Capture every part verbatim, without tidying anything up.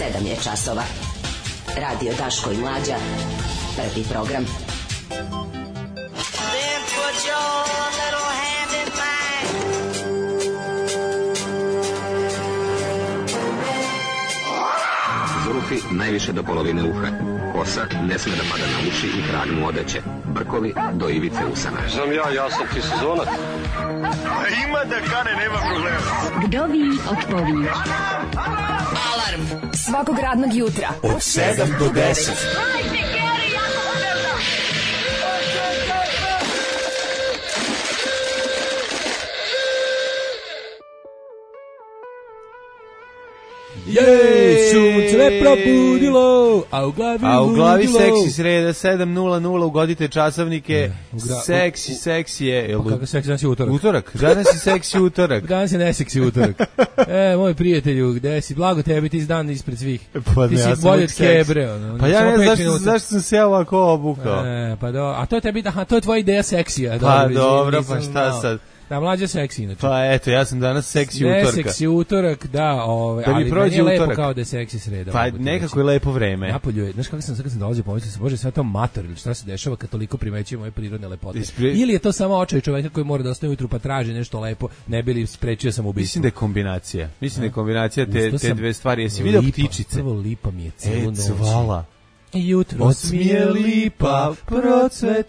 sedam je časova. Radio Daško i Mlađa. Prvi program. Zulufi najviše do polovine uha. Kosa ne sme da pada na uši i krag mu odeće. Brkovi do ivice usana. Znam ja, ja sam ti sezonac. Ima da kane, nema problema. Vdovi otpovi. Alarm svakog radnog jutra od sedam do deset. Jej, sunce me probudilo, a u glavi A u glavi ludilo. seksi sreda sedam nula nula, ugodite časovnike. Ne, gra- Seksi, seksi je. Pa kako seksi, danas je utorak. Utorak, danas je seksi utorak. Danas je neseksi utorak. E, moj prijatelju, gde si? Blago tebi, ti si dan ispred svih. Pa ti ne, si ja sam bolje uvijek od seksi. Kebre. Ono, Pa ja samo ne pet znam zašto, minuta. zašto sam se ja ovako obukao. E, pa do, a to je tebi, aha, to je tvoja ideja seksija. Pa izvini, dobro, nisam pa šta znao. sad? Da, Mlađa seksi inače. Pa eto, ja sam danas seksi ne, utorka. seksi utorak, da, ovaj, Da mi ali prođe meni je lepo utorak. kao da je seksi sreda. Pa mogu ti nekako reći. je lepo vreme. Napolju je, znaš kako sam sad kad sam dolazio, pomislio sam, bože, sve to mator ili šta se dešava kad toliko primećuje moje prirodne lepote. Ispre- Ili je to samo očaj čoveka koji mora da ostane ujutru pa traži nešto lepo, ne bi li sprečio sam ubistvo. Mislim da je kombinacija. Mislim da je kombinacija te, Ustao te sam dve stvari. Jesi vidio lipa, ptičice? Prvo lipa mi je celu E, noć. cvala. Jutro smije lipa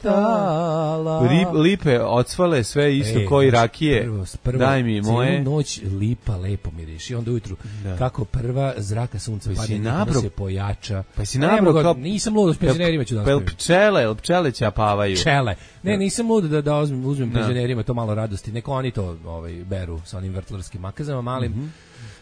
procvetala. Rip, lipe odsvale sve isto E, koji znači, rakije. Prvo, prvo, Daj mi moje. Celu noć lipa lepo miriši. I onda ujutru, Da. kako prva zraka sunca Pa si padne, nabro- nikada se pojača. Pa si Ne nabro mogu, kao- nisam lud, s penzionerima ću da Pa jel ostavim. pčele, jel pčele ćapavaju? Čele. Ne, nisam lud da, da uzmem, uzmem Da. penzionerima to malo radosti. Neko oni to ovaj, beru sa onim vrtlarskim makazama malim. Mhm.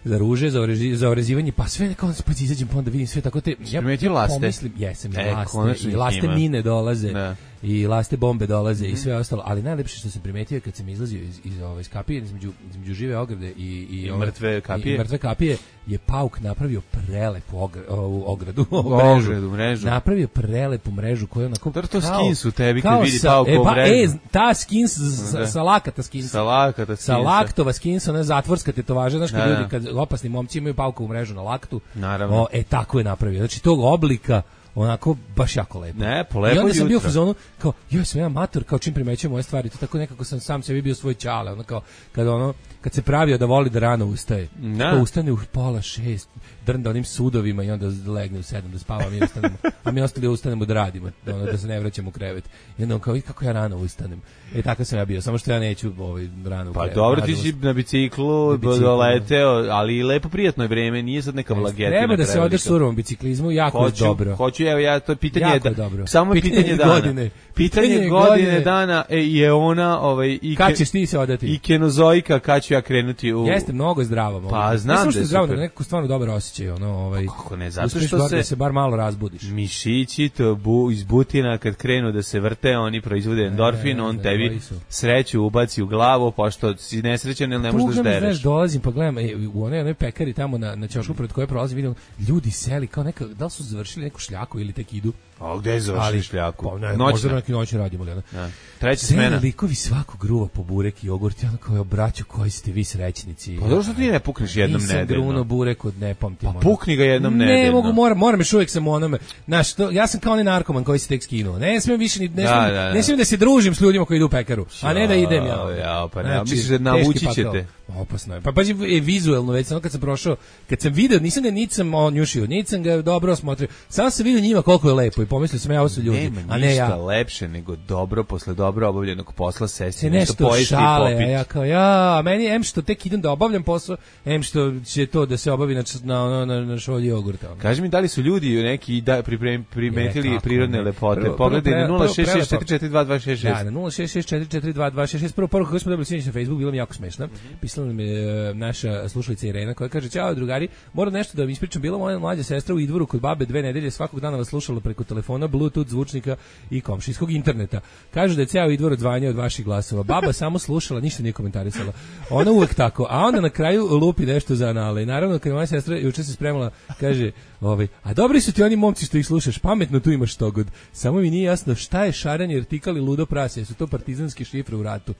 Za ruže, za, orezi, za orezivanje, pa sve nekako pa izađem, pa onda vidim sve tako te... Ja primetio laste? pomislim, jesam, E, i laste, konačno i ih laste ima. mine dolaze, Da. i laste bombe dolaze i sve ostalo, ali najlepše što sam primetio je kad sam izlazio iz, iz, ove, iz kapije, između, između žive ograde i, i, I ove- mrtve kapije. i mrtve kapije, je pauk napravio prelepu ogra, ovu ogradu, ovu Ogradu, mrežu. Napravio prelepu mrežu koja je onako... Dobro, to kao- skins u tebi kad kao vidi sa- paukovu e, pa, mrežu. E, ta skins, sa, Da. sa lakata skins. Sa lakata Sa skinsa. laktova skinsa, ona zatvorska tetovaža, znaš kad Da, da. ljudi, kad opasni momci imaju paukovu mrežu na laktu, Naravno. o, e, tako je napravio. Znači, tog oblika, onako, baš jako lepo. Ne, po lepo I onda sam bio u jutro. fazonu, kao, joj, sam ja amator, kao čim primećujem moje stvari, to tako nekako sam sam sebi bio svoj ćale, ono kao, kad ono, kad se pravio da voli da rano ustaje, Da. kao ustane u pola šest, drnda onim sudovima i onda legne u sedam da spava, a mi ostanemo, a mi ostali ustanemo da radimo, da, ono, da se ne vraćamo u krevet. I onda on kao, i kako ja rano ustanem. E, tako sam ja bio, samo što ja neću ovaj, rano u Pa krevet. dobro, ti Nažalost. si na biciklu, Na biciklu, doleteo, ali i lepo prijatno je vreme, nije sad neka vlagetina. Treba da se prevelika. odeš surovom biciklizmu, jako Hoću, je dobro. hoću, evo ja, to je pitanje, Jako da, je dobro. samo je Pitanje pitanje dana. godine. Pitanje, Pitanje godine, godine. dana e, je ona, ovaj, i, Kad ke- ćeš ti se odati? i kenozoika, kad ću ja krenuti u... Jeste, mnogo je zdravo. Mogu. Pa, Ne znam samo da što je zdravo, super. nego nekako stvarno dobar osjećaj. Ono, ovaj, Kako ne, zato uspeš što bar se- da se bar malo razbudiš. Mišići to bu, iz butina kad krenu da se vrte, oni proizvode endorfin, ne, on ne, tebi koji su. sreću ubaci u glavu, pošto si nesrećan ili ne možeš da Tuga me, ždereš. znaš, dolazim pa gledam e, u onoj, onoj pekari tamo na, na ćošku pred koje prolazim, vidim ljudi seli kao neka, da li su završili neku šljaku ili tek idu. A gde je završili šljaku? Pa ne, Noćna. možda na neki noći radimo. Ali, ono. Da. Treća Seli smena. likovi svako gruva po burek i jogurt, ja ono kao, braćo, koji ste vi srećnici. Pa dobro što ti ne pukneš jednom Nisam nedeljno. gruno burek od ne pamtim. Pa ono. pukni ga jednom Ne nedeljno. mogu, moram, moram još uvijek sam u onome. Znaš, to, ja sam kao onaj narkoman koji se tek skinuo. Ne smijem više ni, ne, Da, smijem, da, da. ne smijem da se družim s ljudima koji idu u pekaru, a ne da idem ja. Ja, pa ne, Znači, misliš da teški navući pakao. ćete. Opasno je. Pa pazi, e, vizuelno već, samo kad sam prošao, kad sam video, nisam ga niti sam on njušio, niti sam ga dobro osmotrio. Samo sam vidio njima koliko je lepo i pomislio sam ja, ovo su ljudi, Nema a ne ništa ja. lepše nego dobro posle dobro obavljenog posla sesti Se nešto nešto pojesti i šale, a popiti. ja kao, ja, a meni em što tek idem da obavljam posao, em što će to da se obavi na, na, na, na, na šolji jogurta. ono. Kaži mi da li su ljudi neki da priprem, primetili Je, kako prirodne ne. lepote. Prvo- Pogledaj prvo- na prvo- nula šest šest prelepo. četiri četiri dva dva šest šest. Da, na nula šest šest četiri četiri dva dva šest šest. Prvo poruku koju smo dobili sinoć na Facebook, bila mi jako smešna. Pisala nam je e, naša slušalica Irena koja kaže: "Ćao drugari, moram nešto da vam ispričam. Bila moja mlađa sestra u Idvoru kod babe dve nedelje, svakog dana stanova slušalo preko telefona, bluetooth zvučnika i komšijskog interneta. Kažu da je ceo Idvor odzvanjao od vaših glasova. Baba samo slušala, ništa nije komentarisala. Ona uvek tako, a onda na kraju lupi nešto za anale. I naravno, kad je moja sestra juče se spremala, kaže, ovaj, a dobri su ti oni momci što ih slušaš, pametno tu imaš štogod. Samo mi nije jasno šta je šaranje artikali ludo prase, su to partizanske šifre u ratu.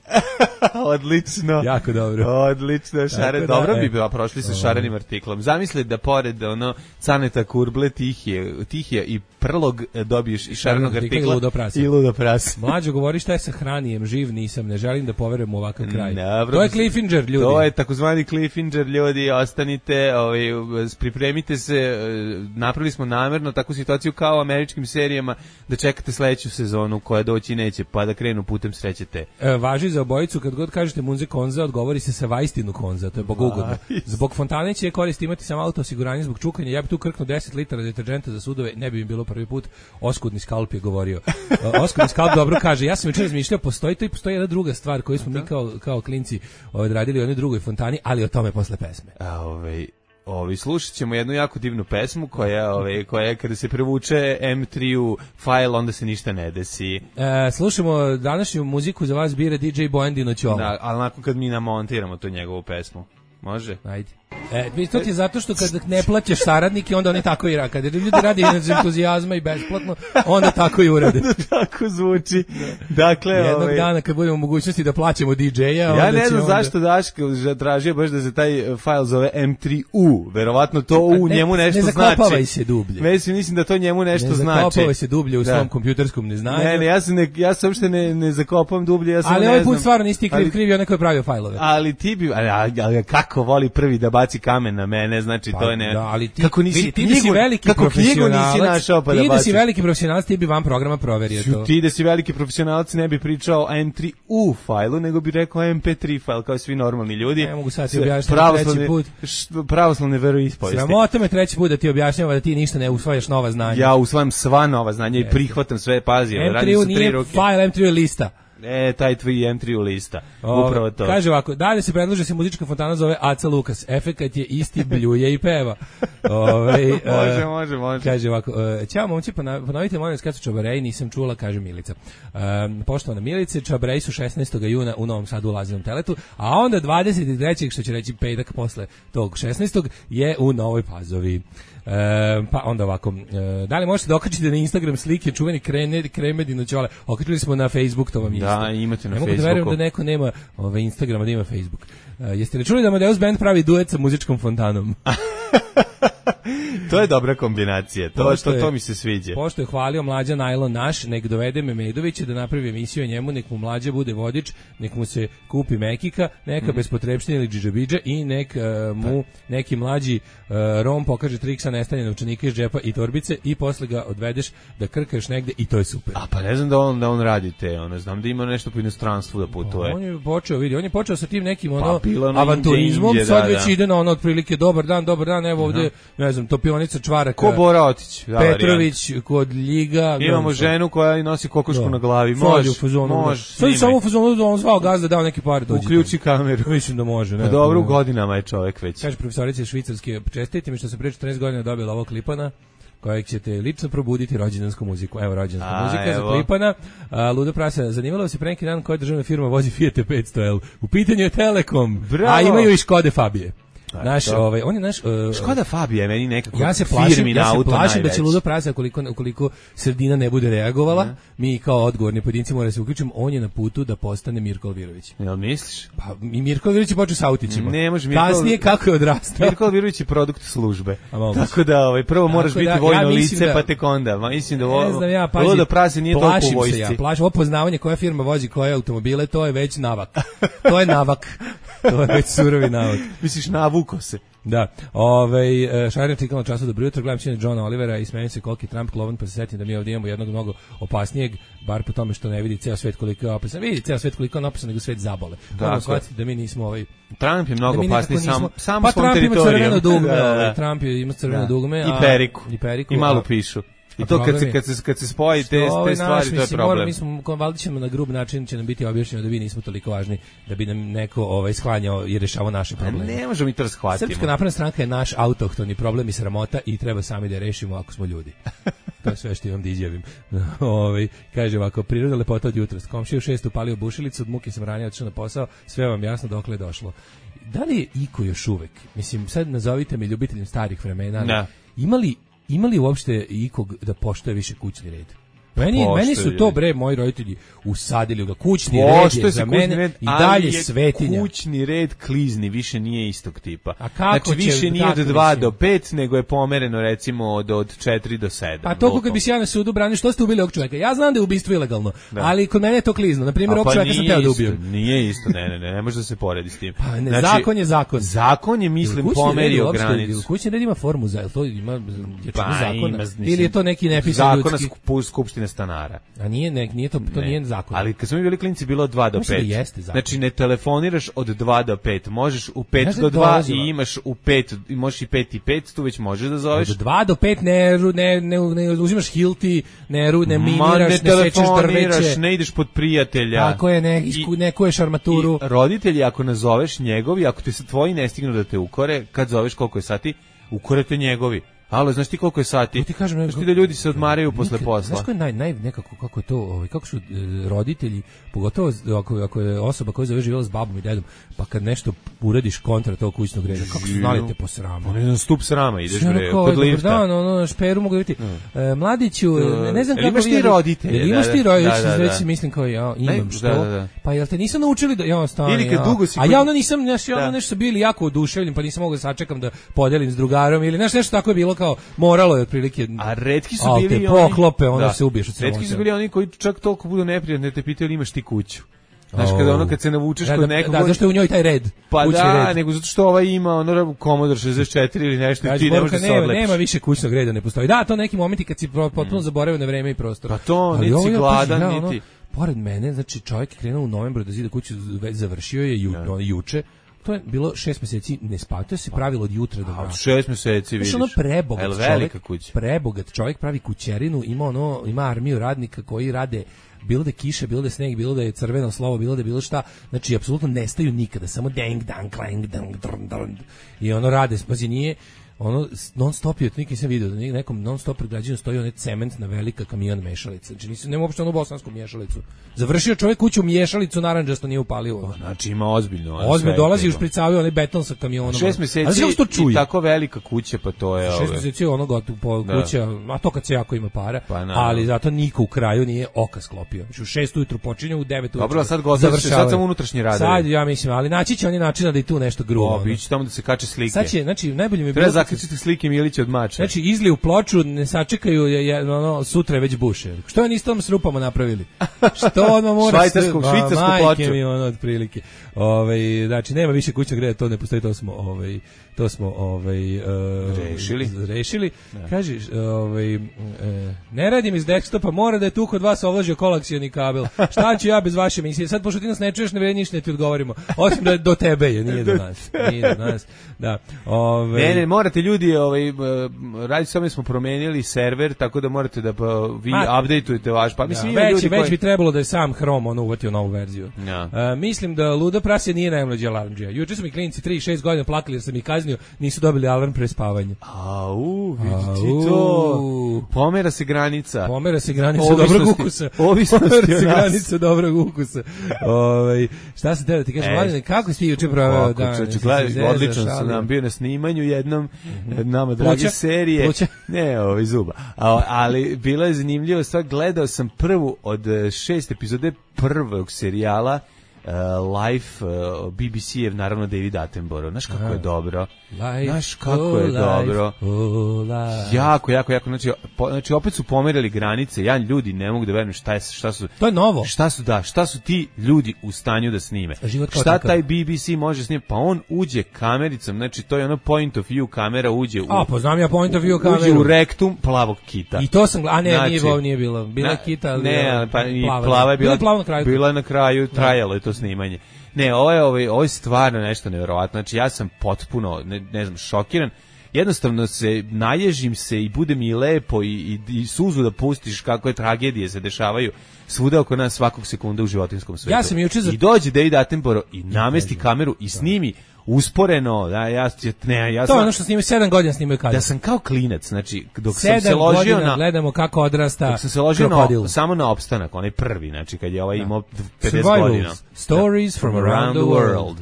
Odlično. Jako dobro. Odlično, šaren. Da, Dobro e. bi bila, prošli sa šarenim artiklom. Zamisli da pored ono Caneta Kurble, Tihije, Tihija i Prlog dobiješ i šarenog artikla i ludo prase. I ludo prase. Mlađo govori šta je sa hranijem, živ nisam, ne želim da poverujem u ovakav kraj. Dobro, to je Cliffinger, ljudi. To je takozvani Cliffinger, ljudi, ostanite, ovaj, pripremite se, napravili smo namerno takvu situaciju kao u američkim serijama da čekate sledeću sezonu koja doći neće, pa da krenu putem srećete. E, važi za obojicu, kad god kažete Munze Konza, odgovori se sa Vajstinu Konza, to je bogugodno. Zbog fontane će korist imati samo auto osiguranje zbog čukanja, ja bi tu krknuo deset litara deterđenta za sudove, ne bi mi bilo prvi put. Oskudni skalp je govorio. Oskudni skalp dobro kaže, ja sam jučer razmišljao, postoji to i postoji jedna druga stvar koju smo mi kao, kao klinci odradili u onoj drugoj fontani, ali o tome posle pesme. A ovaj... Ovi, slušat ćemo jednu jako divnu pesmu koja, ove, koja kada se prevuče em tri u file, onda se ništa ne desi. E, slušamo današnju muziku za vas bira D J Bojan Dinoćola. Da, ali nakon kad mi namontiramo tu njegovu pesmu. Može? Ajde. E, to ti je zato što kad ne plaćaš saradnike, onda oni tako i rade. Kad ljudi radi iz entuzijazma i besplatno, onda tako i urade. Onda tako zvuči. Dakle, jednog ovaj... dana kad budemo u mogućnosti da plaćamo D J-a... Ja ne znam onda... zašto Daško tražio baš da se taj fajl zove em tri u. Verovatno to u ne, njemu nešto znači. Ne zakopavaj se dublje. Mislim, mislim da to njemu nešto ne znači. Ne zakopavaj se dublje u da. svom kompjuterskom neznanju. Ne, ne, ja se, ne, ja se uopšte ne, ne zakopam dublje. Ja sam ali ne ovaj put znam. stvarno nisi ti kriv, ali, kriv je onaj koji je pravio fajlove. Ali ti bi... Ali, ali kako voli prvi da baci kamen na mene, znači pa, to je ne... Da, ali ti, kako nisi ti, ti knjigu, da si veliki kako knjigu nisi našao pa da baciš. Ti da si baciš. veliki profesionalac, ti bi van programa proverio to. Ti da si veliki profesionalac ne bi pričao o em tri u fajlu, nego bi rekao em pe tri fajl, kao svi normalni ljudi. Ne mogu sad ti objašnjati treći put. Pravoslavne veroispovesti. Sramota me treći put da ti objašnjava da ti ništa ne usvajaš nova znanja. Ja usvajam sva nova znanja i prihvatam sve, pazi. em tri u nije fajl, em tri u je lista. E, taj tvoj em tri u lista. O, upravo to. Kaže ovako, dalje se predlaže se muzička fontana zove Aca Lukas. Efekat je isti, bljuje i peva. Ove, može, može, može. Kaže ovako, ćao momci, ponovite molim vas kad su čabareji, nisam čula, kaže Milica. Um, poštovana Milice, čabareji su šesnaestog juna u Novom Sadu u Lazinom teletu, a onda dvadeset trećeg što će reći petak posle tog šesnaestog je u Novoj Pazovi. E, pa onda ovako, e, da li možete da okačite na Instagram slike čuveni krene, kreme Dinoćole? Okačili smo na Facebook, to vam je isto. Da, imate na ne Facebooku. Ne mogu da verujem da neko nema ove Instagrama, da ima Facebook. E, jeste li čuli da Amadeus Band pravi duet sa muzičkom fontanom? To je dobra kombinacija, to, što, to mi se sviđa. Pošto je hvalio Mlađa Najlon naš, nek dovede Memedovića da napravi emisiju o njemu, nek mu Mlađa bude vodič, nek mu se kupi Mekika, neka mm. bez potrebštine ili džidžabidža i nek uh, mu neki mlađi uh, Rom pokaže trik sa nestanje novčanika iz džepa i torbice i posle ga odvedeš da krkaš negde i to je super. A pa ne znam da on, da on radi te, ono, znam da ima nešto po inostranstvu da putuje. On je počeo, vidi, on je počeo sa tim nekim ono, pa, avanturizmom, Indije, sad da, već da. ide na ono otprilike dobar dan, dobar dan, evo ovde, ne znam, topionica Čvaraka. Ko Bora Otić? Petrović kod Ljiga. Imamo no, ženu koja nosi kokošku da. na glavi. Može, može. Sad samo u fazonu da on zvao gazda, dao neke pare dođe. Uključi kameru. Mislim da može. Ne, pa dobro, u godinama je čovjek već. Kaže profesorica švicarske, čestite mi što se pre četrnaest godina dobila ovog Klipana, kojeg ćete lično probuditi rođendansku muziku. Evo rođendanska a, muzika evo. za Klipana. A, Ludo Prasa, zanimalo se pre neki dan koja državna firma vozi Fiat petsto L. U pitanju je Telekom, bravo. A imaju i Škode Fabije. Naš, ovaj, on je naš... Uh, Škoda Fabija, meni nekako ja se plašim, firmi na ja se auto plašim najveć. da će Ludo Prasa, ukoliko, ukoliko sredina ne bude reagovala, ne. mi kao odgovorni pojedinci moramo se uključiti, on je na putu da postane Mirko Alvirović. Jel misliš? Pa i Mirko Alvirović je počeo sa autićima. Ne može Mirko... Kasnije kako je odrastao. Mirko Alvirović je produkt službe. Tako da ovaj, prvo Tako moraš da, biti vojno ja lice, da, pa tek onda. Ma, mislim da ovo, znam ja, pazi, Ludo Prasa nije toliko u vojsci. Ja, plašim, ovo poznavanje koja firma vozi koje automobile, to je već navak. To je navak. To je već surovi navak. Misliš, navuko se. Da, ovaj Šarjan čekao na času dobro jutro, gledam sine Johna Olivera i smejem se koliki Trump klovan, pa se setim da mi ovdje imamo jednog mnogo opasnijeg, bar po tome što ne vidi ceo svet koliko je opasan. Vidi ceo svet koliko je opasan, nego svet zabole. Moramo shvatiti da mi nismo ovaj Trump je mnogo da opasniji sam sam pa svom Trump teritoriju. Ima crveno dugme, da, da. ovaj, Trump je ima crveno da. dugme, i periku. A, i periku. I malo pišu. I to kad se, kad se, kad se spoji te, te stvari, to je problem. Mi smo, valjda ćemo na grub način će nam biti objašnjeno da vi nismo toliko važni, da bi nam neko ovaj, shlanjao i rešavao naše probleme. Ne možemo mi to shvatiti. Srpska napredna stranka je naš autohtoni problem i sramota i treba sami da je rešimo ako smo ljudi. To je sve što imam da izjavim. Ovaj kaže ovako, priroda lepota od jutros. Komšija u šest upalio bušilicu, od muke sam ranije otišao na posao, sve vam jasno dokle je došlo. Da li je iko još uvek, mislim, sad nazovite me ljubiteljem starih vremena, da. imali, imali uopšte ikog da poštuje više kućni red? Meni, meni su to, bre, moji roditelji usadili ga. Kućni red je za mene red, i dalje svetinja. Kućni red klizni više nije istog tipa. A kako znači, više će, nije od dva do pet, nego je pomereno, recimo, od, od četiri do sedam. Pa to kako bi se ja na sudu branio, što ste ubili ovog čovjeka? Ja znam da je ubistvo ilegalno, da. Ali kod mene je to klizno. Na primjer, ovog pa čovjeka sam teo da ubijem. Nije isto, ne, ne, ne, ne može da se poredi s tim. Pa ne, znači, zakon je zakon. Zakon je, mislim, pomerio granicu. Kućni red ima formu, za, to ima pa, zakona? Ili je to neki nepisan ljudski? Zakona skupštine stanara. A nije, ne, nije to, to ne. Nije zakon. Ali kad smo mi bili klinci bilo od dva do pet. Jeste znači ne telefoniraš od dva do pet. Možeš u pet do dva i imaš u pet, i možeš i pet i pet, tu već možeš da zoveš. Od dva do pet ne, ne, ne, ne uzimaš hilti, ne, ne miniraš, ne, ne sečeš drveće. Ne ideš pod prijatelja. Tako je, ne, isku, neko je šarmaturu. I roditelji ako nazoveš njegovi, ako ti se tvoji ne stignu da te ukore, kad zoveš koliko je sati, ukorete njegovi. Alo, znaš ti koliko je sati? Ja ti kažem, znaš ti da ljudi se odmaraju posle posla. Znaš ko je naj, naj, nekako, kako je to, ovaj, kako su e, roditelji, pogotovo ako, ako je osoba koja zove živjela s babom i dedom, pa kad nešto uradiš kontra tog kućnog reda, kako su znali te po sramu? On je na stup srama, ideš bre, kod lifta. Dan, ono, na šperu mogu biti. Mm. E, mladiću, ne, ne znam kako... Imaš ti roditelje? Imaš ti roditelje, već si mislim kao ja, imam što. Da, da, da. Pa jel te nisam naučili da... Ja, stani, ili kad ja. dugo si... A ja ono nisam, znaš, ja ono nešto bili jako oduševljen, pa nisam mogao da sačekam da podelim s drugarom, ili znaš, nešto tako je bilo kao, moralo je otprilike. A retki su Al bili te oni poklope, onda da. Se ubiješ od retki su bili oni koji čak toliko budu neprijatni da te pitaju imaš ti kuću. Znaš, kada ono kad se navučeš kod nekog... Da, zašto je u njoj taj red? Pa da, red. Nego zato što ovaj ima ono Commodore šezdeset četiri ili nešto i ti ne možeš da se odlepiš. Nema više kućnog reda, ne postoji. Da, to neki momenti kad si potpuno mm. zaboravio na vreme i prostor. Pa to, niti si gladan, ja, niti... Pored mene, znači čovjek je krenuo u novembru da zida kuću, već završio je ju, no, juče. To je bilo šest mjeseci, ne spavao, to se pravilo od jutra do mraka. Šest mjeseci, vidiš. Ono prebogat čovjek, prebogat čovjek pravi kućerinu, ima ono, ima armiju radnika koji rade, bilo da je kiša, bilo da je sneg, bilo da je crveno slovo, bilo da je bilo šta, znači apsolutno nestaju nikada, samo deng, dang, klang, dang, drn, drn, i ono rade, pazi, nije, ono non stop je, nikad nisam vidio da nekom non stop pregrađenu stoji onaj cement na velika kamion mešalica. Znači nisam, nema uopšte onu bosansku mješalicu. Završio čovjek kuću mješalicu narandžasto nije upalio. Znači ima ozbiljno. Ozbiljno dolazi u špricavio onaj beton sa kamionom. Šest mjeseci i tako velika kuća, pa to je... Šest mjeseci ono gotovo kuća, a to kad se jako ima para, pa, ali zato niko u kraju nije oka sklopio. Znači u šest ujutru počinje, u devet ujutru dobro, sad gotovo, sad sam unutrašnji radovi. Sad ja mislim, ali naći će oni načina da i tu nešto grubo. Biće tamo da se kače slike. Sad će, znači najbolje mi bilo zaključite slike Milića od mača. Znači izliju ploču, ne sačekaju je, je ono sutra je već buše. Što oni s tom s rupama napravili? Što odmah mora švajcarsku švajcarsku ploču. Mi ono otprilike. Ovaj znači nema više kućnog reda, to ne postoji, to smo ovaj to smo ovaj uh, rešili. Rešili. Ja. Kažeš, ovaj uh, ne radim iz desktopa, mora da je tu kod vas ovlažio kolaksioni kabel. Šta ću ja bez vaše emisije? Sad pošto ti nas ne čuješ, ne vredi ništa, ne ti odgovorimo. Osim da do tebe je, nije do nas. Nije do nas. Da. Ovaj ne, ne, morate ljudi, ovaj radi samo smo promenili server, tako da morate da pa, vi Ma, updateujete vaš, pa mislim ja, već, ljudi već koji... bi trebalo da je sam Chrome ono uvatio novu verziju. Ja. Uh, mislim da luda prasje nije najmlađi alarmdžija. Juče su mi klinici tri šest godina plakali jer sam ih kaznio, nisu dobili alarm pre spavanja. Au, vidi to. Pomera se granica. Pomera se granica dobrog ukusa. Ovisnosti Pomera se granica dobrog ukusa. Ovaj šta se tebe ti kažeš, Mladine, kako si juče proveo dan? Odlično sam nam bio na snimanju jednom nama drage serije. Pluća. Ne, ovaj zuba. Ali bila je zanimljivo, stvar, gledao sam prvu od šest epizode prvog serijala Uh, Life uh, B B C-ev, naravno David Attenborough. Znaš kako je dobro. Znaš kako je dobro. Jako, jako, jako. Znači, po, znači, opet su pomerili granice. Ja ljudi ne mogu da verujem šta, je, šta su... To je novo. Šta su, da, šta su ti ljudi u stanju da snime. Šta takav. Taj B B C može snimati? Pa on uđe kamericom, znači to je ono point of view kamera, uđe u... A, poznam ja point of view kameru. Uđe u rektum plavog kita. I to sam... A ne, znači, nije, nije bilo. Bila je kita, ali... Ne, pa i plava, plava je bila... Bila je na kraju. Bila je na kraju, trajalo je to snimanje. Ne, ovo je, ovo je, ovo je stvarno nešto nevjerovatno. Znači, ja sam potpuno, ne, ne znam, šokiran. Jednostavno se naježim se i bude mi lepo i, i, i suzu da pustiš kakve tragedije se dešavaju svuda oko nas svakog sekunda u životinskom svetu. Ja sam juče za... I dođe David Attenborough i namesti kameru i snimi usporeno, da, ja, ne, ja To sam, je ono što snimaju sedam godina snimaju kadar. da sam kao klinac, znači, dok sedam sam se ložio godina na... gledamo kako odrasta Dok sam se ložio krokodil. na, samo na opstanak, onaj prvi, znači, kad je ovaj imao pedeset Survivals, godina. stories from around the world.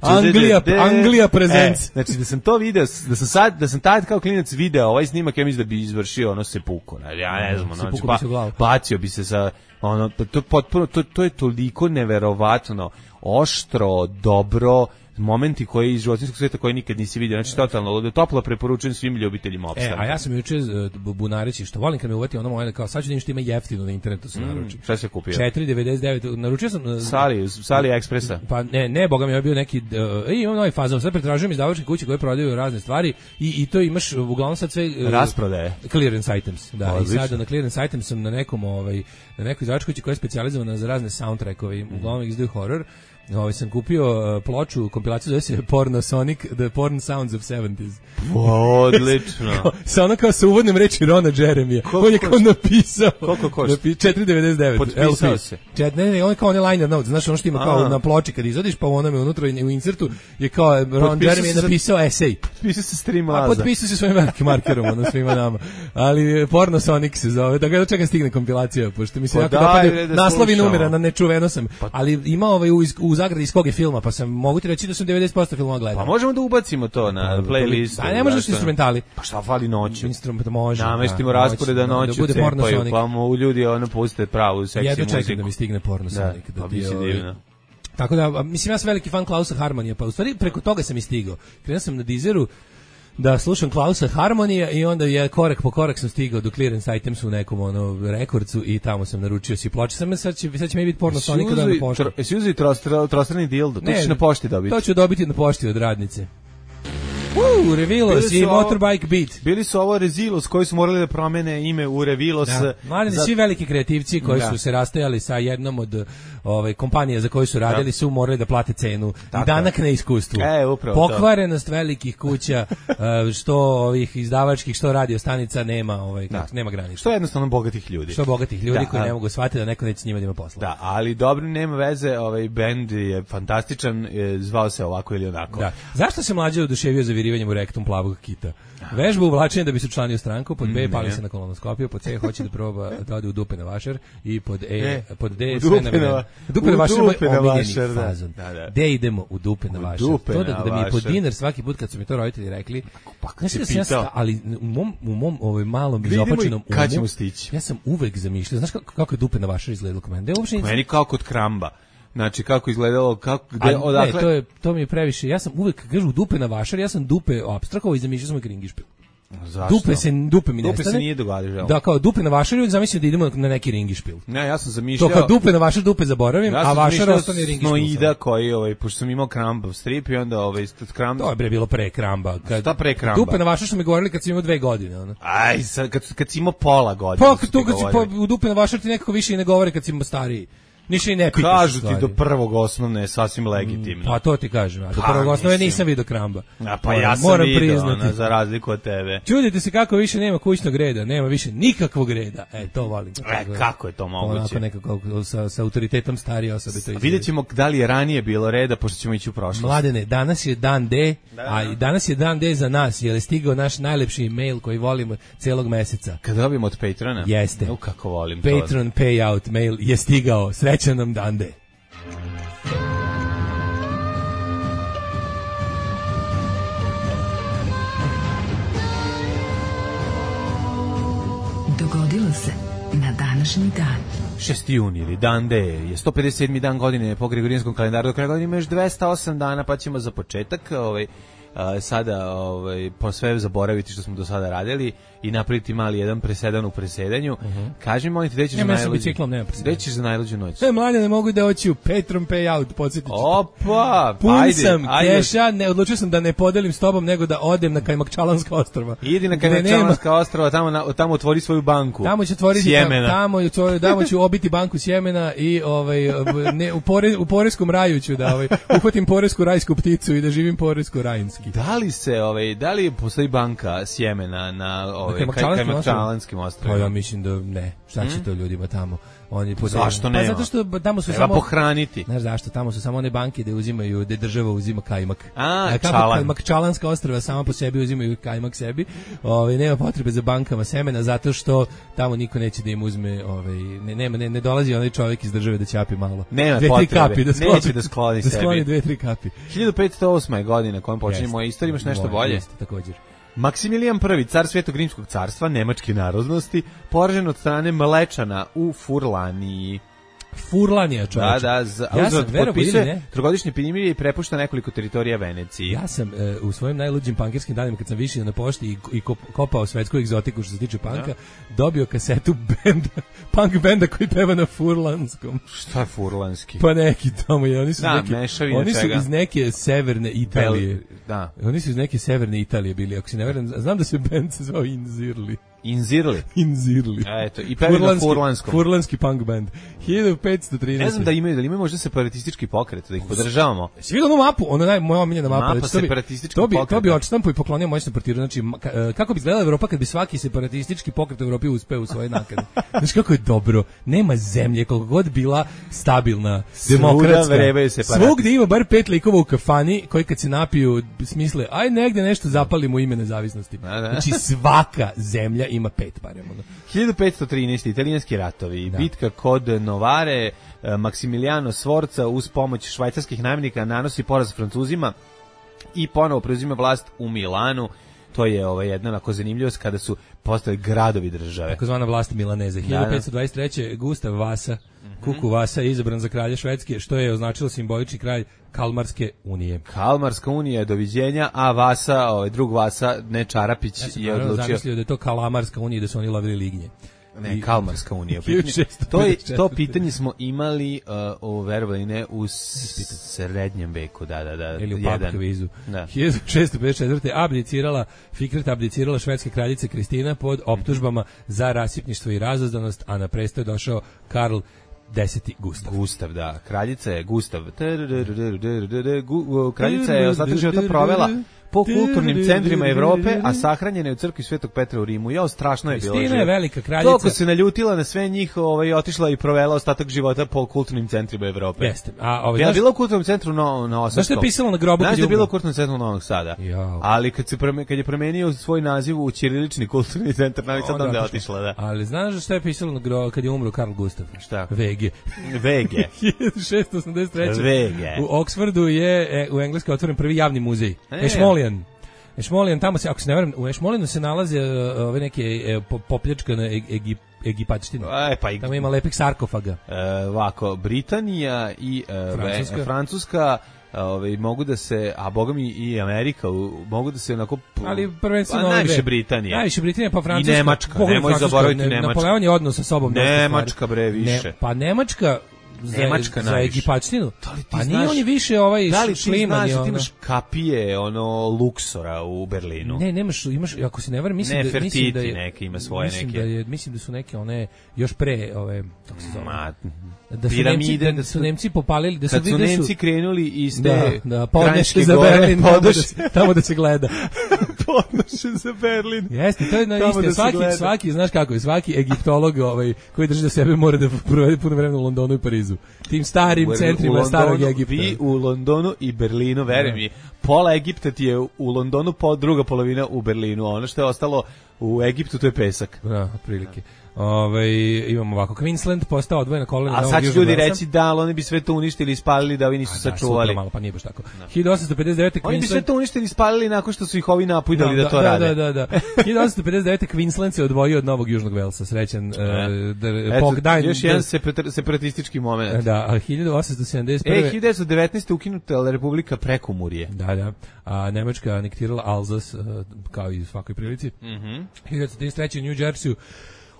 Anglija, Anglija presents. E, znači da sam to video, da sam sad, da sam tad kao klinac video ovaj snimak, ja mislim da bi izvršio ono sepuko. Ja ne znam, ono, Sepuko pa, bi se u glavu. bacio bi se sa ono, to potpuno, to, to je toliko neverovatno, oštro, dobro, momenti koji iz životinjskog sveta koji nikad nisi vidio, znači totalno ludo, toplo preporučujem svim ljubiteljima E, opstanka. a ja sam juče uh, bunareći, što volim kad me uvati ono moje, kao sad ću da im što ima jeftino na internetu se naruči. Šta se kupio? četiri devedeset devet, naručio sam... Uh, Sali, Sali Ekspresa. Pa ne, ne, boga mi je bio neki, uh, imam novi fazon, sad pretražujem izdavačke kuće koje prodaju razne stvari i, i to imaš uglavnom sad sve... Uh, Rasprodaje. Clearance items, da, Odlično. i sada na clearance items sam na nekom, ovaj, na nekoj izdavačkoj kući koja je specijalizovana za razne soundtrackove, uglavnom izdaju horror. Ovaj sam kupio uh, ploču, kompilaciju zove se Porno Sonic, The Porn Sounds of sedamdeset. Odlično. Sa ono kao sa uvodnim reči Rona Jeremija. On je kao napisao. Koliko košta? Napi, četiri devedeset devet. Potpisao se. Čet, ne, ne, on je kao onaj liner notes, znaš ono što ima kao A. na ploči kad izvadiš, pa u onome unutra u insertu je kao Ron Jeremy je napisao esej. Potpisao se stream A laza. potpisao se svojim velikim markerom, ono svima nama. Ali Porno Sonic se zove, da ga čekam stigne kompilacija, pošto mi se Pa jako daj, dopadaju da naslovi slušamo. numera, na nečuveno sam. Ali ima ovaj u, u zagradi iz kog je filma, pa sam mogu ti reći da sam devedeset posto filmova gledao. Pa možemo da ubacimo to na playlist. A ne možeš instrumentali. Pa šta fali noću? Instrument može. Nameštimo da, rasporeda da, noću, da bude Porno cepaju, Sonic. pa mu ljudi ono puste pravu seksi Jedno muziku. čekam da mi stigne Porno Sonic. Da, Da, pa ti, bi se ovaj, divno. Tako da, a, mislim, ja sam veliki fan Klausa Harmonija, pa u stvari preko toga sam i stigao. Krenuo sam na Deezeru da slušam Klausa Harmonija i onda je korak po korak sam stigao do Clearance Items u nekom ono rekordcu i tamo sam naručio si ploče. Sad, sad, će, sad će mi biti Porno Sonic da na pošti. Jesi uzeli trostrani dildo? To ćeš na pošti dobiti. To ću dobiti na pošti od radnice. Uuu, Revilos i Motorbike Beat. Bili su ovo Rezilos koji su morali da promene ime u Revilos. Da. Mladeni, za... svi veliki kreativci koji da. su se rastajali sa jednom od ovaj, kompanija za koju su radili da. su morali da plate cenu. Tako. I danak na iskustvu. E, upravo Pokvarenost to. velikih kuća, što ovih izdavačkih, što radio stanica nema, ovaj, da. nema granica. Što jednostavno bogatih ljudi. Što bogatih ljudi da. koji ne mogu shvatiti da neko neće s njima da ima posla. Da, ali dobro, nema veze, ovaj bend je fantastičan, zvao se ovako ili onako. Da. Zašto se mlađe oduševio za virivanjem u rektum plavog kita? Vežba uvlačenja da bi se učlanio stranku, pod B pali se na kolonoskopiju, pod C hoće da proba da ode u dupe na vašer i pod E, e pod D sve navedeno. Dupe na vašer je omiljeni fazon. Da, da. D idemo u dupe na vašer. To da, da mi je pod dinar svaki put kad su mi to roditelji rekli, znači da sam ja sta, ali u mom, u mom ovaj malom izopačenom umu, kad ćemo stići? Ja sam uvek zamišljao, znaš kako, kako je dupe na vašer izgledalo kod mene? Meni kao kod Kramba. Znači kako izgledalo, kako gde A, odakle? Ne, to je to mi je previše. Ja sam uvek kažu dupe na vašer, ja sam dupe apstrahovao i zamišljao sam uvek ringišpil. Zašto? Dupe se dupe mi dupe nestane. se nije događalo. Da, kao dupe na vašer uvek zamislio da idemo na neki ringišpil. Ne, ja sam zamišljao. To kao dupe na vašer, dupe zaboravim, ja a vašer ostane ringišpil. Snoida koji ovaj pošto sam imao Krambov strip i onda ovaj Kramb. To je bre bilo pre Kramba. Kad Šta pre Kramba? Dupe na vašer što mi govorili kad sam imao dve godine, ono. Aj, sad kad kad si imao pola godine. Pa tu kad si pa, u dupe na vašer ti nekako više i ne govore kad si imao stariji. Ništa i ne pitaš. Kažu ti do prvog osnovne je sasvim legitimno. Pa to ti kažem, a do prvog osnovne nisam vidio Kramba. A pa ja sam moram vidio, ona, za razliku od tebe. Čudite se kako više nema kućnog reda, nema više nikakvog reda. E, to volim. E, kako je to moguće? Onako nekako sa, sa autoritetom starije osobe to izgleda. Vidjet ćemo da li je ranije bilo reda, pošto ćemo ići u prošlost. Mladene, danas je dan D, da, da. a i danas je dan D za nas, jer je stigao naš najlepši mail koji volimo celog meseca. Kad dobijemo od Patrona? Jeste. No, kako volim Patron to. Patron payout mail je stigao. Srećan nam dan D. Dogodilo se na današnji dan. šesti jun ili dan D je sto pedeset sedmi dan godine po gregorijanskom kalendaru. Do kraja godine ima još dvesta osam dana, pa ćemo za početak ovaj, a, sada ovaj, po sve zaboraviti što smo do sada radili i napraviti mali jedan presedan u presedanju. Uh-huh. Kaži mi, molim te, gde ćeš, ja, za, biciklom, gde ćeš za najluđu noć? E, mlađe, ne mogu da oći u Patron payout, podsjetit ću. Opa! Pun ajde, sam ajde. keša, ne, odlučio sam da ne podelim s tobom, nego da odem na Kajmakčalanska ostrva. Idi na Kajmakčalanska ostrva, tamo, na, tamo otvori svoju banku. Tamo ću otvoriti sjemena. Tamo, tamo, tamo ću obiti banku sjemena i ovaj, ne, u, pore, u poreskom raju ću da ovaj, uhvatim poresku rajsku pticu i da živim poresko rajinski. Da li se, ovaj, da li postoji banka sjemena na ovaj, Kajmakčalanskim ostrovima? Pa ja mislim da ne. Šta će hmm? to ljudima tamo? Oni po Zašto pa nema? zato što tamo su Treba samo pohraniti. Znaš zašto? Tamo su samo one banke da uzimaju, da država uzima kajmak. A, kako čalan. kajmak, čalanska ostrva sama po sebi uzimaju kajmak sebi. Ovaj nema potrebe za bankama semena zato što tamo niko neće da im uzme, ovaj ne nema ne, ne dolazi onaj čovjek iz države da ćapi malo. Nema dve, tri potrebe. kapi da skloni, Neće da skloni da sebi. skloni dve, tri kapi. hiljadu petsto osma je godina kojom počinje moja istorija, imaš nešto Moje, bolje? Jeste, također. Maksimilijan prvi, car Svetog rimskog carstva, nemačke narodnosti, poražen od strane Mlečana u Furlaniji. Furlanija, čovječe. Da, da, z, ja sam, potpisuje trogodišnje primirje i prepušta nekoliko teritorija Veneciji. Ja sam e, u svojim najluđim pankerskim danima, kad sam višio na pošti i, i kopao svetsku egzotiku što se tiče panka, ja. dobio kasetu benda, punk benda koji peva na furlanskom. Šta je furlanski? Pa neki tamo je, oni su, da, neke, oni su iz neke severne Italije. Bel, da. Oni su iz neke severne Italije bili, ako se ne verujem, znam da se bend se zvao Inzirli. Inzirli. Inzirli. Eto, i pevi na furlanskom. Furlanski punk band. hiljadu petsto trinaeste. Ne znam da imaju, da imaju možda separatistički pokret, da ih podržavamo. Si vidio onu mapu? Ona naj, moja omiljena mapa. Mapa separatističkog pokreta. To bi, to bi odštampo i poklonio moćno portiru. Znači, kako bi izgledala Evropa kad bi svaki separatistički pokret u Evropi uspeo u svoje nakane. Znači, kako je dobro. Nema zemlje, koliko god bila stabilna, demokratska. Svugdje ima bar pet likova u kafani koji kad se napiju smisle, aj negde nešto zapalimo ime nezavisnosti. Da, da. Znači, svaka zemlja ima pet barem. hiljadu petsto trinaeste. Italijanski ratovi. Da. Bitka kod Novare, Maksimiliano Sforza uz pomoć švajcarskih najemnika nanosi poraz Francuzima i ponovo preuzima vlast u Milanu. To je ovaj, jedna onako zanimljivost kada su postali gradovi države. Takozvana vlast Milaneze. hiljadu petsto dvadeset treće. Gustav Vasa, mm-hmm. Kuku Vasa je izabran za kralja Švedske, što je označilo simbolični kraj Kalmarske unije. Kalmarska unija, doviđenja, a Vasa, ovaj drug Vasa, ne Čarapić, ja sam je odlučio. zamislio da je to Kalamarska unija, da su oni lovili lignje. Ne, Kalmarska unija. to, je, to pitanje smo imali uh, o verovanje u srednjem veku, da, da, da. Ili u pub kvizu. Da. hiljadu šesto pedeset četvrte. abdicirala, Fikret abdicirala švedska kraljica Kristina pod optužbama za rasipništvo i razazdanost, a na presto je došao Karl Deseti Gustav. Gustav, da. Kraljica je Gustav. Kraljica je ostatak života provela po kulturnim centrima Evrope, a sahranjena je u crkvi Svetog Petra u Rimu. Jao, strašno je bilo. Kristina je velika kraljica. Toliko se naljutila na sve njih, ovaj, otišla i provela ostatak života po kulturnim centrima Evrope. Jeste. A ovaj, ja znaš, bila u kulturnom centru na na Osadskom. Znaš što je pisalo na grobu? Znaš da je bila u kulturnom centru Novog Sada. Jao. Ali kad se prome, kad je promenio svoj naziv u ćirilični kulturni centar, Novi Sad, onda je otišla, da. Ali znaš što je pisalo na grobu kad je umro Karl Gustav? Šta? Vege. Vege. hiljadu šesto osamdeset treće. Vege. U Oksfordu je e, u Engleskoj otvoren prvi javni muzej. E. Ešmolijan. Ešmolijan, tamo se, ako se ne varam, u Ešmolijanu se nalaze uh, ove neke uh, popljačkane Egip, Egipačtine. E, pa i... Tamo ima lepih sarkofaga. E, ovako, Britanija i uh, Francuska, ve, Francuska ovaj mogu da se, a bogami i Amerika u, mogu da se onako, ali prvenstveno pa, najviše Britanija. Najviše Britanija, pa Francuska. I Nemačka, nemoj zaboraviti Nemačka. Napoleon je odnos sa sobom. Nemačka bre više. Ne, pa Nemačka za, Nemačka za Egipačtinu. Pa nije on je više ovaj da li šliman ti je ono. Ti imaš kapije, ono, Luksora u Berlinu. Ne, nemaš, imaš, ako se ne varam, mislim ne, da Fertiti, mislim da je neke ima svoje mislim neke. Da je, mislim da su neke one još pre ove, kako se zove. Ma, da su piramide, Nemci, da su Nemci popalili, da su kad su da su, Nemci krenuli iz te da, da, podnoše za Berlin, tamo da, se, tamo da se gleda. Podnoše za Berlin. Jeste, to je na isti, da svaki, svaki, znaš kako je, svaki egiptolog ovaj, koji drži do sebe mora da provede puno vremena u Londonu i Parizu. Tim starim u, centrima u Londonu, starog Egipta. Vi u Londonu i Berlinu, veruj mi, pola Egipta ti je u Londonu, po druga polovina u Berlinu, a ono što je ostalo u Egiptu to je pesak. Da, otprilike. Ove, imamo ovako, Queensland postao odvojena kolonija. A sad će ljudi reći da, ali oni bi sve to uništili i spalili da ovi nisu a, sačuvali. Da, malo, pa nije baš tako. No. hiljadu osamsto pedeset devete. Oni bi sve to uništili i spalili nakon što su ih ovi napujdali no, da, da to da, rade. Da, da, da. hiljadu osamsto pedeset devete. Queensland se odvojio od Novog Južnog Velsa. Srećan. Uh, Eto, Pogdajn, još jedan separatistički moment. Da, a hiljadu osamsto sedamdeset prve. E, hiljadu devetsto devetnaeste. ukinuta Republika Prekomurje. Da, da. A Nemačka anektirala Alzas, uh, kao i u svakoj prilici. Mhm. Mm hiljadu devetsto trideset treće. u New Jerseyu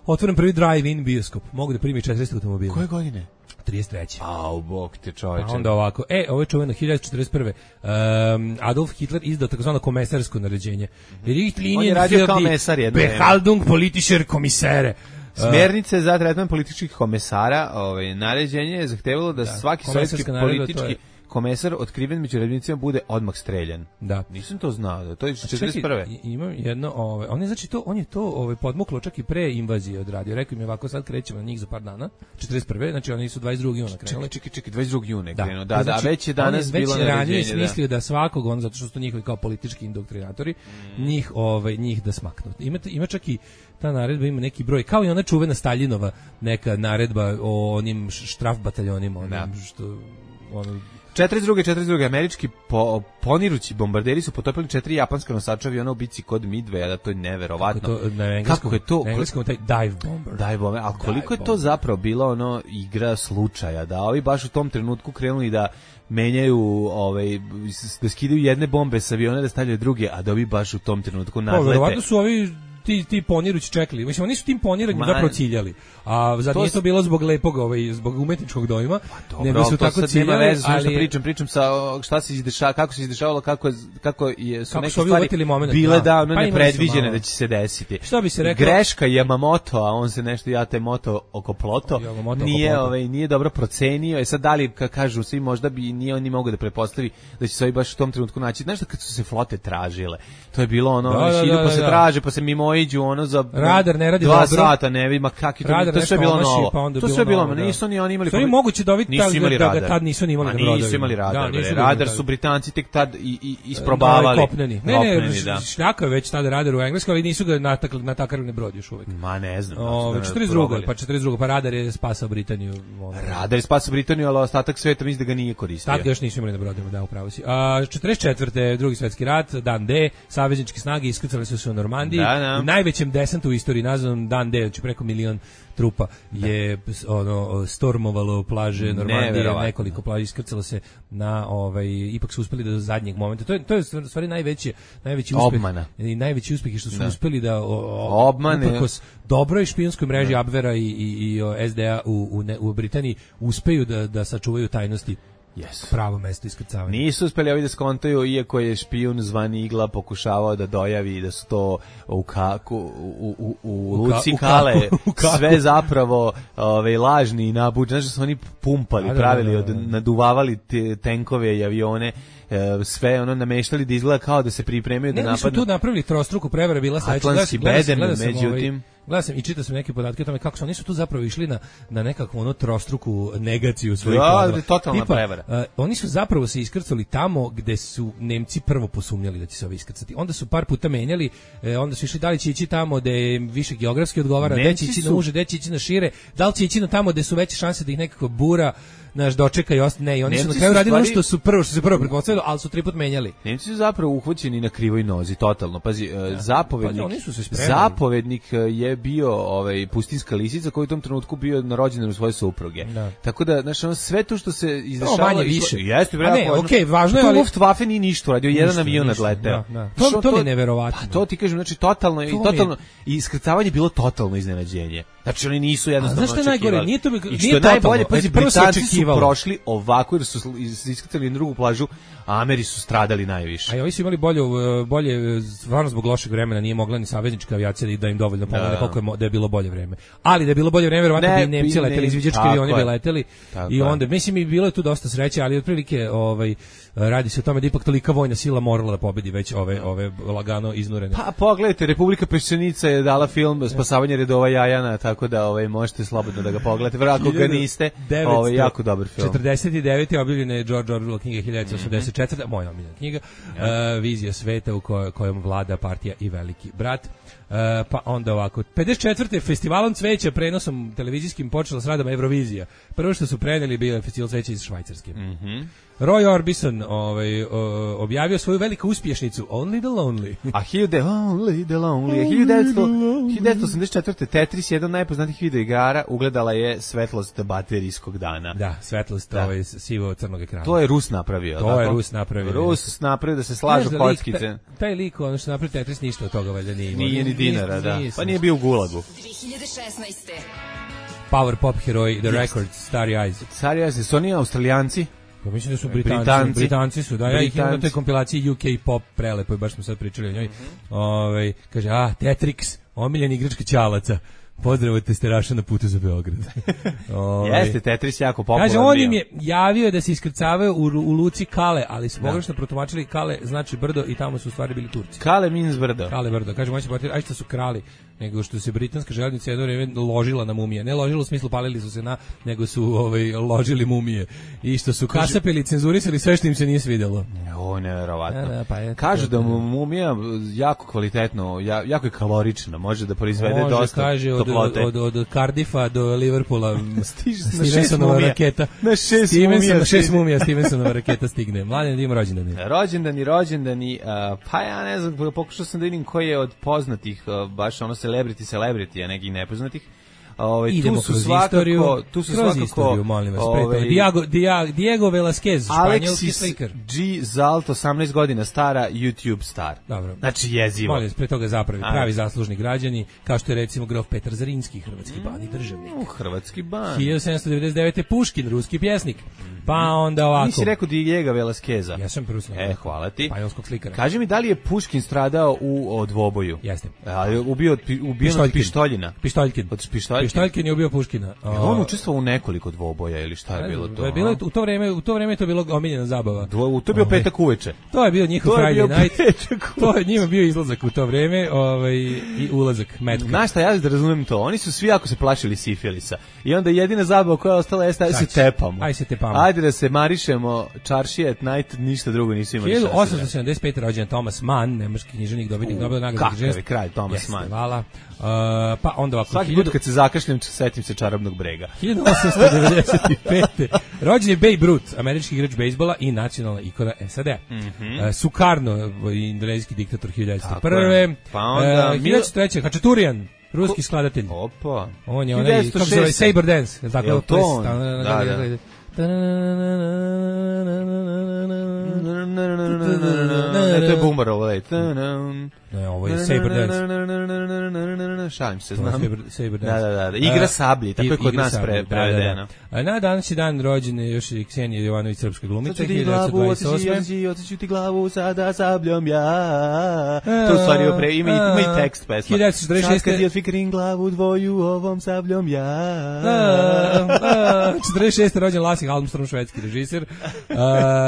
otvoren prvi drive-in bioskop. Mogu da primi četrdeset automobila. Koje godine? trideset treće. Au, bog te čovječe. A onda ovako. E, ovo je čuveno hiljadu četrdeset prve. Um, Adolf Hitler izdao takozvano komesarsko naređenje. Mm-hmm. On je radio kao mesar jedno vreme. Behaltung politischer Kommissare. Smjernice za tretman političkih komesara, ovaj, naređenje je zahtevalo da, da svaki sovjetski politički komesar otkriven među redovnicima bude odmah streljan. Da. Nisam to znao, da to je četrdeset prve. Imam jedno, ovaj, on je znači to, on je to ovaj podmuklo čak i pre invazije odradio. Rekao mi ovako sad krećemo na njih za par dana. četrdeset prve, znači oni su dvadeset drugog juna krenuli. Čekaj, čekaj, čekaj, dvadeset drugog juna da. krenuo. Da, da, znači, već je danas bilo naređenje. Već ranije smislio da. da svakog, on zato što su to njihovi kao politički indoktrinatori, mm. njih ovaj njih da smaknu. Ima ima čak i ta naredba ima neki broj, kao i ona čuvena Staljinova neka naredba o onim štraf bataljonima, onim da. što ono četrdeset druge četrdeset druge američki po, ponirući bombarderi su potopili četiri japanska nosača aviona u bici kod Midwaya, da to je neverovatno. Kako, to, na engleskom, kako je to? Na engleskom taj dive bomber. Dive bomber, ali koliko dive je to bomber. Zapravo bilo ono igra slučaja, da ovi baš u tom trenutku krenuli da menjaju, ovaj, da skidaju jedne bombe sa aviona da stavljaju druge, a da ovi baš u tom trenutku nadlete. Verovatno su ovi ti ti ponirući čekali. Mislim, oni su tim poniranjem zapravo ciljali. A zato nije to bilo zbog lepog, ovaj, zbog umetničkog dojma, pa dobro, nego su tako ciljali, veze, ali pričam, pričam sa šta se izdešavalo, kako se izdešavalo, kako je, kako je su kako neke su stvari moment, bile da, ono pa nepredviđene da će se desiti. Šta bi se rekao? Greška Yamamoto, a on se nešto jate moto oko ploto, Yamamoto nije, oko ovaj, nije dobro procenio. E sad da li, ka kažu svi, možda bi nije on ni mogao da pretpostavi da će se ovi baš u tom trenutku naći. Znaš da kad su se flote tražile, to je bilo ono, da, da, da, pa se da, traže, pa se mimoiđu ono za radar ne radi dva dobro. sata, ne vidi, ma kakvi to, to sve bilo novo. Pa to sve bilo, bilo nisu ni oni imali. To je moguće da ovi tad, da tad nisu ni imali na brodovima. Nisu imali radar. Da, nisu radar su Britanci tek tad i, i isprobavali. No, kopneni. Ne, ne, da. Šljaka već tada radar u Engleskoj, ali nisu ga natakli na takarni brod još uvek. Ma ne znam. O, četrdeset druga, pa četrdeset druga, pa radar je spasao Britaniju. Radar je spasao Britaniju, ali ostatak sveta mislim da ga nije koristio. Tad još nisu imali na brodovima, da, upravo si. A četrdeset četvrte drugi svetski rat, dan D, savezničke snage iskrcale su se u Normandiji, da, da. U najvećem desantu u istoriji nazvan dan D, znači preko milion trupa je ono stormovalo plaže Normandije, nekoliko plaža iskrcalo se na ovaj ipak su uspeli da do zadnjeg momenta. To je to je stvari najveći najveći uspeh obmana. I najveći uspeh je što su da. uspeli da obmane uprkos dobroj špijunskoj mreži Abvera i i i S D A u u, ne, u Britaniji uspeju da da sačuvaju tajnosti. Yes. Pravo mesto iskrcavanja. Nisu uspeli ovi da skontaju, iako je špijun zvani Igla pokušavao da dojavi da su to u kaku u, u, u Luci Kale sve zapravo ove, lažni i nabuđeni. Znaš da su oni pumpali, da, pravili, da, da, da. Od, naduvavali te, tenkove i avione, e, sve ono nameštali da izgleda kao da se pripremaju ne, da napadnu. Ne, su tu napravili trostruku prevara, bila sledeća. Atlantski bedem, međutim... Gledam sam i čitao sam neke podatke o tome kako su oni su tu zapravo išli na na nekakvu ono trostruku negaciju svojih planova. Da, totalna prevara. Uh, oni su zapravo se iskrcali tamo gde su Nemci prvo posumnjali da će se ovi iskrcati. Onda su par puta menjali, eh, onda su išli da li će ići tamo gde je više geografski odgovara, gde će ići na uže, gde će ići na šire, da li će ići na tamo gde su veće šanse da ih nekako bura naš dočeka i ostane. Ne, i oni Nemci su na kraju radili ono što su prvo što se prvo pretpostavilo, ali su tri put menjali. Nemci su zapravo uhvaćeni na krivoj nozi totalno. Pazi, ja. zapovednik. Pa, zapovednik je bio ovaj pustinska lisica koji u tom trenutku bio na rođendanu svoje supruge. Da. Tako da znači ono sve to što se izdešavalo manje više. Jeste bre. Ne, okej, okay, važno je, ali Luftwaffe ni ništa radio, jedan avion nadleteo. Da, da. To, to, to mi je neverovatno. Pa to ti kažem, znači totalno i totalno i iskrcavanje bilo totalno iznenađenje. Znači oni nisu jednostavno očekivali. Znaš što najgore, nije to nije što najbolje, pa Britanci su prošli ovako jer su iskrcali na drugu plažu, a Ameri su stradali najviše. A ovi su imali bolje, bolje stvarno zbog lošeg vremena nije mogla ni saveznička avijacija da im dovoljno pomogne da. koliko je da je bilo bolje vreme. Ali da je bilo bolje vreme, verovatno bi Nemci leteli, izviđački avioni bi leteli i onda mislim i bilo je tu dosta sreće, ali otprilike ovaj radi se o tome da ipak tolika vojna sila morala da pobedi već ove ove lagano iznurene. Pa pogledajte, Republika Peščanica je dala film Spasavanje redova Jajana, tako da ovaj možete slobodno da ga pogledate. Verovatno ga niste. Ovaj jako dobar film. četrdeset devete objavljena je George Orwell knjiga hiljadu devetsto osamdeset četvrte moja omiljena knjiga, ja. uh, vizija sveta u kojoj, kojom vlada partija i veliki brat. Uh, pa onda ovako, pedeset četvrte festivalom cveća prenosom televizijskim počela s radom Eurovizija. Prvo što su preneli bio je festival cveća iz Švajcarske. Mhm. Mm Roy Orbison ovaj, o, objavio svoju veliku uspješnicu Only the Lonely. A hiljadu Only the Lonely. hiljadu devetsto osamdeset četvrte Tetris, jedan od najpoznatijih videoigara, ugledala je svetlost baterijskog dana. Da, svetlost da. Ovaj, sivo crnog ekrana. To je Rus napravio. To tako? je Rus napravio. Rus napravio da se slažu da kockice. Taj, taj lik, ono što napravio Tetris, ništa od toga valjda nije imao. Nije ni dinara, da. Pa nije bio u Gulagu. dve hiljade šesnaeste Power pop heroj The Records, Starry Eyes. Starry Eyes, su oni Australijanci? Pa mislim da su Britanci, Britanci, Britanci su, da, ja ih imam na toj kompilaciji U K pop prelepo, baš smo sad pričali o njoj. Mm -hmm. Ove, kaže, a, Tetrix, omiljeni igračka Ćalaca. Pozdrav od testeraša na putu za Beograd. Ove, Jeste, Tetris jako popularan. Kaže, on im je javio da se iskrcavaju u, u luci Kale, ali su pogrešno protumačili Kale znači brdo i tamo su u stvari bili Turci. Kale means brdo. Kale brdo. Kaže, moći potrebno, aj što su krali, nego što se britanska željeznica jedno vrijeme ložila na mumije. Ne ložila u smislu palili su se na, nego su ovaj, ložili mumije. I što su kasapili, cenzurisali sve što im se nije svidjelo. O, nevjerovatno. Da, da, pa je, Kažu da mu mumija jako kvalitetno, ja, jako je kalorična, može da proizvede može, dosta kaže, od, toplote. od, od, od Cardiffa do Liverpoola Stiže na šest Stevensonova mumija. raketa. Na šest Stevenson, mumija. na šest mumija Stevensonova raketa stigne. Mladen, da ima rođendani. Rođendani, rođendani, uh, pa ja ne znam, pokušao sam da vidim koji je od poznatih, uh, baš ono celebrity, celebrity, a nekih nepoznatih. Ove, Idemo tu su kroz svakako, istoriju, tu su kroz svakako, istoriju, molim vas, pre ove, toga. Diego, Diego, Diego Velasquez, španjolski Alexis slikar. G. Zalt, osamnaest godina stara, YouTube star. Dobro. Znači jezivo. Molim vas, pre toga zapravi, Ajde. pravi zaslužni građani, kao što je recimo grof Petar Zrinski, hrvatski ban i državnik. U, hrvatski ban. hiljadu sedamsto devedeset devete. Puškin, ruski pjesnik. Pa onda ovako. Nisi rekao Diego Velasqueza. Ja sam prvo sam. E, hvala ti. Španjolskog slikara. Kaži mi, da li je Puškin stradao u dvoboju? Jeste. A, je ubio od, pi- ubijen od pištoljina. Pištoljkin. Od pištoljkin. Pištoljkin je ubio Puškina. Je on učestvovao u nekoliko dvoboja ili šta je bilo to? je bilo, u to vreme, u to vreme je to bilo omiljena zabava. Dvo, to je bio Ovaj, petak uveče. To je bio njihov To je bio Friday night. petak To je njima bio izlazak u to vreme, ovaj i ulazak metka. Znaš šta, ja da razumem to. Oni su svi jako se plašili sifilisa. I onda jedina zabava koja je ostala jeste da se tepamo. Aj se tepamo. Ajde da se marišemo, čaršije at night, ništa drugo nisu imali. hiljadu osamsto sedamdeset pete. rođen Thomas Mann, nemački književnik, dobitnik Nobelove nagrade. Kakav je kralj Thomas Mann. Hvala. Uh, pa onda ovako. Svaki put kad se zakašljem, setim se čarobnog brega. hiljadu osamsto devedeset pete. rođen je Babe Ruth, američki igrač bejsbola i nacionalna ikona S A D. Mm -hmm. uh, Sukarno, indonezijski diktator hiljadu devetsto prve. Pa onda uh, hiljadu devetsto treće. Hačaturian, ruski skladatelj. Opa. On je onaj, kako se zove, Saber Dance. Je Jel to on? Da, da. Ne, to je Bumbarov, lej. Ne, ovo je Saber Dance. Šalim se, znam. Saber, Saber Dance. Da, da, da. Igra sablji, tako je kod nas pre, prevedeno. Na današnji dan rođen je još i Ksenija Jovanović, srpska glumica, hiljadu hiljadu devetsto dvadeset osme. Otiću ti glavu, sada sabljom ja. To u stvari opre, ima, ima i tekst pesma. hiljadu devetsto četrdeset šeste. Sad kad ti otfikrim glavu dvoju, ovom sabljom ja. četrdeset šeste. rođen Lassie Armstrong, švedski režiser.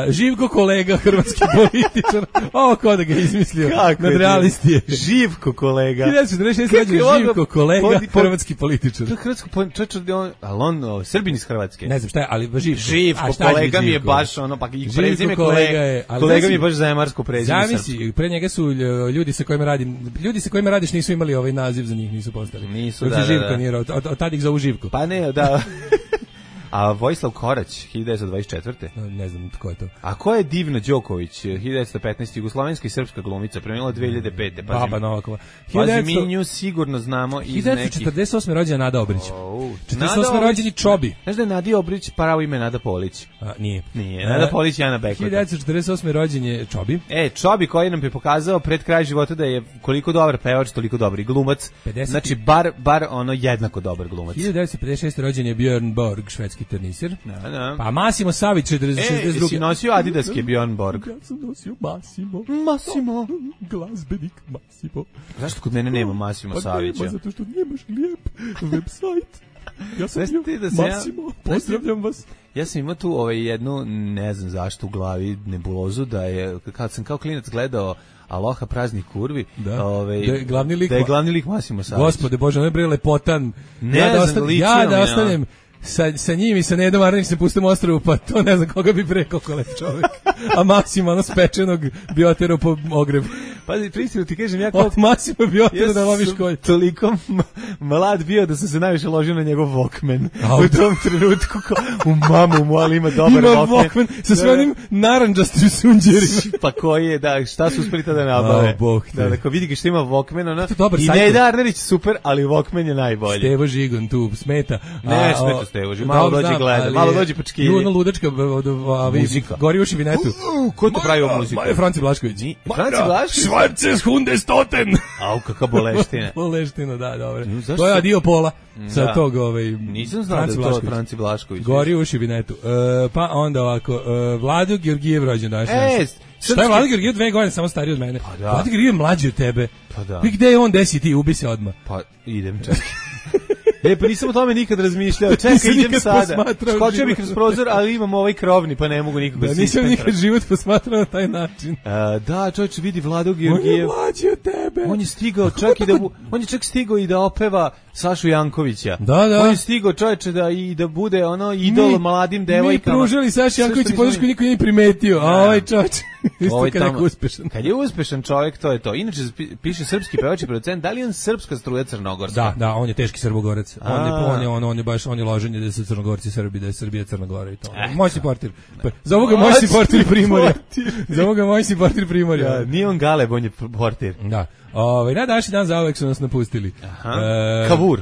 Živko kolega, hrvatski političar. Ovo ko da ga izmislio. Nadrealisti je. Živko kolega. hiljadu devetsto četrdeset šeste. rođen Živko kolega, hrvatski političar. To je hrvatsko političar, ali on, Srbin iz Hrvatske. Ne znam šta je, ali Živko. Živko, kolega mi je baš ono, pa i prezime kolega. Kolega mi je baš zajemarsko prezime srpsko. Zamisli, pre njega su ljudi sa kojima radim, ljudi sa kojima radiš nisu imali ovaj naziv za njih, nisu postali. Nisu, da, Živko da. nije, od, od tad ih zovu Živko. Pa ne, da. A Vojislav Korać, hiljadu devetsto dvadeset četvrte. Ne znam tko je to. A ko je Divna Đoković, hiljadu devetsto petnaeste. jugoslovenska i srpska glumica, preminula dve hiljade pete. Baba Novakova. Pazi, mi nju sigurno znamo iz nekih... hiljadu devetsto četrdeset osme. rođena Nada Obrić. Oh, četrdeset osme. rođeni Čobi. Znaš da je Nadi Obrić pravo ime Nada Polić? A, nije. Nije, Nada Polić je Ana Bekota. hiljadu devetsto četrdeset osme. rođen je Čobi. E, Čobi koji nam je pokazao pred kraj života da je koliko dobar pevač, toliko dobar i glumac. pedeset Znači, bar, bar ono jednako dobar glumac. hiljadu devetsto pedeset šeste. rođen je Björn Borg, švedski tenisir. Da, da. Pa Massimo Savić, šezdeset druge. E, si nosio Adidaske Björn Borg? Ja sam nosio Massimo. Massimo. Glazbenik Massimo. Zašto kod mene nema Massimo pa Savića? Pa nema, zato što nemaš lijep website. Ja sam bio da Massimo, ja, pozdravljam vas. Ja sam imao tu ovaj jednu, ne znam zašto u glavi, nebulozu, da je, kad sam kao klinac gledao Aloha praznih kurvi, da, ovaj, da je glavni lik, da je glavni lik Massimo Savić. Gospode Bože, on je bre lepotan. Ne ja da znam, ostan, ja da ostanem sa, sa njim i sa Nedom Arnić se pustim ostrvu, pa to ne znam koga bi pre koliko lep čovjek. A Massimo ono spečenog bi oterao po ogrebu. Pazi, pristinu ti kažem, ja kao... Od Massimo bi oterao da loviš kolj. Toliko mlad bio da sam se najviše ložio na njegov Walkman. U tom trenutku, ko, u mamu mu, ali ima dobar ima Walkman. Ima Walkman sa sve onim naranđastim sunđerima. Pa koji je, da, šta su uspeli da nabave. Oh, Bog te. Da, da, ko vidi ga što ima Walkman, ona... I sajt. Neda Arnerić super, ali Walkman je najbolji. Stevo Žigon tu smeta. Ne, smeta Stevo Žigon, malo dođi gleda, malo dođi počkilji. Ljuno ludačka muzika. Gori uši vinetu. Ko to pravi ovu muziku? Franci Blašković. Franci Blašković? Schwarzes Hundestoten. Au, kakva boleština. Boleština, da, dobro. To je adio pola sa tog, ovaj... Nisam znao da je to Franci Blašković. Gori uši vinetu. Pa onda ovako, Vlado Georgijev rođen daš. E, šta je Vlado Georgijev dve godine samo stariji od mene? Pa da. Vlado Georgijev je mlađi od tebe. Pa da. I gde je on, desi ti, ubi se odmah. Pa idem čekaj. E, pa nisam o tome nikad razmišljao. Čekaj, idem sada. Skočio bih kroz prozor, ali imam ovaj krovni, pa ne mogu nikako da se nisam nikad život posmatrao na taj način. A, da, čovječe, vidi Vlado Georgijev. On je mlađi od tebe. On je stigao čak i da on je čak stigao i da opeva Sašu Jankovića. Da, da. On je stigao čovječe da i da bude ono idol mi, mladim devojkama. Mi pružili Saši Jankoviću podršku, niko nije primetio. A ovaj čovječ isto ovaj kad je uspešan. Kad je uspešan čovjek, to je to. Inače piše srpski pevač i producent, da li je on srpska struja crnogorska? Da, da, on je teški Srbogorac. On je on je on, on je baš on je loženje da su Crnogorci Srbi, da je Srbija Crna Gora i to. Moj si portir. Za ovoga moj si portir Primorja. Za ovoga moj si portir Primorja. Da, nije on Galeb, on je portir. Da. Ovaj na današnji dan zauvek su nas napustili. E, Kavur.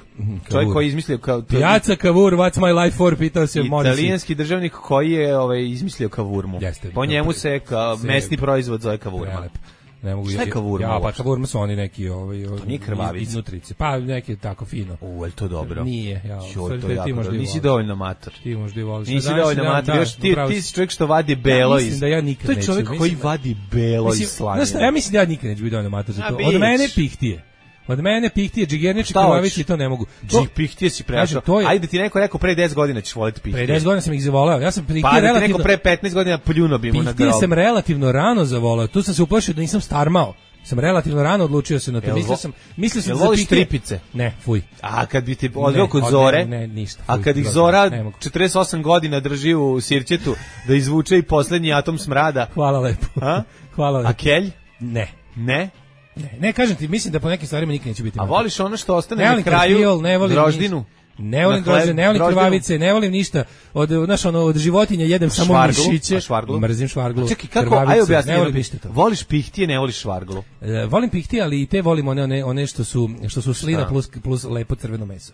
Čovjek koji je izmislio kao Piazza Cavour, what's my life for, pitao se Morrissey. Italijanski državnik koji je ovaj izmislio kavurmu. Jeste, po njemu se kao mesni proizvod zove kavurma. Ne mogu. Šta je kavurma? Ja, pa kavurma su oni neki ovaj to nije krvavica. Iznutrice. Pa neki tako fino. U, el to dobro. Nije, ja. Joj, to jako dobro. Nisi dovoljno mator. Ti možda i voliš. Nisi dovoljno mator. Još ti ti si čovjek što vadi belo iz. Da ja nikad to je čovjek neću, koji mislim, vadi belo iz slanja. Znaš, ja mislim da ja nikad neću biti dovoljno mator za to. Od mene pihtije. Od mene pihtije, džigernički krvavici to ne mogu. Džig pihtije si prešao. Je... Ajde ti neko rekao pre deset godina ćeš voliti pihtije. Pre deset godina sam ih zavoleo. Ja sam pihtije pa, relativno. Pa neko pre petnaest godina pljuno bi mu na grob. Pihtije sam relativno rano zavoleo. Tu sam se uplašio da nisam starmao. Sam relativno rano odlučio se na to. Mislio sam, mislio sam da voliš tripice. Ne, fuj. A kad bi ti odveo kod Zore? Ne, ne, ništa. A kad ih Zora četrdeset osam godina drži u sirćetu da izvuče i poslednji atom smrada. Hvala lepo. A? Hvala lepo. A kelj? Ne. Ne? Ne, ne kažem ti, mislim da po nekim stvarima nikad neće biti. A voliš ono što ostane na kraju? Ne volim droždinu? Ne volim droždinu, ne volim krvavice, ne volim ništa. Od znaš ono od životinja jedem samo mišiće. Mrzim švarglu. Čekaj, kako? Ajde objasni. Ne volim ništa to. Voliš pihtije, ne voliš švarglu. E, volim pihtije, ali i te volim one one one što su što su slina plus plus lepo crveno meso.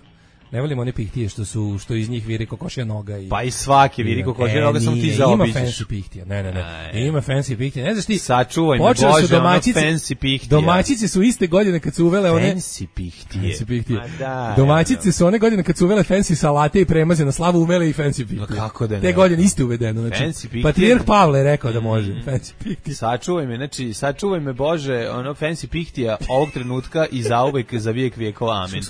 Ne volim one pihtije što su što iz njih viri kokošja noga i pa i svaki viri kokošja noga sam ti zaobiđeš. Ima fancy pihtija. Ne, ne, ne. Aj. Ima fancy pihtije. Ne znaš ti. Sačuvaj me Bože, domaćice, fancy pihtije. Domaćice su iste godine kad su uvele one fancy pihtije. Fancy pihtije. Da, domaćice su one godine kad su uvele fancy salate i premaze na slavu umele i fancy pihtije. No kako da ne? Te godine isto uvedeno, znači. Patrijarh Pavle rekao da može mm. fancy pihtije. Sačuvaj me, znači sačuvaj me Bože, ono fancy pihtija ovog trenutka i zauvek za vijek vjekova amin.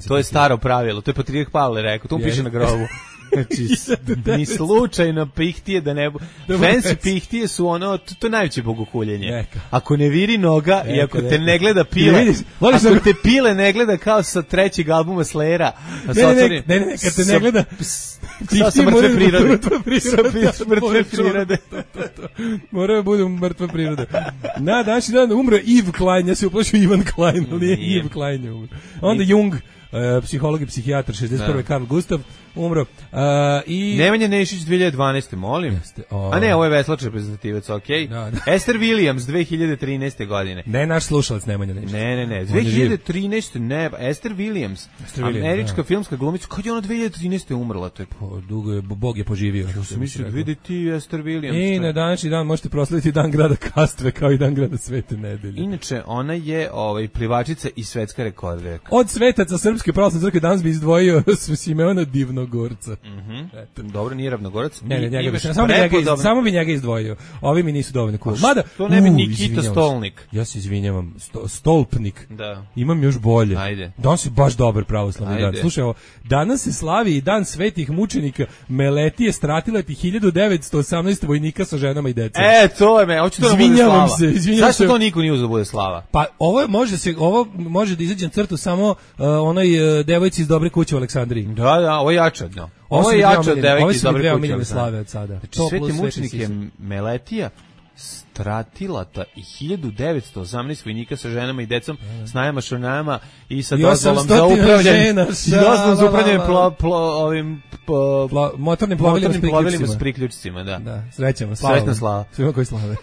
To je staro pravilo. To je Patrijarh Pavle rekao, tu piše na grobu. Znači, ni slučajno pihtije da ne... Fancy pihtije su ono, to, to je najveće bogohuljenje. Ako ne viri noga neka, i ako neka. te ne gleda pile, ako sam... te pile ne gleda kao sa trećeg albuma Slayera, ne, ne, ne, ne, ne, kad te ne gleda... Sa, sa mrtve prirode. Sa mrtve prirode. Mora da bude mrtva priroda. Na današnji dan umro Yves Klein, ja se uplašio Ivan Klein, ali nije Yves Klein je umro. Onda Jung, Uh, psiholog i psihijatar šezdeset prve Karl Gustav umro. Uh, i Nemanja Nešić dve hiljade dvanaeste molim. Jeste, o... A ne, ovo je veslač reprezentativac, okej. Okay. Da, da. Esther Williams dve hiljade trinaeste godine. Ne naš slušalac Nemanja Nešić. Ne, ne, ne. dve hiljade trinaeste ne, Esther Williams. Esther Williams američka da. filmska glumica. Kad je ona dve hiljade trinaeste umrla? To je po, dugo je, Bog je poživio. Ja sam mislio, vidi ti Esther Williams. I na današnji dan možete proslaviti dan grada Kastve kao i dan grada Svete nedelje. Inače, ona je ovaj, plivačica i svetska rekorderka. Od svetaca Srpske pravoslavne crkve danas bi izdvojio Simeona Divnogorca. Mhm. Mm Dobro, nije Ravnogorac. Ne, ne, njega bi, samo, bi njega, iz, samo bi njega izdvojio. Ovi mi nisu dovoljno cool. Mada, to ne bi Nikita Stolnik. Ja se izvinjavam, sto, Stolpnik. Da. Imam još bolje. Ajde. Danas je baš dobar pravoslavni dan. Slušaj, ovo, danas se slavi i dan svetih mučenika Meletije Stratilati hiljadu devetsto osamnaeste vojnika sa ženama i decom. E, to je me, hoće to da bude slava. Se, izvinjavam se. Zašto to niko nije uzeo bude slava? Pa ovo može se, ovo može da izađe na crtu samo uh, onoj uh, devojci iz Dobre kuće u Aleksandriji. Da, da, ovo je jače od njo. Ovo je jače od devojke iz Dobre kuće. Ovo slave od sada. Znači, sveti mučenik je Meletija, Stratilata i hiljadu devetsto osamnaeste vojnika sa ženama i decom, snajama, šornajama i sa dozvolom za upravljanje i dozvolom za upravljanje plo, plo, ovim po, plo, motornim plovilima, motornim plovilima s priključcima. Da. Da, srećemo, slava. Srećna slava. Svima koji slave.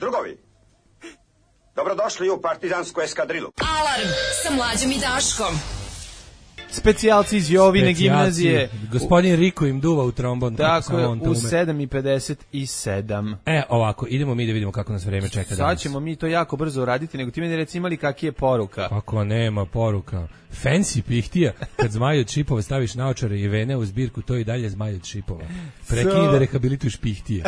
Drugovi, dobrodošli u partizansku eskadrilu. Alarm sa Mlađom i Daškom. Specijalci iz Jovine gimnazije. Gospodin Riko im duva u trombon. Tako je, u sedam i pedeset sedam. E, ovako, idemo mi da vidimo kako nas vreme čeka danas. Sad ćemo mi to jako brzo uraditi, nego ti meni reci imali kak je poruka. Kako nema poruka. Fancy pihtija, kad zmaj od šipova staviš naočare i vene u zbirku, to i dalje zmaj od šipova. Prekini so... da rehabilituješ pihtije.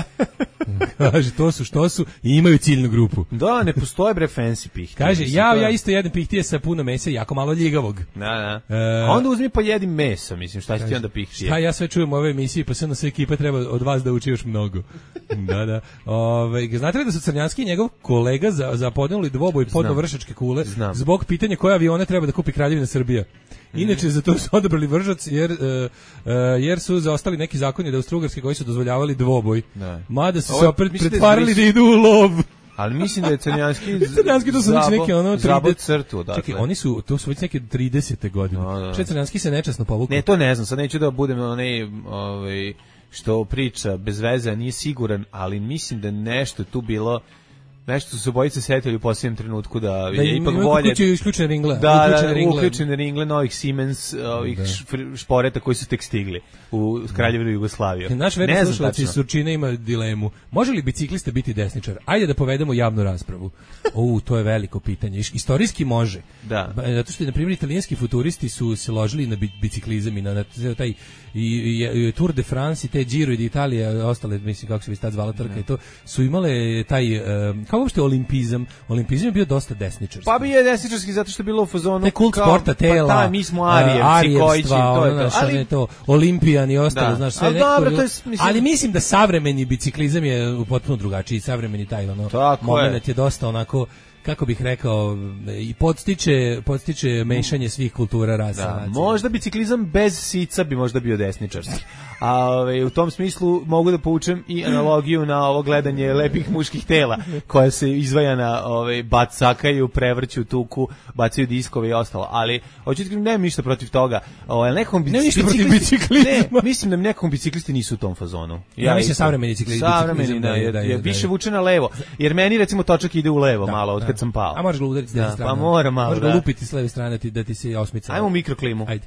Kaže, to su što su i imaju ciljnu grupu. Da, ne postoje bre fancy pihtije. Kaže, ja, ja isto jedem pihtije sa puno mesa i jako malo ljigavog. Da, da. E, A onda uzmi pa jedi meso, mislim, šta će ti onda pihtije? Šta ja sve čujem u ove emisiji, pa sve na sve ekipe treba od vas da uči još mnogo. Da, da. Ove, znate li da su Crnjanski i njegov kolega za, za podneli dvoboj podnovršačke kule Znam. zbog pitanja koje avione treba da kupi Kraljevina Srbija? Inače, za to su odabrali Vržac, jer, uh, uh, jer su zaostali neki zakoni da Austrougarske koji su dozvoljavali dvoboj. Da. Mada su se opet pretvarali da idu u lov. Ali mislim da je Crnjanski Crnjanski to su već neke ono zabot crtu, dakle. Čekaj, oni su to su već neke tridesete godine. No, da. Če Crnjanski se nečasno povukao? Ne, to ne znam, sad neću da budem onaj ovaj što priča bez veze, nije siguran, ali mislim da nešto tu bilo. Nešto su se obojice setili u posljednjem trenutku da, da je ipak bolje. Da isključene ringle. Da, uključene ringle, uključene ringle novih Siemens, ovih da. šporeta koji su tek stigli u Kraljevinu Jugoslaviju. Naš verni slušalac iz Surčina ima dilemu. Može li biciklista biti desničar? Ajde da povedemo javnu raspravu. O, to je veliko pitanje. Istorijski može. Da. Zato što, na primjer, italijanski futuristi su se ložili na biciklizam i na, na taj i, i, i Tour de France i te Giro i Italija, ostale, mislim, kako se bi tad zvala trka i to, su imale taj um, kao uopšte olimpizam, olimpizam je bio dosta desničarski. Pa bi je desničarski zato što je bilo u fazonu te kult kao, sporta, tela, pa ta, mi smo Arijevci, Kojići, to je to. Ali to, Olimpijan i ostalo, da. Znaš, sve ali, nekako, dobro, to je, mislim, ali mislim da savremeni biciklizam je potpuno drugačiji, savremeni taj ono, moment je. je dosta onako, kako bih rekao, i podstiče, podstiče mešanje svih kultura, rasa. Da, možda biciklizam bez sica bi možda bio desničarski. A ove, u tom smislu mogu da poučem i analogiju na ovo gledanje lepih muških tela koja se izvaja na ove, bacakaju, prevrću tuku, bacaju diskove i ostalo. Ali, hoću ti nemam ništa protiv toga. O, nekom ne ništa protiv biciklizma. Ne, mislim da nekom biciklisti nisu u tom fazonu. Ja, ja mislim savremeni biciklizam. Savremeni, da, je, da, je, je više vuče na levo. Jer meni, recimo, točak ide u levo da, malo, od kad sam pao. A možeš ga udariti s desne strane. Pa mora malo, možeš ga lupiti s leve strane ti, da ti se osmica. Ajmo u mikroklimu. Ajde.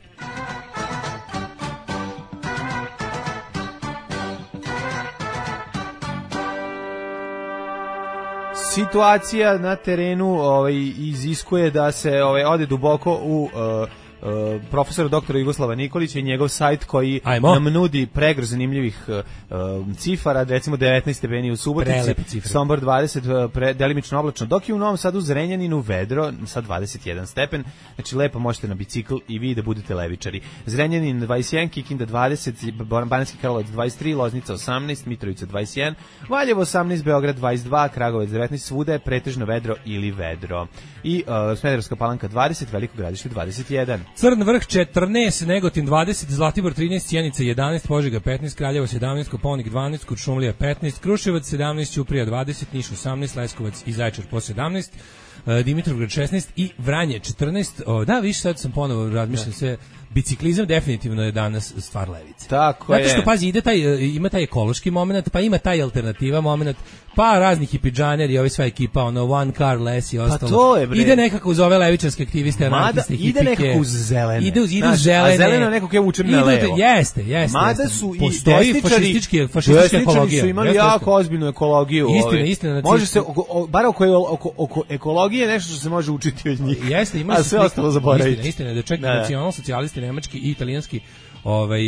Situacija na terenu ovaj, iziskuje da se ovaj, ode duboko u uh, uh, profesora doktora Jugoslava Nikolića i njegov sajt koji Ajmo. nam nudi pregrš zanimljivih uh, cifara, recimo devetnaest stepeni u Subotici, Sombor dvadeset, pre, delimično oblačno, dok je u Novom Sadu, Zrenjaninu, vedro sa dvadeset jedan stepen, znači lepo možete na bicikl i vi da budete levičari. Zrenjanin dvadeset jedan, Kikinda dvadeset, Banatski Karlovac dvadeset tri, Loznica osamnaest, Mitrovica dvadeset jedan, Valjevo osamnaest, Beograd dvadeset dva, Kragovec devetnaest, svuda je pretežno vedro ili vedro. I uh, Smederevska Palanka dvadeset, Veliko Gradište dvadeset jedan. Crn vrh četrnaest, Negotin dvadeset, Zlatibor trinaest, Sjenica jedanaest, Požega petnaest, Kraljevo sedamnaest, Koponik dvanaest, Kuršumlija petnaest, Kruševac sedamnaest, Ćuprija dvadeset, Niš osamnaest, Leskovac i Zaječar po sedamnaest, Dimitrovgrad šesnaest i Vranje četrnaest. O, da, viš, sad sam ponovo razmišljam sve. Biciklizam definitivno je danas stvar levice. Tako Zato je. što, pazi, ide taj, ima taj ekološki moment, pa ima taj alternativa moment, pa razni hipidžaner i ova sva ekipa, ono, one car less i ostalo. Pa to je, bre. Ide nekako uz ove levičarske aktiviste, anarhiste, hipike. Ide nekako uz zelene. Ide uz, ide uz zelene. A zeleno nekako je vučen na levo. Jeste, jeste. Mada jeste. su Postoji i fašistički, fašistička ekologija. su imali jeste, jako ozbiljnu ekologiju. Istina, ovaj. istina. Znači, može se, o, bar oko, oko, oko ekologije nešto što se može učiti od njih. Jeste, ima a sve ostalo zaboraviti. Istina, istina, da čak nacionalsocijalisti nemački i italijanski ovaj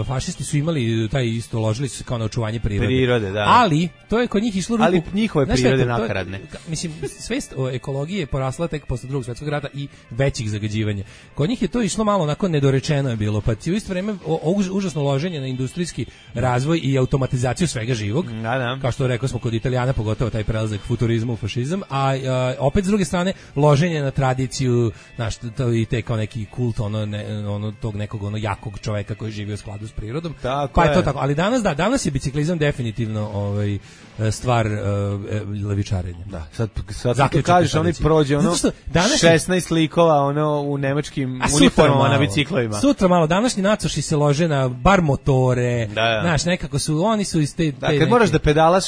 fašisti su imali taj isto, ložili su se kao na očuvanje prirode. Prirode, da. Ali to je kod njih išlo ruku. Ali njihove prirode nakaradne. Mislim, svest o ekologiji je porasla tek posle Drugog svjetskog rata i većih zagađivanja. Kod njih je to išlo malo onako nedorečeno je bilo, pa u isto vrijeme o, o, užasno loženje na industrijski razvoj i automatizaciju svega živog. Da, da. Kao što rekao smo kod Italijana, pogotovo taj prelazak futurizmu u fašizam, a, a opet s druge strane loženje na tradiciju, znaš, to i te kao neki kult ono, ne, ono tog nekog ono jakog čoveka koji živi u skladu s prirodom. Tako pa je je to tako, ali danas da, danas je biciklizam definitivno ovaj stvar uh, levičarenja. Da, sad sad kako kažeš, oni prođe ono šesnaest likova ono u nemačkim uniformama na biciklovima. Sutra malo današnji nacoši se lože na bar motore. Da, da. Znaš, nekako su oni su iz te, te da, kad neke... moraš da pedalaš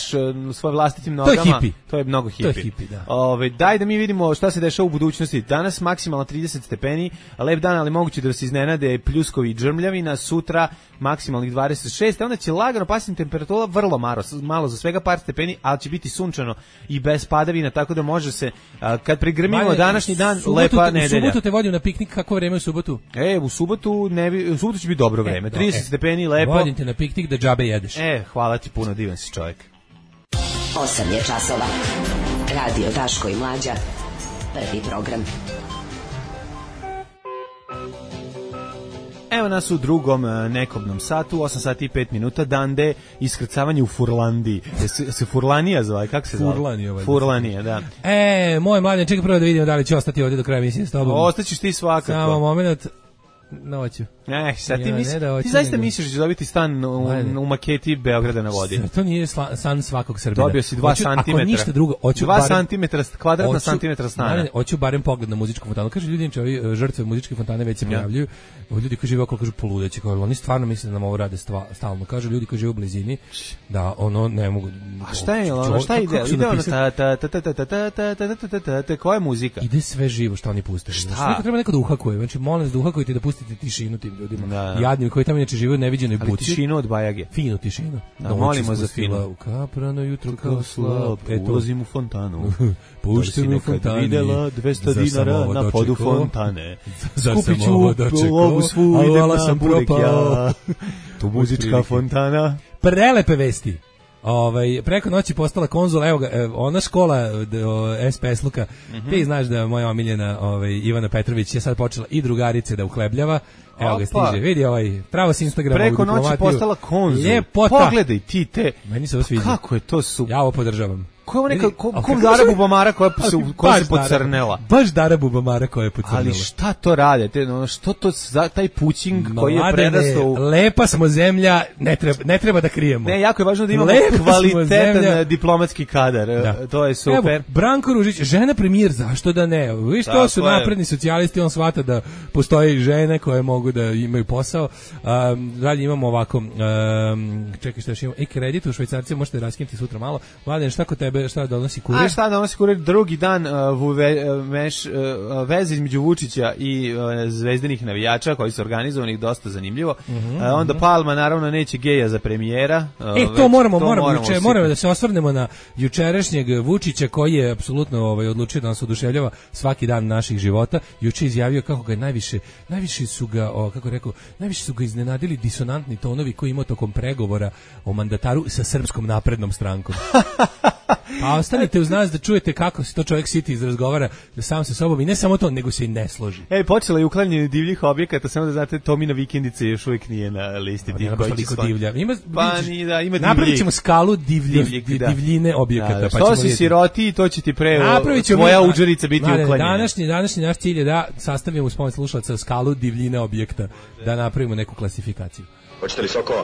svojim vlastitim nogama, to je hipi. To je mnogo hipi. To je hipi, da. Ove, daj da mi vidimo šta se dešava u budućnosti. Danas maksimalno trideset stepeni, lep dan, ali moguće da se iznenade pljuskovi i džrmljavina. Sutra maksimalnih dvadeset šest, onda će lagano pasiti temperatura, vrlo malo, malo za svega par stepeni, ali će biti sunčano i bez padavina, tako da može se, a, kad prigrmimo Manje, današnji dan, subotu, lepa nedelja. U subotu te vodim na piknik, kako vreme u subotu? E, u subotu, ne bi, u subotu će biti dobro vreme, e, trideset e, stepeni, lepo. Vodim te na piknik da džabe jedeš. E, hvala ti puno, divan si čovjek. osam je časova. Radio Daško i Mlađa. Prvi program. Evo nas u drugom nekobnom satu, osam sati i pet minuta, dande iskrcavanje u Furlandiji. Se, se Furlanija zove, kako se zove? Furlanija. Furlanija, da. E, moj mladen, čekaj prvo da vidimo da li će ostati ovdje do kraja emisije s tobom. Ostaćeš ti svakako. Samo moment. Noću. Eh, sad ti, Ja, misli, ne da hoću, ti zaista nego- misliš da će dobiti stan u, u maketi Beograda na vodi? To nije sla, san svakog Srbina. Dobio si dva Hoću- santimetra. Ako ništa drugo, hoću Dva barem- santimetra, kvadratna hoću- santimetra stana. Ne, ne, hoću barem pogled na muzičku fontanu. Kaže ljudi, znači ovi e, žrtve muzičke fontane već se pojavljuju. Ovi ljudi koji žive okolo kažu poludeći, kao oni stvarno misle da nam ovo rade stva, stalno. Kažu ljudi koji žive u blizini da ono ne mogu. A šta je, ono, šta ide? Ide ono ta ta ta ta ta ta ta ta ta ta ta ta ta koja je muzika? Ide sve živo što oni puste. Šta? Neko treba neko da uhakuje. Znači molim vas da uhakujete i da pustite tišinu tim ljudima. Da. Jadnim koji tamo inače žive u neviđenoj Ali buci. tišinu od Bajage. Finu tišinu. Da, Noć molimo za ispustila finu. U kaprano jutro kao Kao slab. slab, ulazim u fontanu. Pušten u fontani. Videla dvesta Zar sam dinara ovo na podu dočekao? fontane. Zar sam Skupit ću ovo dočekao? lovu svu, A idem vala na sam burek propao. ja. Tu muzička Otprilike. fontana. Prelepe vesti. Ovaj preko noći postala konzul, evo ga, evo, ona škola d- o, S P S Luka. Mhm. Ti znaš da moja omiljena ovaj Ivana Petrović je sad počela i drugarice da uhlebljava. Evo ga Opa. stiže. Vidi ovaj pravo s Instagrama Preko u noći diplomatiju. postala konzul. Ljepota. Pogledaj ti te. Meni se ovo sviđa. Kako je to super. Ja ovo podržavam. Ko je ovo neka, Vidi, ko, ali kom kako Dara se- Bubamara koja se, koja se Baš Dara- pocrnela. Baš Dara Bubamara koja je pocrnela. Ali šta to rade? Te, ono, što to, za, taj pućing koji je Mladene, prerastao u... lepa smo zemlja, ne treba, ne treba da krijemo. Ne, jako je važno da imamo Lepa smo kvalitetan zemlja. diplomatski kadar. Da. To je super. Evo, Branko Ružić, žena premijer, zašto da ne? Viš, to Tako su je. napredni socijalisti, on shvata da postoje i žene koje mogu da imaju posao. Um, dalje imamo ovako, um, čekaj šta još imamo, i kredit u Švajcarcima možete raskinuti sutra malo. Mladen, šta kod tebe, šta donosi kurir? A šta donosi kurir drugi dan uh, vuve, uh, meš, uh, veze između Vučića i uh, zvezdanih navijača koji su organizovani dosta zanimljivo. Mhm, uh, onda Palma naravno neće geja za premijera. Uh, E, već to moramo, to moramo, juče, usipati. moramo da se osvrnemo na jučerašnjeg Vučića koji je apsolutno ovaj, odlučio da nas oduševljava svaki dan naših života. Juče izjavio kako ga je najviše, najviše su ga, o, kako je rekao, najviše su ga iznenadili disonantni tonovi koji imao tokom pregovora o mandataru sa Srpskom naprednom strankom. Pa ostanite uz nas da čujete kako se to čovjek siti iz razgovara sam sa sobom i ne samo to, nego se i ne složi. Ej, počela je uklanjanje divljih objekata, samo da znate, Tomina vikendica još uvijek nije na listi. Nema baš toliko divlja. Ima, Pa vidiš, ni da, ima napravit divljih. ćemo skalu divlje, Divljih, da. divljine objekata. Da, da, pa što ćemo si vidjeti. siroti, to će ti pre Napravit ćemo tvoja mi- udžerica biti Mladene, uklanjena. Današnji, današnji naš cilj je da sastavimo uz pomoć slušalaca skalu divljine objekta, da napravimo neku klasifikaciju. Hoćete li sokova?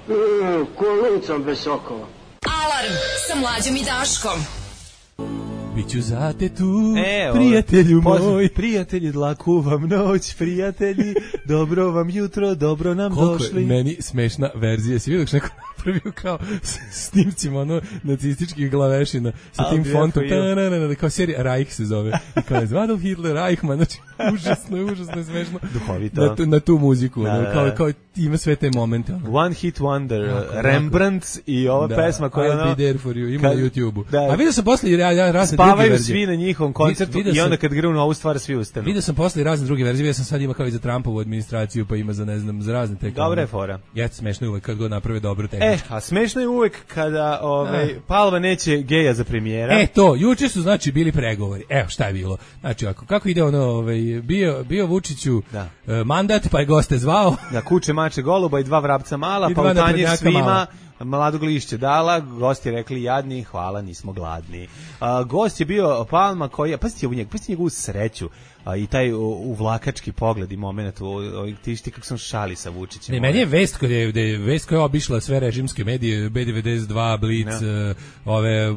Mm, ko lucam bez sokova. Alarm sa Mlađom i Daškom. Biću za te tu, Evo, prijatelju pozdrav, moj. Prijatelji, dlaku vam noć, prijatelji, dobro vam jutro, dobro nam Koliko došli. je meni smešna verzija. Si vidio što neko napravio kao s snimcima ono nacističkih glavešina sa A, tim bio fontom. koji je. Ta-na-na-na, kao serija Reich se zove. I kao je Adolf Hitler, Reichman. Znači, užasno je, užasno je smešno. Duhovito. Na tu, na tu muziku. Da, ono, da, kao, da. kao ima sve te momente. Ono. One Hit Wonder, Jako, jako. Rembrandt i ova Da, pesma koja je I'll ono... be there for you, ima kad- na YouTubeu. da. A vidio sam posle ja, ja razne druge Spavaju verzije. svi na njihovom koncertu Vidio i onda sam- kad grunu ovu stvar svi ustanu. Vidio sam posle i razne druge verzije, ja sam sad ima kao i za Trumpovu administraciju, pa ima za ne znam, za razne te. kao- Dobra je fora. Jeste smešno je uvek kad god naprave dobru E, tehničku. a smešno je uvek kada ovaj, Palma neće geja za premijera. E to, juče su znači bili pregovori. Evo šta je bilo. Znači ako kako ide ono, ovaj bio bio Vučiću Da. e, mandat, pa je goste zvao. Da, kuće, mače, goluba i dva vrapca mala, I pa dva u tanjir naprednjaka svima mala. mladog lišće dala, gosti rekli jadni, hvala, nismo gladni. A, gost je bio Palma koji je, pazite u njeg, pazite njegovu sreću a, i taj u, uvlakački pogled i moment, u, u, ti šti kako sam šali sa Vučićem. Ne, meni je vest koja je, da je vest koja je obišla sve režimske medije, B devedeset dva, Blitz, Ja. e, ove m,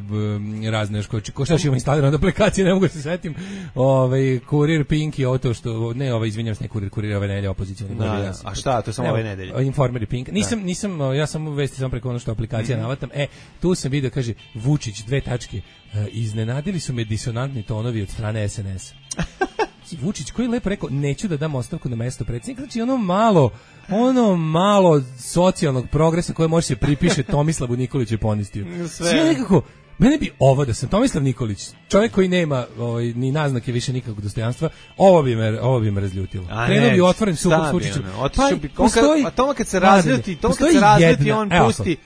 razne što ko šta ima instalirano od aplikacije, ne mogu se setim. Ovaj Kurir, Pink i ovo to što ne, ovaj izvinjavam se, ne Kurir, Kurir ove nedelje opozicioni. Da, da. A šta, to je samo Evo, ove nedelje? Informer i Pink. Nisam nisam ja sam vesti samo preko ono što aplikacija Mhm. navatam. E, tu sam video kaže Vučić dve tačke. E, iznenadili su me disonantni tonovi od strane S N S. Vučić koji je lepo rekao neću da dam ostavku na mesto predsjednika, znači ono malo ono malo socijalnog progresa koje može se pripiše Tomislavu Nikoliću i ponistiju. Sve. Sve nekako, mene bi ovo da sam Tomislav Nikolić, čovjek koji nema ovaj, ni naznake više nikakvog dostojanstva, ovo bi me, ovo bi me razljutilo. A Krenuo ne, bi otvoren sukob šta s bi Vučićem. ono, otišao bi- on kad- postoji- a toma kad se Mladene, razljuti, toma kad postoji se razljuti, jedna- on evo, pusti-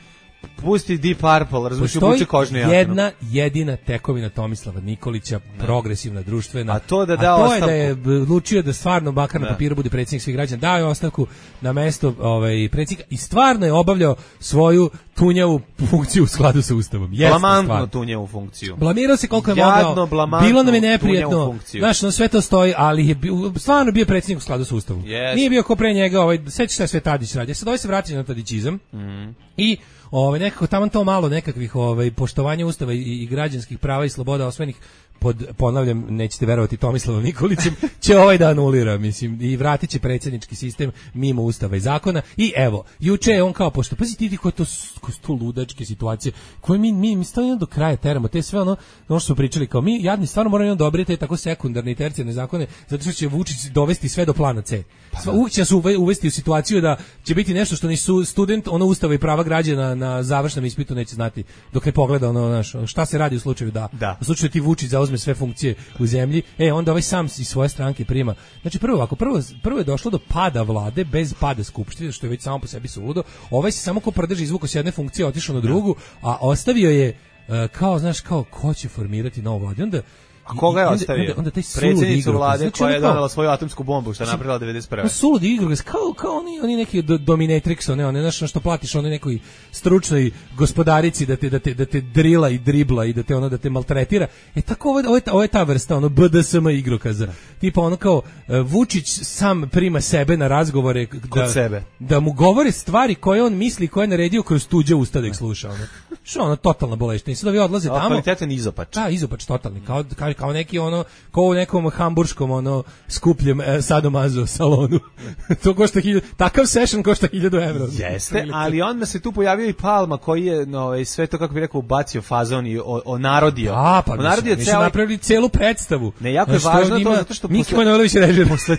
pusti Deep Purple, razumiješ, Postoji ubuče kožnu jaknu. jedna jedina tekovina Tomislava Nikolića, ne. progresivna, društvena, a to, da da a to ostavku. je da je odlučio da stvarno makar na papiru bude predsjednik svih građana, dao je ostavku na mesto ovaj, predsjednika i stvarno je obavljao svoju tunjavu funkciju u skladu sa Ustavom. Blamantno tunjavu funkciju. Blamirao se koliko je Jadno, mogao. Bilo nam je neprijatno. Znaš, no sve to stoji, ali je bio, stvarno bio predsjednik u skladu sa Ustavom. Yes. Nije bio ko pre njega, ovaj, sećaš šta je sve Tadić radi. Sad ovaj se vraća na tadićizam mm. i ovaj, nekako tamo to malo nekakvih ovaj, poštovanja Ustava i, i građanskih prava i sloboda osvojenih pod, ponavljam, nećete verovati Tomislavom Nikolićem, će ovaj da anulira, mislim, i vratit će predsjednički sistem mimo Ustava i zakona. I evo, juče je on kao, pošto, pazi ti koje to, koje to ludačke situacije, koje mi, mi, mi stavljamo do kraja teramo, te sve ono, ono što smo pričali, kao mi, jadni, stvarno moramo dobiti te tako sekundarne i tercijarne zakone, zato što će Vučić dovesti sve do plana C. Pa, uvijek će se uvesti u situaciju da će biti nešto što ni su student, ono Ustava i prava građana na završnom ispitu neće znati, dok ne pogleda ono, znaš, šta se radi u slučaju da, da. u slučaju ti Vučić zauzme sve funkcije u zemlji, e, onda ovaj sam iz svoje stranke prima. Znači, prvo ovako, prvo, prvo je došlo do pada vlade bez pada skupštine, što je već samo po sebi suludo. Ovaj se samo ko prdeži izvukao s jedne funkcije, otišao na drugu, a ostavio je, uh, kao, znaš, kao, ko će formirati novu vladu. Onda, a koga je onda, ostavio? Onda, onda taj predsjednicu vlade, znači, koja je kao, donela svoju atomsku bombu, što je napravila devedeset prve. Suludi igrokaz, kao, kao oni, oni neki do, dominatrix, one, one, znaš, što platiš onoj nekoj stručnoj gospodarici da te, da te, da te drila i dribla i da te, ono, da te maltretira. E tako, ovo, ovo, je, ta, ovo je ta vrsta, ono, B D S M igrokaza. Tipa, ono kao, uh, Vučić sam prima sebe na razgovore da, sebe. da mu govore stvari koje on misli, koje je naredio kroz tuđe usta da ih sluša. Ono. Što ono, totalna boleština. I sad ovi odlaze tamo. Kvalitetan izopač. Da, izopač, totalni. Kao, kao, kao neki ono, kao u nekom hamburškom ono skupljem e, sadomazo salonu. To košta hiljadu, takav session košta hiljadu evra. Jeste, ali onda se tu pojavio i Palma koji je no, sve to, kako bi rekao, ubacio fazon i o, o narodio. A, pa o narodio mi ceo... napravili celu predstavu. Ne, jako je važno to, zato što Miki Manojlović režira. Posle,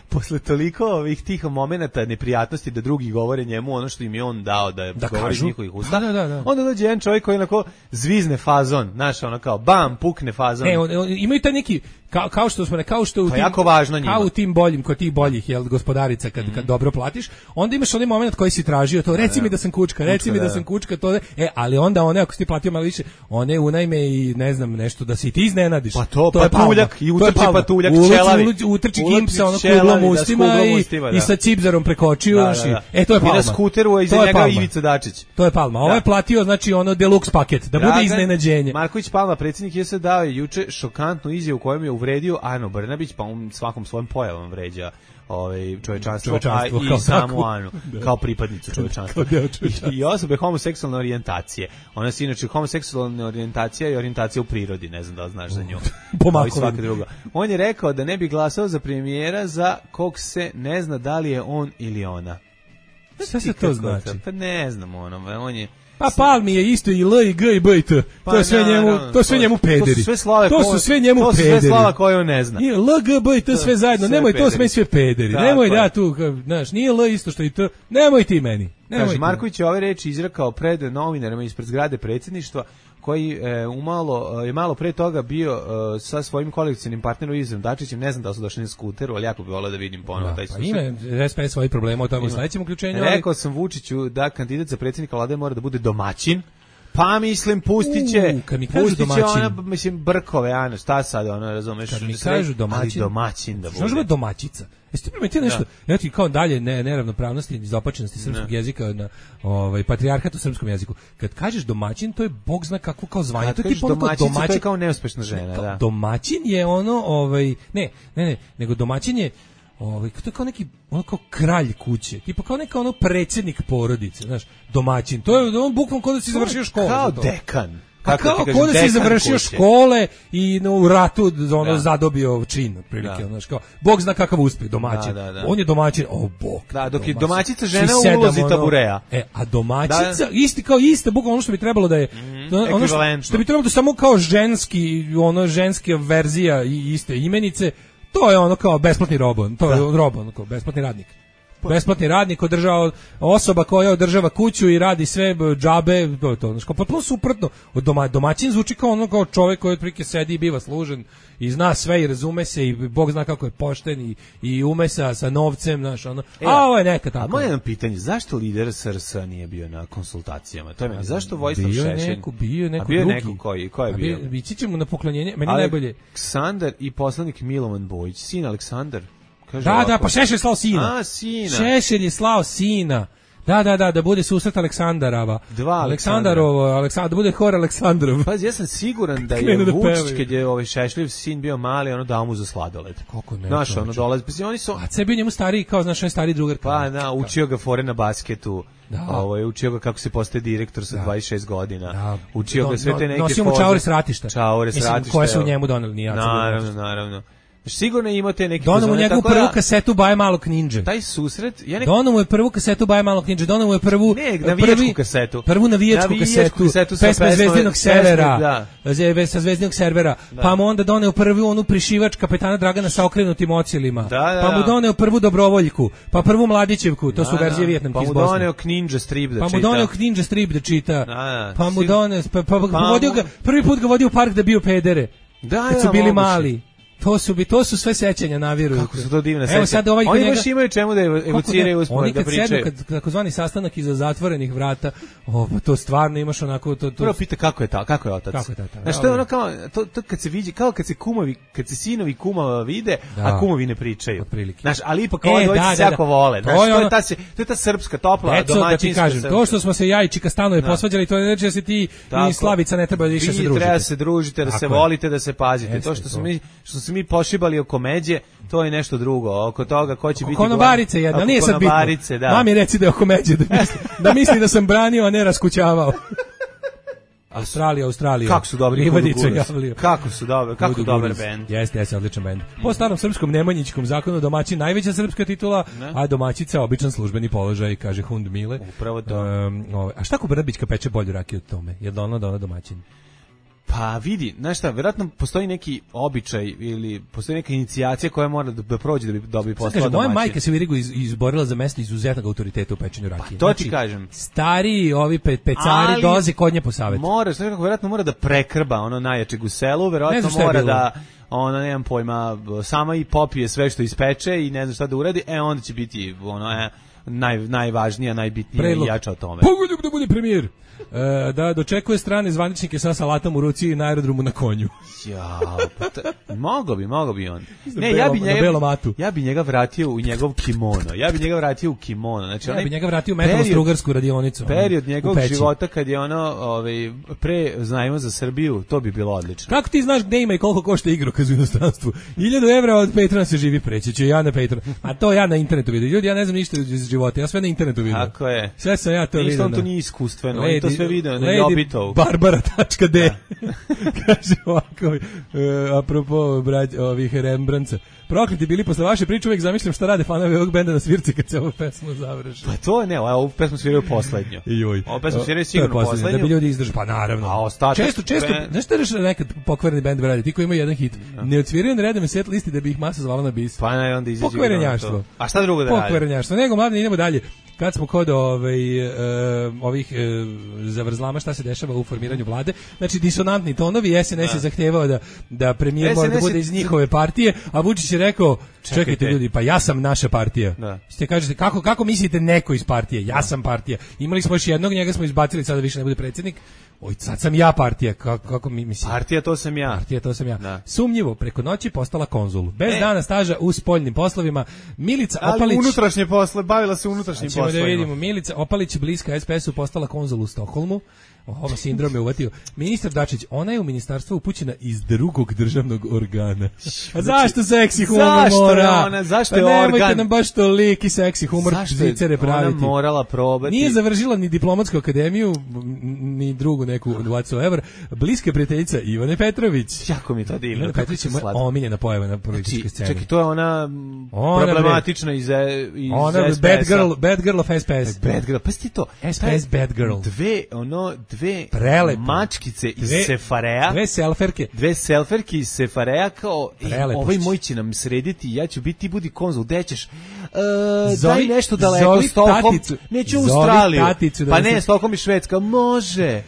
posle toliko ovih tih momenata neprijatnosti da drugi govore njemu ono što im je on dao da, da govori iz njihovih usta, da, da, da. onda dođe jedan čovjek koji onako zvizne fazon, znaš, ono kao bam, pukne fazon. E, on, on, imaju taj neki, kao, kao što smo ne, kao što u to tim, jako važno njima. Kao u tim boljim, kod tih boljih, jel, gospodarica, kad, mm. kad dobro platiš, onda imaš onaj moment koji si tražio, to reci da, mi da sam kučka, reci kučka, mi da, da sam kučka, to je, e, ali onda one, ako si ti platio malo više, one unajme i ne znam, nešto, da si ti iznenadiš. Pa to, to patuljak, i utrči patuljak, čelavi. Utrči gimpsa, ono kuglom ustima i, ustima, i sa cipzarom prekočio, da, da, da. E, to je Palma. I na skuteru, iza njega Ivica Dačić. To je Palma. Ovo je platio, znači, ono deluxe paket, da bude iznenađenje. Marković Palma, predsjednik je se dao juče šokantnu izjavu u kojem je uvredio Anu Brnabić, pa on svakom svojom pojavom vređa ovaj čovječanstvo, čovječanstvo a i samu Anu da. Kao pripadnicu čovječanstva I, i osobe homoseksualne orijentacije. Ona se inače homoseksualna orijentacija i orijentacija u prirodi, ne znam da li znaš za nju. Kao svaka druga. On je rekao da ne bi glasao za premijera za kog se ne zna da li je on ili ona. Šta se to znači? Pa ne znam, ono, on je Pa Palmi je isto i L i G i B i T. Pa, to je sve njemu, to sve njemu pederi. To su sve slave, to su sve njemu to pederi. To su sve slava koje on ne zna. I L, G, B i T sve zajedno. Sve nemoj pederi. To sve sve pederi. Tako nemoj da tu, znaš, nije L isto što i T. Nemoj ti meni. Nemoj Kaže, ti. Marković je ove reči izrekao pred novinarima ispred zgrade predsjedništva, koji e, umalo, je malo pre toga bio e, sa svojim koalicionim partnerom Ivicom Dačićem, ne znam da su došli na skuteru, ali jako bi voleo da vidim ponovo taj susret. Pa ima S P S svojih problema o tome u sledećem uključenju. Rekao sam Vučiću da kandidat za predsjednika vlade mora da bude domaćin. Pa mislim, pustit će, uh, kad mi kažu domaćin, ona, mislim, brkove, ano, šta sad, ono, razumeš? Kad mi kažu domaćin, ali domaćin da bude. Što je domaćica? Jeste ti primetili nešto? Da. Ja ti kao dalje ne, neravnopravnosti i izopačenosti srpskog ne. jezika na ovaj patrijarhat u srpskom jeziku. Kad kažeš domaćin, to je bog zna kako kao zvanje. To je tipa domaćin, to je kao neuspešna žena, kao, da. Domaćin je ono, ovaj, ne, ne, ne, nego domaćin je ovaj, to je kao neki, ono kao kralj kuće, tipa kao neka ono predsjednik porodice, znaš, domaćin. To je on bukvalno kao da si završio školu. Kao dekan. Pa kao ko da si završio kuće. Škole i no, u ratu ono da. zadobio čin, otprilike, da. Znaš, kao, Bog zna kakav uspeh, domaćin. Da, da, da. On je domaćin, o Bog. Da, dok je domaćica žena u ulozi tabureja. E, a domaćica, da. isti kao iste, bukvalno ono što bi trebalo da je, mm, ono što, što bi trebalo da samo kao ženski, ono ženska verzija i iste imenice, to je ono kao besplatni robon, to je robon, kao besplatni radnik. besplatni radnik, održava osoba koja održava kuću i radi sve džabe, to je to. Znači, potpuno suprotno. Od doma, domaćin zvuči kao ono kao čovjek koji otprilike sedi i biva služen i zna sve i razume se i Bog zna kako je pošten i, i ume sa, sa novcem, znaš, ono. E, a ovo je neka tako. A moje jedno pitanje, zašto lider S R S nije bio na konsultacijama? To je meni, zašto Vojislav bio Šešelj? Neko, bio je neko a bio drugi. neko koji, ko je a bio? bio? Ići ćemo na poklonjenje, meni najbolje. Aleksandar i poslanik Milovan Bojić, sin Aleksandar. Kaže da, ovako, da, pa Šešelj je slao sina. A, sina. Šešelj je slao sina. Da, da, da, da bude susret Aleksandarava. Dva Aleksandarovo, Aleksandar, da bude hor Aleksandrov. Pazi, ja sam siguran da je da Vučić, kad je ovaj Šešljev sin bio mali, ono dao mu za sladoled. Kako ne? Znaš, ono dolazi, pa oni su... A ce bio njemu stariji, kao, znaš, on stari drugar. Pa, da, učio ga fore na basketu. Da. Ovo je učio ga kako se postaje direktor sa da. dvadeset šest godina. Da. Učio no, ga sve te neke... Nosio mu čaure s ratišta. Čaure s ratišta. Mislim, koje su u njemu doneli, nije. Naravno, naravno. Sigurno imate neki Dono mu njegovu prvu da, kasetu Baje malog ninja. Taj susret, ja nek... Dono mu je prvu kasetu Baje malog ninja, dono mu je prvu ne, navijačku kasetu. Prvu navijačku kasetu, kasetu pesme Zvezdinog servera, da. sa Zvezdinog servera. Da. Pa mu onda doneo prvu onu prišivač kapetana Dragana sa okrenutim ocilima. Da, da, pa mu doneo prvu Dobrovoljku, pa prvu Mladićevku, to su da, verzije da. Vijetnamke iz Bosne. Bosne. Pa mu doneo Ninja strip da čita. Pa mu doneo Ninja strip da čita. Da, da. Pa mu doneo, pa, pa, pa, pa vodio ga, prvi put ga vodio u park da bio pedere. Da, kad su bili moguće. Mali. To su bi to su sve sećanja na vjeru. Kako su to divne sećanja. Evo sad ovaj oni njega, baš imaju čemu da evociraju uspomene da pričaju. Oni kad sednu, kad takozvani sastanak iza zatvorenih vrata, o, pa to stvarno imaš onako to to. Prvo pita kako je ta, kako je otac. Kako je tata. Znači to je ono kao to, to kad se vidi, kao kad se kumovi, kad se sinovi kumova vide, da. A kumovi ne pričaju. Znači, ali ipak e, oni dvojice da, se da, jako vole. Znači, to je, ono, to je ta to je ta srpska topla Eto, domaćinska. Da ti kažem, to što smo se ja i Čika Stanoje posvađali, to ne znači da se ti i Slavica ne treba više se družiti. Treba se družite, da se volite, da se pazite. To što smo mi što smo mi pošibali oko međe, to je nešto drugo. Oko toga ko će biti konobarice jedna, nije sad bitno. Da. Mami reci da je oko međe, da misli, da misli da sam branio, a ne raskućavao. Australija, Australija. Kako su dobri Livadice javljaju. Kako su dobri, kako Kudu dobar bend. Jeste, jeste, odličan bend. Po starom srpskom Nemanjićkom zakonu domaćin najveća srpska titula, ne? A domaćica običan službeni položaj, kaže Hund Mile. Upravo to. Um, ovaj, a šta ko Brnabićka peče bolju rakiju od tome? Je li ona da ona domaćin? Pa vidi, znaš šta, vjerojatno postoji neki običaj ili postoji neka inicijacija koja mora da prođe da bi dobio posao domaćin. Moja majka se u Irigu iz, izborila za mesto izuzetnog autoriteta u pečenju rakije. Pa to znači, ti kažem. Stari ovi pe, pecari dolaze kod nje po savjetu. Mora, znači kako vjerojatno mora da prekrba ono najjačeg u selu, vjerojatno mora da ono, nemam pojma, sama i popije sve što ispeče i ne znam šta da uradi, e onda će biti ono, e, naj, najvažnija, najbitnija Predlog. I jača o tome. Pogoljub da bude premijer. E, da dočekuje strane zvaničnike sa salatom u ruci i na aerodromu na konju. Ja, pa ta, mogo bi, mogo bi on. Ne, belo, ja bi njega, matu. ja bi njega vratio u njegov kimono. Ja bi njega vratio u kimono. Znači, ja bi njega vratio u metalno-strugarsku radionicu. Period njegovog života kad je ono, ovaj, pre znajmo za Srbiju, to bi bilo odlično. Kako ti znaš gde ima i koliko košta igrokaz u inostranstvu? Hiljadu evra od Patrona se živi preći, ću ja na Patron. A to ja na internetu vidim. Ljudi, ja ne znam ništa iz života, ja sve na internetu vidim. Tako je. Sve sam ja to vidim. Ništa on to nije iskustveno, on to sve vidio na Jobitovu. Barbara tačka de kaže ovako, uh, apropo brać, ovih Rembrandtsa. Prokleti bili posle vaše priče, uvijek zamišljam šta rade fanovi ovog benda na svirci kad se ovu pesmu završi. Pa to ne, ovu pesmu sviraju poslednju. Joj. Ovu pesmu sviraju sigurno poslednju. Da bi ljudi izdržali, pa naravno. A ostatak... Često, često, ben... znaš što je rešeno nekad pokvareni bend radi, ti koji imaju jedan hit, no. Ne odsviraju na redom set listi da bi ih masa zvala na bis. Pa ne, onda izađe. Pokvarenjaštvo. A šta drugo da radi? Pokvarenjaštvo, nego mladine, idemo dalje. Kad smo kod ovaj, uh, ovih uh, zavrzlama šta se dešava u formiranju vlade, znači disonantni tonovi, S N S je zahtevao da, da premijer mora da bude iz njihove partije, a Vučić je rekao, čekajte, čekajte ljudi, pa ja sam naša partija. Da. Ste kažete, kako, kako mislite neko iz partije? Ja da. sam partija. Imali smo još jednog, njega smo izbacili, sada više ne bude predsjednik. Oj, sad sam ja partija, kako, kako mi mislim? Partija, to sam ja. Partija, to sam ja. Da. Sumnjivo, preko noći postala konzul. Bez e. dana staža u spoljnim poslovima. Milica Ali Opalić... unutrašnje posle, bavila se unutrašnjim poslovima. Ćemo da vidimo. Milica Opalić, bliska S P S-u, postala konzul u Stokholmu. Ovo sindrom je uvatio. Ministar Dačić, ona je u ministarstvo upućena iz drugog državnog organa. A zašto seksi humor zašto mora? Je ona, zašto je pa organ? Nemojte nam baš toliki seksi humor zvicere praviti. Ona morala probati. Nije završila ni diplomatsku akademiju, ni drugu neku whatsoever. Bliska prijateljica Ivane Petrović. Jako mi to divno. Ivana Petrović je moja omiljena pojava na političkoj sceni. Čekaj, to je ona, ona problematična iz, iz ona S P S-a. Bad girl, bad girl of S P S. Bad girl, pa sti to. S P S bad girl. Dve, ono, dve Prelepo. mačkice iz dve, Sefarea. Dve selferke. Dve selferke iz Sefarea kao, Prelepo. ovaj moj će nam srediti, ja ću biti, ti budi konzul, gde ćeš? uh, Zovi- daj nešto daleko, zovi Stockholm, taticu. neću u Zovi Australiju, taticu da pa nas- ne, Stockholm i Švedska, može.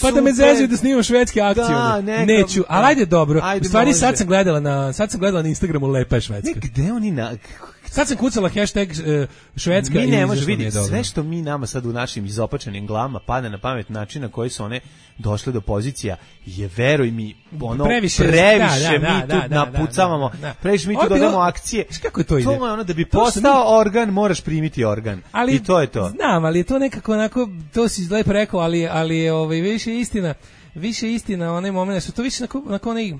Pa da me Super. zezaju da snimam švedske akcije. Da, ono. neka- Neću, ali ajde dobro. Ajde, U stvari može. sad sam gledala na sad sam gledala na Instagramu lepa je Švedska. Ne, gde oni na... Sad sam kucala hashtag uh, Švedska Mi i ne izašlo može mi je vidjeti dobro. sve što mi nama sad u našim izopačenim glavama pada na pamet način na koji su one došle do pozicija je, veruj mi, ono Previše- previše, da, da, mi da, tu da, da, napucavamo, da, da. previše mi tu Ovo je bilo- dodamo akcije. Znaš kako to ide? To je ono da bi To su postao organ, moraš primiti organ. Ali, I to je to. Znam, ali je to nekako onako, to si lepo rekao, ali, ali je ovaj, više istina, više istina onaj moment, su to više onako, onako onaj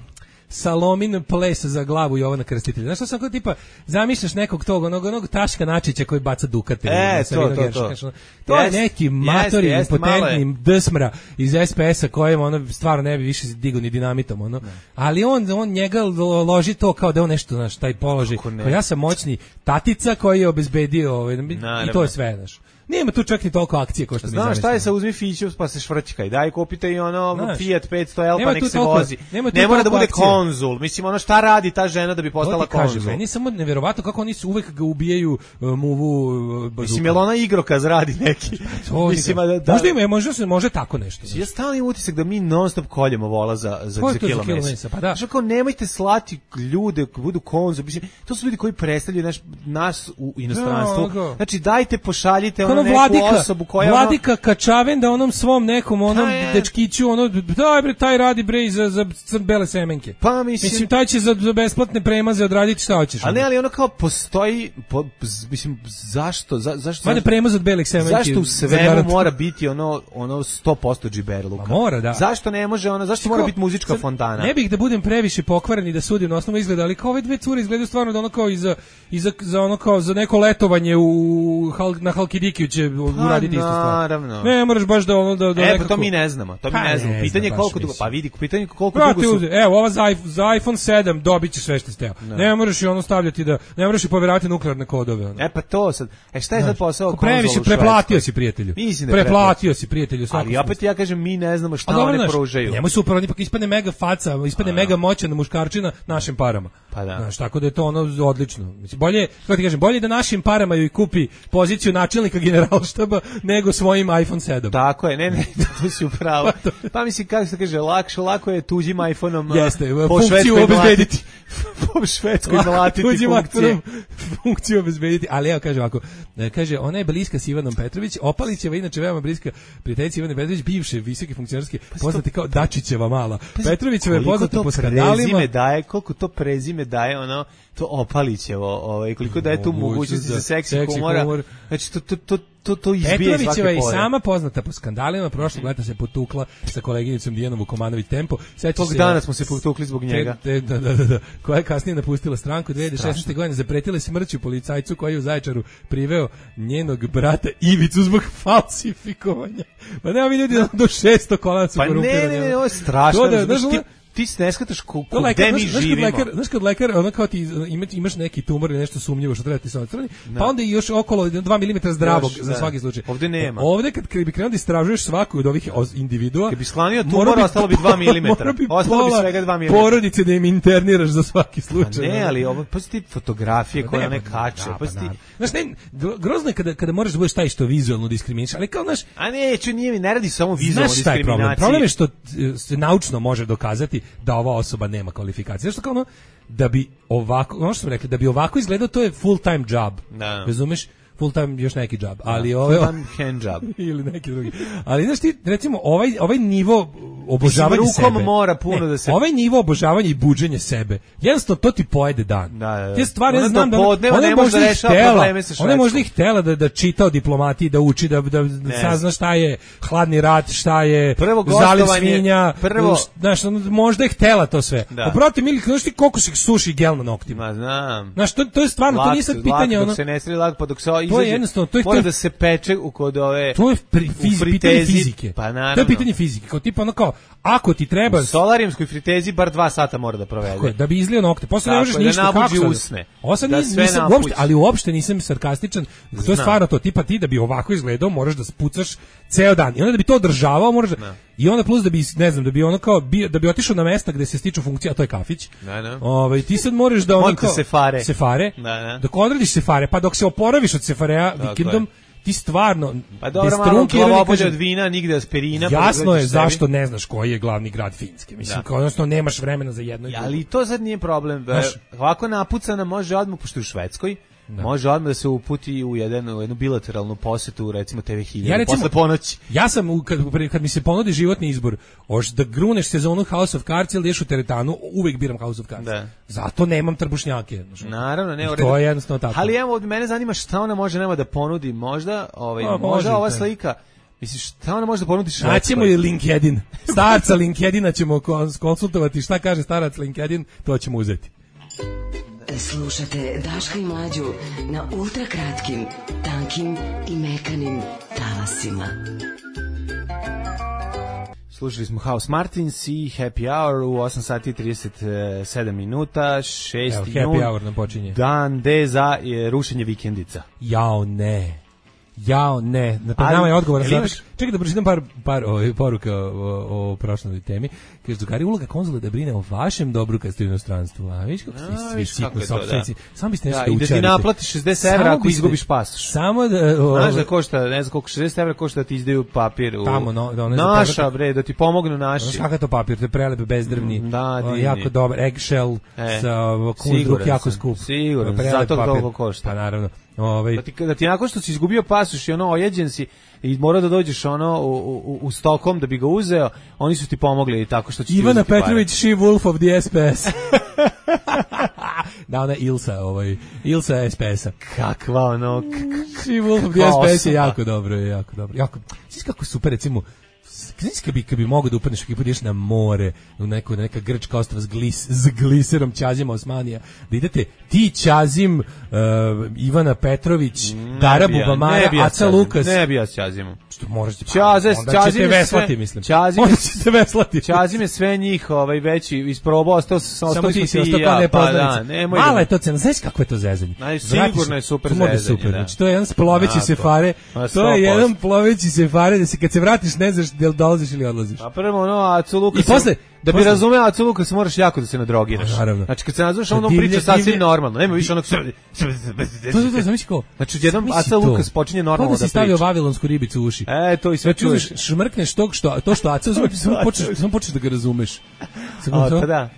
Salomin ples za glavu Jovana Krstitelja. Znaš što sam kao tipa, zamišljaš nekog tog, onog, onog Taška Načića koji baca dukate. E, na to, Savinu to, Geršaka. to. To je Jeste, neki jeste, matori, jeste, malo je. impotentni drsmra iz es pe es-a kojem ono stvarno ne bi više digo ni dinamitom. Ono. Ali on, on njega lo- loži to kao da je on nešto, znaš, taj položaj. Kako ne? Kao ja sam moćni tatica koji je obezbedio ovaj, i Naravno. to je sve, znaš. Nema tu čak ni toliko akcije kao što mi Znaš šta je zamislimo. sa uzmi Fiću pa se švrćkaj, daj kupite i ono Znaš, Fiat petsto L nema pa nek tu se toliko- vozi. nema tu Ne mora da toliko bude akcije. konzul, mislim ono šta radi ta žena da bi To postala ti kažem, konzul. meni je samo neverovatno kako oni su uvek ga ubijaju uh, muvu uh, bazukom. Mislim, jel ona igrokaz radi neki? To Mislim, nikad. a da, da, Možda ima, možda se može tako nešto. ja stalno imam utisak da mi non stop koljemo vola za, za, Ko je za to za kilo kilo mesa. mesa? Pa da. Znaš, kao, nemojte slati ljude koji budu konzum. Mislim, to su ljudi koji predstavljaju naš, nas u inostranstvu. Da, da. Znači, dajte, pošaljite ono Ono neku Vladika, osobu koja... Vladika Kačaven da onom svom nekom onom Pa je. dečkiću ono daj bre taj radi bre i za za crn bele semenke. Pa mislim- mislim taj će za, za besplatne premaze odraditi šta hoćeš. A ne, ono. ali ono kao postoji... Po, z- mislim, zašto? Za, zašto? Vade premaz od belih semenki. Zašto u za svemu garant. mora biti ono ono sto posto džiberluka? Ma mora, da. Zašto ne može ono, zašto mora Kao, biti muzička sad, fontana? Ne bih da budem previše pokvaren i da sudim na osnovu izgleda, ali kao ove dve cure izgledaju stvarno da ono kao i za, i za, za ono kao za neko letovanje u Hal, na Halkidikiju će uraditi istu stvar. naravno. Ne moraš baš da ono da, da E, pa nekako... to mi ne znamo, to mi Pa ne znamo. ne Pitanje je znam, koliko baš dugo, mislim. pa vidi, pitanje je koliko Brate, dugo su... uzde, evo, ova za, iPhone- za iPhone sedam dobit će sve što ste teo. Ne moraš i ono stavljati da, ne moraš i poveravati nuklearne kodove. Ono. E pa to sad. E šta je sad posao Ko previše konzola u preplatio Švedskoj? si prijatelju. Mislim da je preplatio si prijatelju. u svakom Ali opet smislu. ja kažem mi ne znamo šta A dobro, one znaš, pružaju. Njemu super, on ipak ispadne mega faca, ispadne mega moćan muškarčina našim parama. Pa da. Znaš, tako da je to ono odlično. Mislim, bolje, kako ti kažem, bolje da našim parama joj kupi poziciju načelnika generalštaba nego svojim iPhone sedam. Tako je, ne, ne, to si upravo. Pa mislim, kako se kaže, lakše, lako je tuđim iPhone-om Jeste, po funkciju Švedskoj obezbediti. mlatiti- po švedskoj mlatiti Tuđim funkcije. aktorom funkciju obezbediti. Ali evo kaže ovako, e, kaže ona je bliska s Ivanom Petrović, Opalićeva inače veoma bliska prijateljica Ivane Petrović, bivše visoke funkcionerske, poznati kao Dačićeva mala. Petrovićeva je Koliko poznata to po skandalima. prezime daje, koliko to prezime daje, ono, to Opalićevo, ovaj, koliko daje tu Mogućnost mogućnosti za za seksi seksi humora. humor. Znači, to, to, to, to, to izbije Petrovićeva svake je i pore. sama poznata po skandalima, prošlog leta se potukla sa koleginicom Dijanom Vukomanović Tempo. Sećaš Tog se, dana smo se potukli zbog njega. Te, te, da, da, da, da, koja je kasnije napustila stranku dve hiljade šesnaeste. godine, zapretila smrću policajcu koji je u Zaječaru priveo njenog brata Ivicu zbog falsifikovanja. Pa nema mi ljudi do šesto kolana su Pa ne, korumpirani. ne, ne, ono. ovo je strašno. To da, razumeš, znaš, ti, ono- ti se ne shvataš ko, To ko, lekar, gde mi znaš, znaš kad živimo. lekar, znaš kad lekar, ono kao ti ima, imaš neki tumor ili nešto sumnjivo što treba ti se odstrani, pa onda i još okolo dva milimetra zdravog Još, za da. svaki slučaj. Ovde nema. E, ovde kad, kad bi krenuo da istražuješ svaku od ovih oz- individua, Kad bi sklanio mora tumor, ostalo bi dva milimetra. mora bi Ostalo bi pola svega dva milimetra. porodice da im interniraš za svaki Pa slučaj. ne, ali ovo, pa ti fotografije koje Ne, one pa, kače, da, pa pa ti... naravno. Znaš, ne, gro- grozno je kada, kada možeš da budeš taj što vizualno diskriminiš, ali kao, znaš, A neću, nije mi, ne radi samo vizualno znaš šta je problem? diskriminaciji. Problem je što e, se naučno može dokazati da ova osoba nema kvalifikacije. Znaš što kao ono, da bi ovako, ono što smo rekli, da bi ovako izgledao, to je full time job. Da. Razumeš? Full time još neki job, ali Da, ovo je... full time hand job. ili neki drugi. Ali znaš ti, recimo, ovaj, ovaj nivo obožavanja Mislim, rukom sebe. mora puno da se- Ovaj nivo obožavanja i buđenja sebe, jednostavno to ti pojede dan. Da, da, da. Te stvari, ja Ona znam do da ona, podneva ona ne je može možda da i rešava htela, probleme sa ona je možda i Švedskom. htela da, da čita o diplomatiji, da uči, da, da, da sazna šta je hladni rat, šta je Prvo zaliv gostovanje, svinja, prvo- š- znaš, ono, možda je htela to sve. Da. Pa brate, mili, znaš ti koliko se suši gel na noktima? Ma znam. Znaš, to, to je stvarno, to Lako nije se- sad pitanje, lako, ono... dok se ne sredi lako, pa dok se o- izađe, jednostavno, to je- mora to je- da se peče u kod ove... To je pri, u fiz, fritezi, pitanje fizike. Pa To je naravno. pitanje fizike. Kao tipa ono kao, ako ti treba... U solarijumskoj fritezi bar dva sata mora da provede. Tako je, da bi izlio nokte. Posle ne Tako možeš je, da ništa, nabuđi kako sad? usne. Ovo sad Da nis- sve nisam, napući. uopšte, ali uopšte nisam sarkastičan. To je Znam. stvarno to, tipa ti da bi ovako izgledao, moraš da spucaš ceo dan. I onda da bi to održavao, moraš da... I onda plus da bi, ne znam, da bi ono kao, bio, da bi otišao na mesta gde se stiču funkcije, a to je kafić. Da, da. Ovaj, ti sad moraš da ono Monte kao... sefare. Sefare. Da, da. Dok odradiš sefare, pa dok se oporaviš od sefarea vikendom, ti stvarno... Pa dobro, malo glavobolje od vina, nigde aspirina. Jasno pa je zašto ne znaš koji je glavni grad Finjske. Mislim, kao odnosno nemaš vremena za jedno i drugo. Ali to sad nije problem. Znaš, ovako napucana može odmah, pošto je u Švedskoj, da. Može odmah da se uputi u, jedan, u jednu bilateralnu posetu, recimo te ve hiljadu, ja posle ponoći. Ja sam, kad, kad mi se ponudi životni izbor, hoš da gruneš sezonu House of Cards ili ideš u teretanu, uvek biram House of Cards. Da. Zato nemam trbušnjake. Naravno, ne, to je jednostavno tako. Ali evo, od mene zanima šta ona može nema da ponudi, možda, ovaj, A, možda može, ova slika, misliš, šta ona može da ponudi Švedskoj? Naćemo i LinkedIn. Starca LinkedIna ćemo konsultovati, šta kaže starac LinkedIn, to ćemo uzeti. Slušate Daška i Mlađu na ultrakratkim, tankim i mekanim talasima. Slušali smo House Martins i Happy Hour u osam sati i trideset sedam minuta, šesti Evo, Happy Hour nam počinje. Dan D za rušenje vikendica. Jao ne. Jao ne, na pred nama je odgovor na imaš... Čekaj da pročitam par, par o, poruka o, o, o prošloj temi. Kaže, drugari, uloga konzula da brine o vašem dobru kad ste u inostranstvu. A vidiš kako ste svi sitno sopstvenici. Samo biste nešto da učarite. I da ti naplatiš šezdeset evra ako izgubiš pasoš. Samo da... O, Znaš da košta, ne znam koliko, šezdeset evra košta da ti izdaju papir. U... Tamo, no, da naša, bre, da ti pomognu naši. Znaš kakav to papir, to je prelep, bezdrvni, da, o, jako dobar, eggshell, e, sa kunzdruk, jako skup. Siguran, zato toliko košta. Pa naravno. Ovaj da ti da ti nakon što si izgubio pasoš i ono ojeđen si i mora da dođeš ono u, u, u Stockholm da bi ga uzeo, oni su ti pomogli tako što će Ivana Petrović, she wolf of the S P S. Da, ona Ilsa, ovaj Ilsa S P S-a. Kakva ono she wolf of the S P S je jako dobro, je jako dobro. Jako, znači kako super recimo. Znači kad bi, kad bi mogo da upadneš ekipu ideš na more, u neku, neka grčka ostrva s, glis, s gliserom Ćazima Osmanija, da idete ti Ćazim, uh, Ivana Petrović, ne Dara bija, Bubamara, Aca Lukas. Ne bi ja s Ćazimom. Što moraš ti Ćaze, onda ćete veslati, mislim. Ćazim, onda ćete veslati. Ćazim je sve njih ovaj, veći isprobao, ostao sam samo ti si i ja. Pa da, mala je to cena, znaš kako je to zezanje? Sigurno je super zezanje. Super. Znači, to je jedan sploveći sefare, to je jedan ploveći sefare, da se kad se vratiš ne znaš da li dolaziš ili odlaziš. A prvo ono, Acu Lukas... I posle, da bi razumeo Acu Lukas moraš jako da se nadrogiraš. Znači kad se nazoveš, on priča sasvim normalno. Nema više onog... To, to, to, zamisli ko? Znači jednom Aca Lukas počinje normalno da priča. Kako si stavio vavilonsku ribicu u uši? E, to i sve čuješ. Šmrkneš to što, to što Aca uzme, samo počneš, samo počneš da ga razumeš. O, pa da.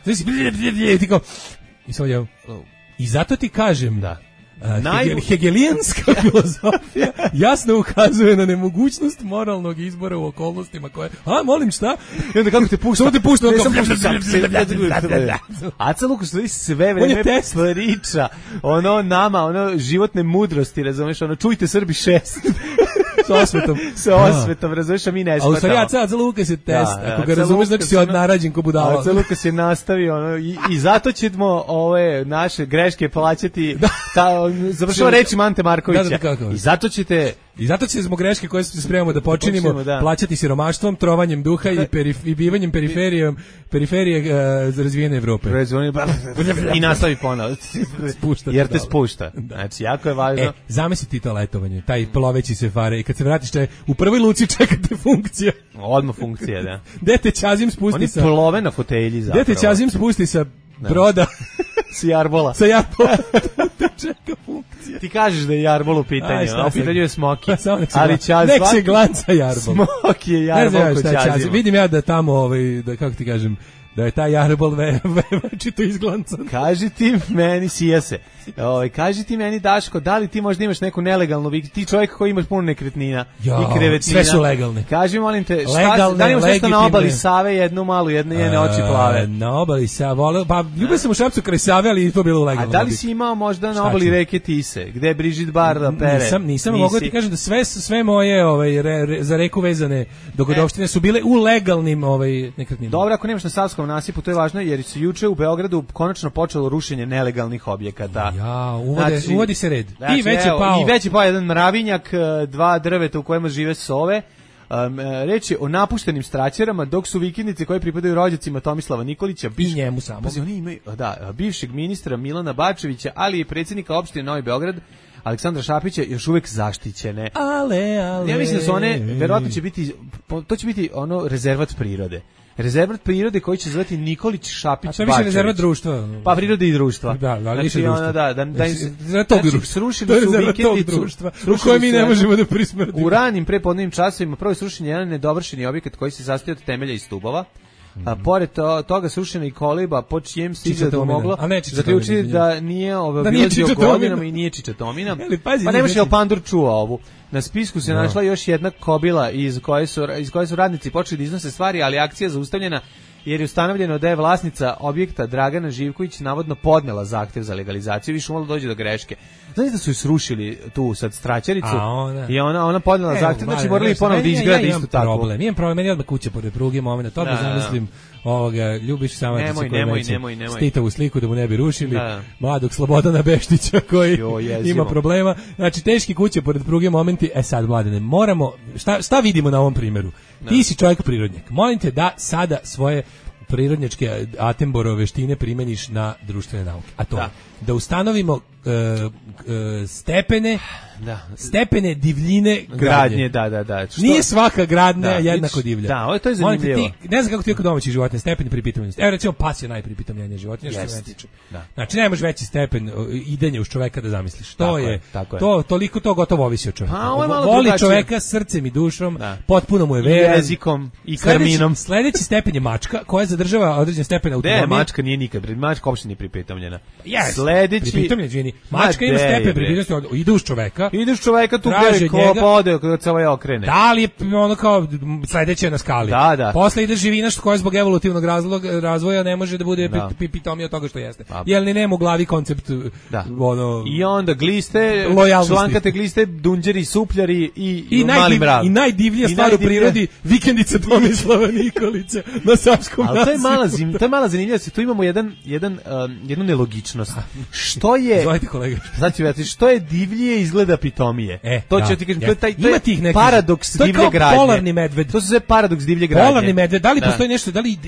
I zato ti kažem da. Uh, hegelijanska filozofija jasno ukazuje na nemogućnost moralnog izbora u okolnostima koje... A, molim, šta? I onda kako te pušta? Samo te pušta. Aca Lukas sve vreme priča ono nama, ono životne mudrosti, razumeš, ono čujte Srbi šest. Sa osvetom. Sa osvetom, razumeš, a mi ne shvatamo. A u stvari Aca, Aca Lukas je test. Da, ako ga razumeš, znači si odnarađen ko budala. Aca Lukas je nastavio, ono, i, i zato ćemo ove naše greške plaćati, ta, završava reči Mante Markovića. Da, da, da, I zato ćete... I zato će zbog greške koje se spremamo da počinimo, počinimo da. plaćati siromaštvom, trovanjem duha i, perif, i bivanjem periferije, periferije uh, za razvijene Evrope. I nastavi ponovo. Jer te spušta. Da. Znači, jako je važno. E, zamisli ti to letovanje, taj ploveći sefare i kad se vratiš če, u prvoj luci čekate funkcija. Odmah funkcija, da. Gde te Ćazim spusti sa... Oni plove na fotelji zapravo. Gde te Ćazim spusti sa broda... S Jarbola. Sa Jarbola. Čeka funkcija. Ti kažeš da je Jarbol u pitanju, a u pitanju je Smoki. Ali Ćaz... Nek se glanca Jarbol. Smoki je Jarbol kod Ćazima. Vidim ja da tamo, ovaj, da, kako ti kažem, da je taj Jarbol ve, ve, večito izglancan. Kaži ti meni, sija se, ovaj, kaži ti meni, Daško, da li ti možda imaš neku nelegalnu, ti čovjek koji imaš puno nekretnina jo, i krevetina. Sve su legalne. Kaži, molim te, šta, legalne, da li imaš nešto na obali Save, jednu malu, jedne, jedne oči plave? Na obali Save, pa ljubio sam u Šapcu kraj Save, ali i to bilo legalno. A da li si imao možda na obali reke Tise, gde je Brigitte Barda pere? Nisam, nisam, mogu ti kažem da sve, sve moje ovaj, re, re, za reku vezane dogodovštine su bile u legalnim ovaj, nekretninama. Dobro, ako nemaš na Savskom nasipu, to je važno, jer su juče u Beogradu konačno počelo rušenje nelegalnih objekata. Ja, uvode, znači, uvodi se red. Znači, I već je pao. I već je pao jedan mravinjak, dva drveta u kojima žive sove. Um, reč je o napuštenim straćerama, dok su vikendice koje pripadaju rođacima Tomislava Nikolića, biš, i njemu samo. Pazi, oni imaju, da, bivšeg ministra Milana Bačevića, ali i predsjednika opštine Novi Beograd, Aleksandra Šapića još uvek zaštićene. Ale, ale. Ja mislim da su one, verovatno će biti, to će biti ono rezervat prirode. Rezervat prirode koji će zvati Nikolić Šapić Bačević. A to je više rezervat društva. Pa prirode i društva. Da, da, znači, više društva. Ona, da, da, da, za tog društva. Srušili su vikendicu društva, u kojem mi ne možemo da prismrdimo. U ranim prepodnevnim časovima prvo je srušen jedan nedovršeni objekat koji se sastoji od temelja i stubova. A pored to, toga srušena i koliba po čijem stiže da moglo zaključiti da nije ove da bilazio godinama i nije Čičatomina. Pa nemaš je Pandur čuva ovu. Na spisku se no. našla još jedna kobila iz koje su iz koje su radnici počeli da iznose stvari, ali akcija zaustavljena jer je ustanovljeno da je vlasnica objekta Dragana Živković navodno podnela zahtev za legalizaciju, više umalo dođe do greške. Znači da su ju srušili tu sad straćaricu ona, i ona ona podnela e, zahtev, znači morali ponovo da izgrade isto tako. Problem. Imam problem, meni odmah kuća pored pruge, momenat, to da zamislim ovoga Ljubiš Samardžića koji nemoj, nemoj, nemoj. Stitovu sliku da mu ne bi rušili, da. Mladog Slobodana Beštića koji jo, ima problema. Znači teški kuće pored pruge momenti, e sad Mladene, moramo, šta, šta vidimo na ovom primjeru? Da. Ti si čovjek prirodnjak, molim te da sada svoje prirodnjačke Attenborough veštine primeniš na društvene nauke, a to da, da ustanovimo uh, uh, stepene da. stepene divljine gradnje. gradnje da, da, da. Što? Nije svaka gradnja da, jednako divlja. Da, ovo je to je zanimljivo. Ti, ne znam kako ti je kod domaćih životinja, stepeni pripitamljenosti. Evo recimo pas je najpripitamljenija životinja, što se mene tiče. Da. Znači nemaš veći stepen idenja uz čoveka da zamisliš. To tako je, je tako je. To, toliko to gotovo ovisi od čoveka. Pa, voli drugačije. Čoveka srcem i dušom, da. Potpuno mu je veran. I jezikom i karminom. Sledeći, sledeći stepen je mačka koja zadržava određen stepen autonomije. Ne, mačka nije nikad, mačka uopšte nije pripitamljena. Yes. Sledeći pripitamljena, mačka ima stepen pripitamljenosti, ide uz čoveka. Ide uz čoveka tu gde ko ode kad se ovaj okrene. Da li je ono kao sledeće na skali. Da, da. Posle ide živina što koja zbog evolutivnog razloga razvoja ne može da bude da. pipitomija od toga što jeste. Da. Jel ni nema u glavi koncept da. Ono i onda gliste, člankate gliste, dunđeri, supljari i, i, i mali mrav. I najdivlija stvar u prirodi vikendica Tomislava Nikolića na Savskom nasipu. Ali to je mala zim, to je mala zanimljivost. Tu imamo jedan jedan um, jednu nelogičnost. Što je Izvolite kolega. Znači, ja što je divlije izgleda pitomije. E, to da, će ti kažem, ja. to je taj to je paradoks divlje gradnje. Polarni medved. To se zove paradoks divlje gradnje. Polarni medved, da li da. Postoji nešto, da li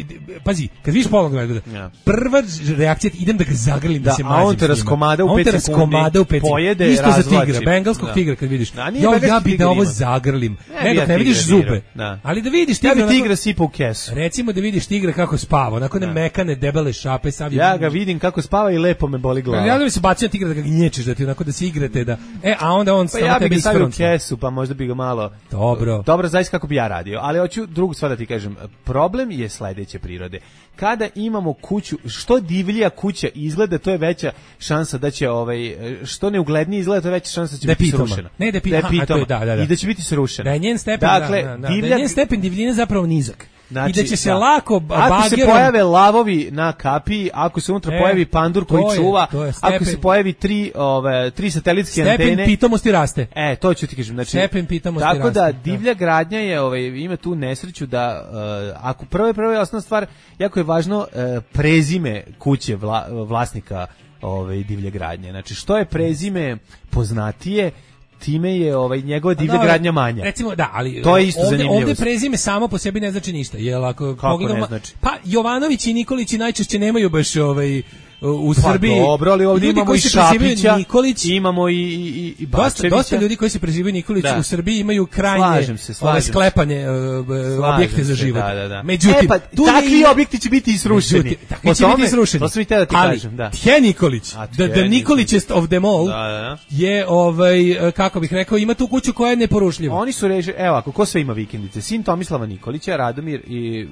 pazi, kad vidiš polarnog medveda, ja. Prva reakcija idem da ga zagrlim, da, da se mazim. A on te raskomada u pet sekundi. Raskomada u pet sekundi. Isto za tigra, bengalskog da. Tigra kad vidiš. Da, jo, ja bi da ovo zagrlim. Ne, dok ne vidiš zube. Ali da vidiš tigra. Ja bi tigra sipa u kesu. Recimo da vidiš tigra kako spava, onako ne mekane debele šape sav. Ja ga vidim kako spava i lepo me boli glava. Ja da bi se bacio tigra da ga gnječeš, da ti onako da se igrate da. E, a onda on samo tebi stavio u kesu, pa možda bi ga malo. Dobro. Dobro, zaista kako bi ja radio, ali hoću drugu stvar da ti kažem. Problem je sledeće prirode. Kada imamo kuću, što divlija kuća izgleda, to je veća šansa da će ovaj što neuglednije izgleda, to je veća šansa da će da biti pitoma. srušena. Ne, da pitoma, da, da, da. I da će biti srušena. Da je njen stepen, dakle, da, da, da, divlja, da je njen stepen divljine zapravo nizak. Znači, i da će se da. lako bagerom... Ako se pojave lavovi na kapiji, ako se unutra e, pojavi pandur koji je, čuva, stepen, ako se pojavi tri, ove, tri satelitske stepen antene... Stepen pitomosti raste. E, to ću ti kažem. Znači, stepen pitomosti tako raste. Tako da divlja gradnja je, ove, ima tu nesreću da, uh, ako prvo prvo je osnovna stvar, jako je važno uh, prezime kuće vla, vlasnika ove, divlje gradnje. Znači, što je prezime poznatije, time je ovaj njegova divlja da, gradnja manja. Recimo da, ali to je isto ovde, zanimljivo. Ovde prezime samo po sebi ne znači ništa. Jel ako kako pogledamo, ne znači? Pa Jovanović i Nikolić najčešće nemaju baš ovaj u Srbiji. Pa dobro, ali ovdje imamo i Šapića, Nikolić, imamo i, i, i dosta, dosta ljudi koji se prezivaju Nikolić da. U Srbiji imaju krajnje slažem se, slažem ove sklepanje uh, objekte za život. Da, da, da. Međutim, e, pa, takvi je, objekti će biti isrušeni. Takvi će biti isrušeni. To sam i te da ti ali, kažem. Da. Tje Nikolić, the, the Nikolićest of them all, da, da, da. Je, ovaj, kako bih rekao, ima tu kuću koja je neporušljiva. Oni su reži, evo ako, ko sve ima vikendice? Sin Tomislava Nikolića, Radomir i,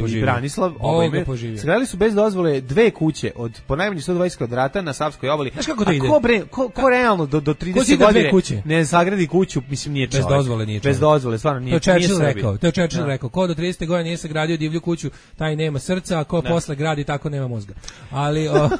i Branislav, sagradili su bez dozvole dve kuće od po najmanje sto dvadeset kvadrata na Savskoj obali. Znaš kako to ide? Ko, bre, ko, ko realno do, do trideset godine ne sagradi kuću, mislim nije čovjek. Bez dozvole nije čovjek. Bez dozvole, stvarno nije. To je Churchill rekao, to je Churchill rekao, ko do trideset godine nije sagradio divlju kuću, taj nema srca, a ko da. Posle gradi, tako nema mozga. Ali o...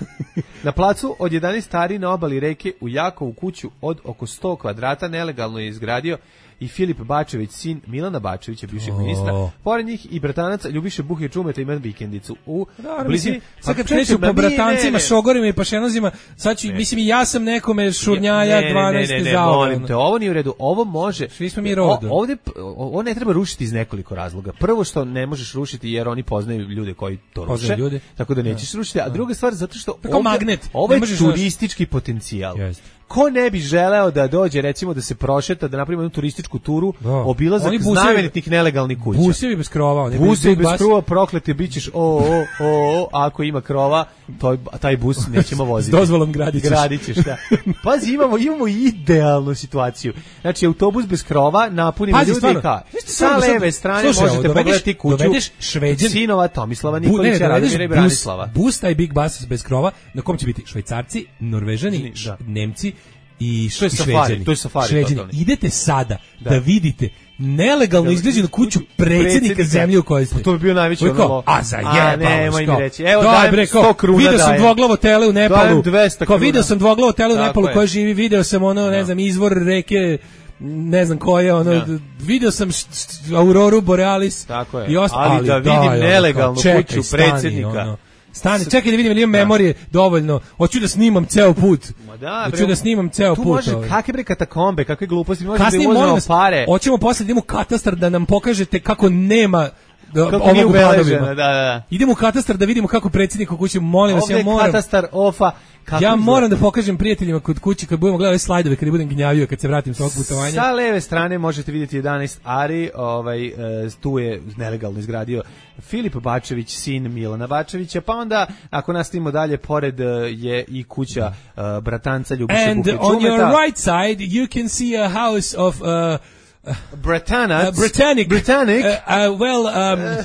na placu od jedanaest ari na obali reke u Jakovu kuću od oko sto kvadrata nelegalno je izgradio i Filip Bačević, sin Milana Bačevića, bivšeg oh. ministra. Pored njih i bratanac Ljubiše Buhe Čumeta ima vikendicu u da, blizini. Sad kad kreću po bratancima, šogorima i pašenozima, sad ću, ne. mislim i ja sam nekome šurnjaja dvanaeste zaovan. Molim te, ovo nije u redu. Ovo može... Svi smo mi rodu. O, ovde, ovo ne treba rušiti iz nekoliko razloga. Prvo što ne možeš rušiti jer oni poznaju ljude koji to ruše, ljude. tako da nećeš da. rušiti. A druga stvar, zato što ovde, magnet. ovo je turistički potencijal. Jest. ko ne bi želeo da dođe, recimo da se prošeta, da napravi jednu turističku turu, Da. obilazak Oni busevi- znamenitih nelegalnih kuća. Busevi bez krova, oni Busevi bez bas- krova, prokleti, bit ćeš o, o, o, o, ako ima krova, to, taj bus nećemo voziti. S dozvolom gradit ćeš. Gradit ćeš, da. Pazi, imamo, imamo idealnu situaciju. Znači, autobus bez krova, napunimo Pazi, ljudi stvarno, i kao, znaš ti sa stvarno, sad- leve strane slušaj, možete dovedeš- pogledati kuću dovedeš Šveđan- sinova Tomislava Bu, ne, Nikolića, ne, dovedeš Radomira i bus, Branislava. bus, taj big bus bez krova, na kom će biti Švajcarci, Norvežani, Da. Nemci i, To je i safari, Šveđani. to je safari Šveđani. totalni. Idete sada da, Da. vidite nelegalno izgrađenu kuću predsjednika Predsjednika. zemlje u kojoj ste. Pa to bi bio najveći Ovo je kao, ono- A za A, jebalo, nemoj mi kao, reći. Evo, daj, dajem bre, kao, sto kruna Video sam dajem. dvoglavo tele u Nepalu. Dajem dvesta Kao kruna. video sam dvoglavo tele u Tako Nepalu je. koje živi, video sam ono, ne znam, izvor reke ne znam koje, ono, Da. video sam št, št, Auroru Borealis Tako je. i osta, Ali da vidim daj, ono, kao, nelegalnu čekaj, kuću stani, predsjednika. ono. Stani, čekaj da vidim ili imam memorije dovoljno. Hoću da snimam ceo put. Ma da, Hoću bre, da snimam ceo tu put. može, ovaj. kakve bre katakombe, kakve gluposti, može Kasnije da molim uzmemo vas, pare. hoćemo posle da idemo u katastar da nam pokažete kako nema da, Kako nije ovog u ubeleženo, planovima. da, da, da. Idemo u katastar da vidimo kako predsjednik u kući, molim vas, Ovdje ja je moram. katastar ofa. Kako Ja izgleda? moram da pokažem prijateljima kod kuće kad budemo gledali slajdove, kad budem gnjavio, kad se vratim sa ovog putovanja. Sa leve strane možete vidjeti jedanaest ari, ovaj, e, tu je nelegalno izgradio Filip Bačević, sin Milana Bačevića, pa onda, ako nastavimo dalje, pored e, je i kuća e, bratanca Ljubiše And Buhe on your Čumeta. right side you can see a house of uh, Bretanac. Uh, Britannic. Britannic. Uh, uh, well, um,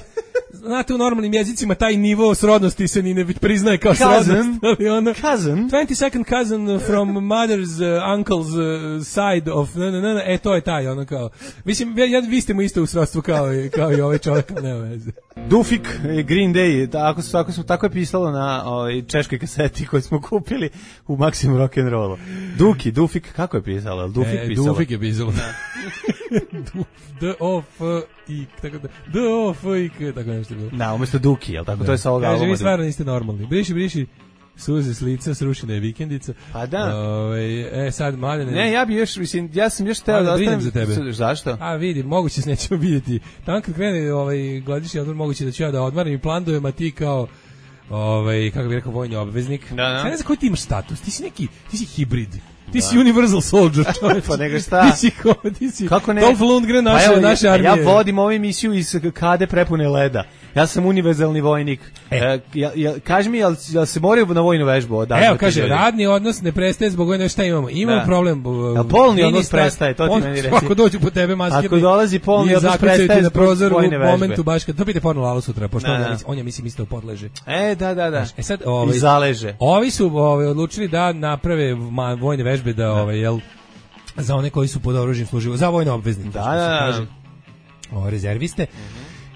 znate, u normalnim jezicima taj nivo srodnosti se ni ne priznaje kao Cousin. srodnost. Ali ono, Cousin. twenty-second cousin from mother's uh, uncle's uh, side of... Na, na, na, na, e, to je taj, ono kao... Mislim, ja, vi ste mu isto u srodstvu kao, i- kao i ovaj čovjek, ali nema veze. Dufik, e, Green Day, tako, su, tako, su, tako je pisalo na ovaj, češkoj kaseti koju smo kupili u Maximum Rock'n'Rollu. Duki, Dufik, kako je pisalo? Jel Dufik e, pisalo? Dufik je pisalo. Du- D, O, F, I, tako da... D, O, F, I, K, tako nešto je bilo. Da, umjesto Duki, jel tako? To je sa ovog Kaže, albuma. vi stvarno niste normalni. Briši, briši, suze s lica, srušena je vikendica. Pa da. Ove, e, sad, Mladene... Ne, ja bi još, mislim, ja sam još teo Ajde, da brinem ostanem... za tebe. Zašto? A vidi, moguće se nećemo vidjeti. Tamo kad krene ovaj godišnji odmor, moguće da ću ja da odmaram i plandujem, a ti kao ovaj kako bih rekao vojni obveznik. Da, da. Sad ne znam koji ti imaš status. Ti si neki, ti si hibrid. Ti si universal soldier, čovječe. Pa nego šta? Ti si, ko- ti si Kako ne? Dolph Lundgren naše, Pa evo, naše ja, armije. ja vodim ovu emisiju iz kade prepune leda. Ja sam univerzalni vojnik. E. E, ja, ja, kaži mi, jel, jel se moraju na vojnu vežbu? odazvati Evo, kaže, ljudi? radni odnos ne prestaje zbog vojne, šta imamo? Imamo Da. problem. uh, Jel polni odnos ministar- prestaje, to ti on- meni reci. Ako dođu po tebe maskirni. Ako dolazi polni i odnos zaključaju ti prestaje na zbog prozor u vojne vežbe. momentu baš kad, to pite porno Lalu sutra, pošto Da, on, da. ja mislim, on je mislim isto podleže. E, da, da, da. E sad, ovaj, I zaleže. Ovi su ovaj, odlučili da naprave ma, vojne vežbe da, ovaj, jel, za one koji su pod oružjem služili, za vojne obveznike. Da, što se da, kaže. O, rezerviste.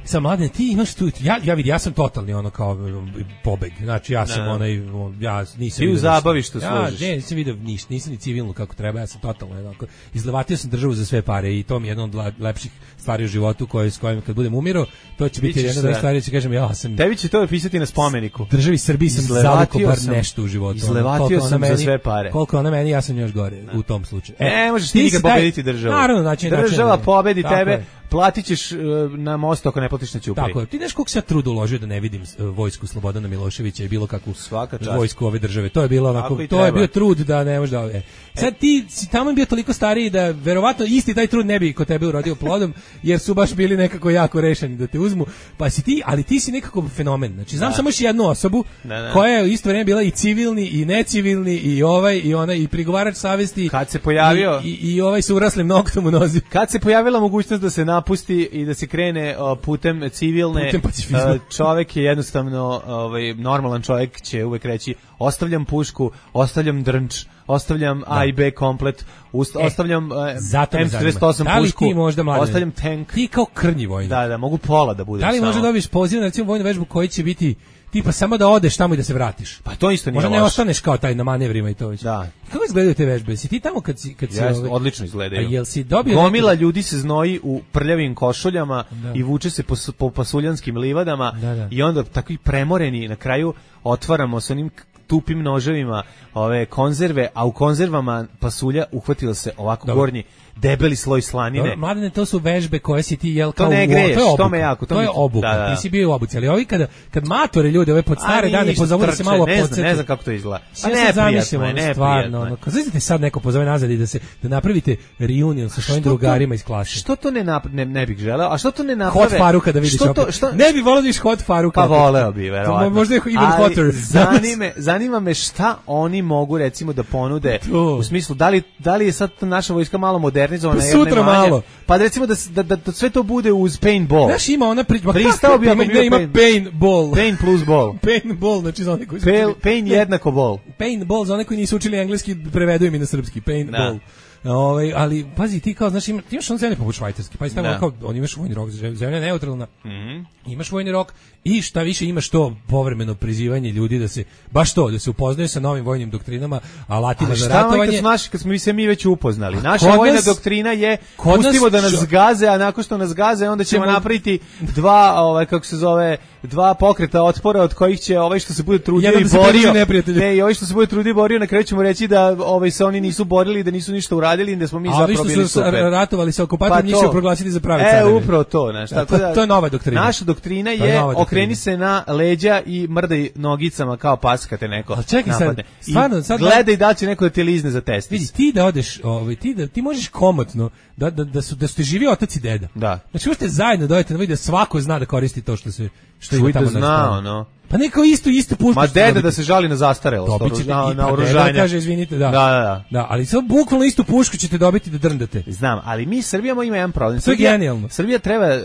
Sa mladine, ti imaš tu, ja, ja vidi, ja sam totalni ono kao um, pobeg, znači ja sam Da. onaj, on, ja nisam Ti u vidio zabavištu ništa. Ja, služiš. ne, nisam vidio ništa, nisam ni civilno kako treba, ja sam totalno jednako, izlevatio sam državu za sve pare i to mi je jedna od le- lepših stvari u životu koje, s kojim kad budem umirao, to će biti Bićeš jedna od onih sve. stvari, će kažem, ja sam Tebi će to pisati na spomeniku. državi Srbiji sam Izlevatio zaliko bar sam- nešto u životu. ono, izlevatio koliko ona sam za meni- sve pare. Koliko ona meni, ja sam još gore u tom slučaju. E, Ne možeš ti si nikad taj- pobediti državu. Naravno, znači, Država znači, pobedi tako tebe, je. platit ćeš e, na mostu ako ne platiš na ćupri. Tako je. Ti znaš koliko se ja trud uložio da ne vidim uh, vojsku Slobodana Miloševića i bilo kakvu Svaka čast. vojsku ove države. To je bilo onako, Tako i to je treba. bio trud da ne možeš da... E. Sad ti si tamo bio toliko stariji da verovatno isti taj trud ne bi kod tebe urodio plodom, jer su baš bili nekako jako rešeni da te uzmu. Pa si ti, ali ti si nekako fenomen. Znači, znam samo još jednu osobu Da, da. koja je u isto vrijeme bila i civilni i necivilni i ovaj i onaj i prigovarač savesti. Kad se pojavio- i, i, i ovaj sa uraslim noktom u nozi. Kad se pojavila mogućnost da se napusti i da se krene o, putem civilne, Putem pacifizma. e, čovek je jednostavno, ovaj, normalan čovjek će uvek reći ostavljam pušku, ostavljam drnč, ostavljam A i B komplet, ust, E, ostavljam e, Zato me M zanima. četrdeset osam Da li pušku, ti možda, Mladene, ostavljam tank. Ti kao krnji vojnik. Da, da, mogu pola da budem Da li samo. možda dobiješ poziv na recimo vojnu vežbu koji će biti tipa samo da odeš tamo i da se vratiš? Pa to isto nije Možda ne loše. ostaneš kao taj na manevrima i to već. Da. Kako izgledaju te vežbe? Si ti tamo kad si kad si Jes, ovaj- odlično A izgledaju. jel si dobio Gomila neki- ljudi se znoji u prljavim košuljama Da. i vuče se po, s- po pasuljanskim livadama Da, da. i onda takvi premoreni na kraju otvaramo s onim k- tupim noževima ove konzerve, a u konzervama pasulja uhvatila se ovako Dobro. gornji debeli sloj slanine. Dobro, mladene, to su vežbe koje si ti jel kao to ne u- greješ, to je obuka. to me jako, to to mi- je obuka. da, da. Ti si bio u obuci, ali ovi kada kad matore ljude ove pod stare A, dane ništa, pozovu da se trče, malo ne znam, podsjete. ne znam kako to izgleda. Pa Ja sad neprijatno zamišljam, je, ono, neprijatno stvarno, je. ono, kad znate sad neko pozove nazad i da se da napravite reunion sa svojim Što to- drugarima iz klase. Što to ne, nap, ne, ne bih želeo? A što to ne naprave? Hot Faruka da vidiš što to, opet. što, Ne bi voleo da vidiš Hot Faruka. Pa opet. voleo bi, verovatno. Možda je Ivan Ali Hotter. Zanime, zanima me šta oni mogu recimo da ponude To. u smislu da li, da li je sad naša vojska malo modernizovana Pa ili ne sutra manje? malo. Pa da recimo da, s- da, da, da sve to bude uz paintball. Znaš, ima ona priča, Pristao bi ako ima, bi bio ima pain- paintball. Pain plus ball. Paintball, znači za one koji su Pain, učili- pain jednako ball. Paintball, za one koji nisu učili engleski, prevedu im i na srpski, paintball. Ovaj, ali pazi, ti kao, znaš, ima, ti imaš on zemlje poput Švajcarske, pazi, tamo Da. kao, on imaš vojni rok, zemlja je neutralna, Mhm. imaš vojni rok i šta više imaš to povremeno prizivanje ljudi da se, baš to, da se upoznaju sa novim vojnim doktrinama, alatima Ali za šta ovaj kad ratovanje. smo, naši, kad smo mi se mi već upoznali? Naša kod vojna nas- doktrina je kod pustimo nas da nas čo- gaze, a nakon što nas gaze onda ćemo Ćemo- napraviti dva, ovaj kako se zove, dva pokreta otpora od kojih će ovaj što se bude trudio Jedan i da se borio. pridruži neprijatelju. Ne, i ovaj što se bude trudio i borio, na kraju ćemo reći da ovaj se oni nisu borili, da nisu ništa uradili, i da smo mi A ovi zapravo što bili su super. ratovali sa okupacijom, njih to. će proglasiti za pravi E, careve. upravo to, znaš, Da, tako to- da. to je nova doktrina. Naša doktrina To je je nova doktrina. okreni se na leđa i mrdaj nogicama kao pas kad te neko Ali čekaj sad, napadne. I stvarno, sad- gledaj da li će neko da te lizne za testis. Vidi, ti da odeš, ovaj, ti da ti možeš komotno da da da su da su te živi otac i deda. Da. Znači možete zajedno dojete da vidi da svako zna da koristi to što se što ima Čuj da tamo zna, na ono. Pa neko isto isto pušku. Ma ćete deda dobiti. da se žali na zastarelost, Dobit ćete na, i na pa oružanje. deda kaže izvinite, da. Da, da, da. Da, ali samo bukvalno istu pušku ćete dobiti da drndate. Znam, ali mi Srbija ima jedan problem. To je Srbija, genijalno. Srbija treba,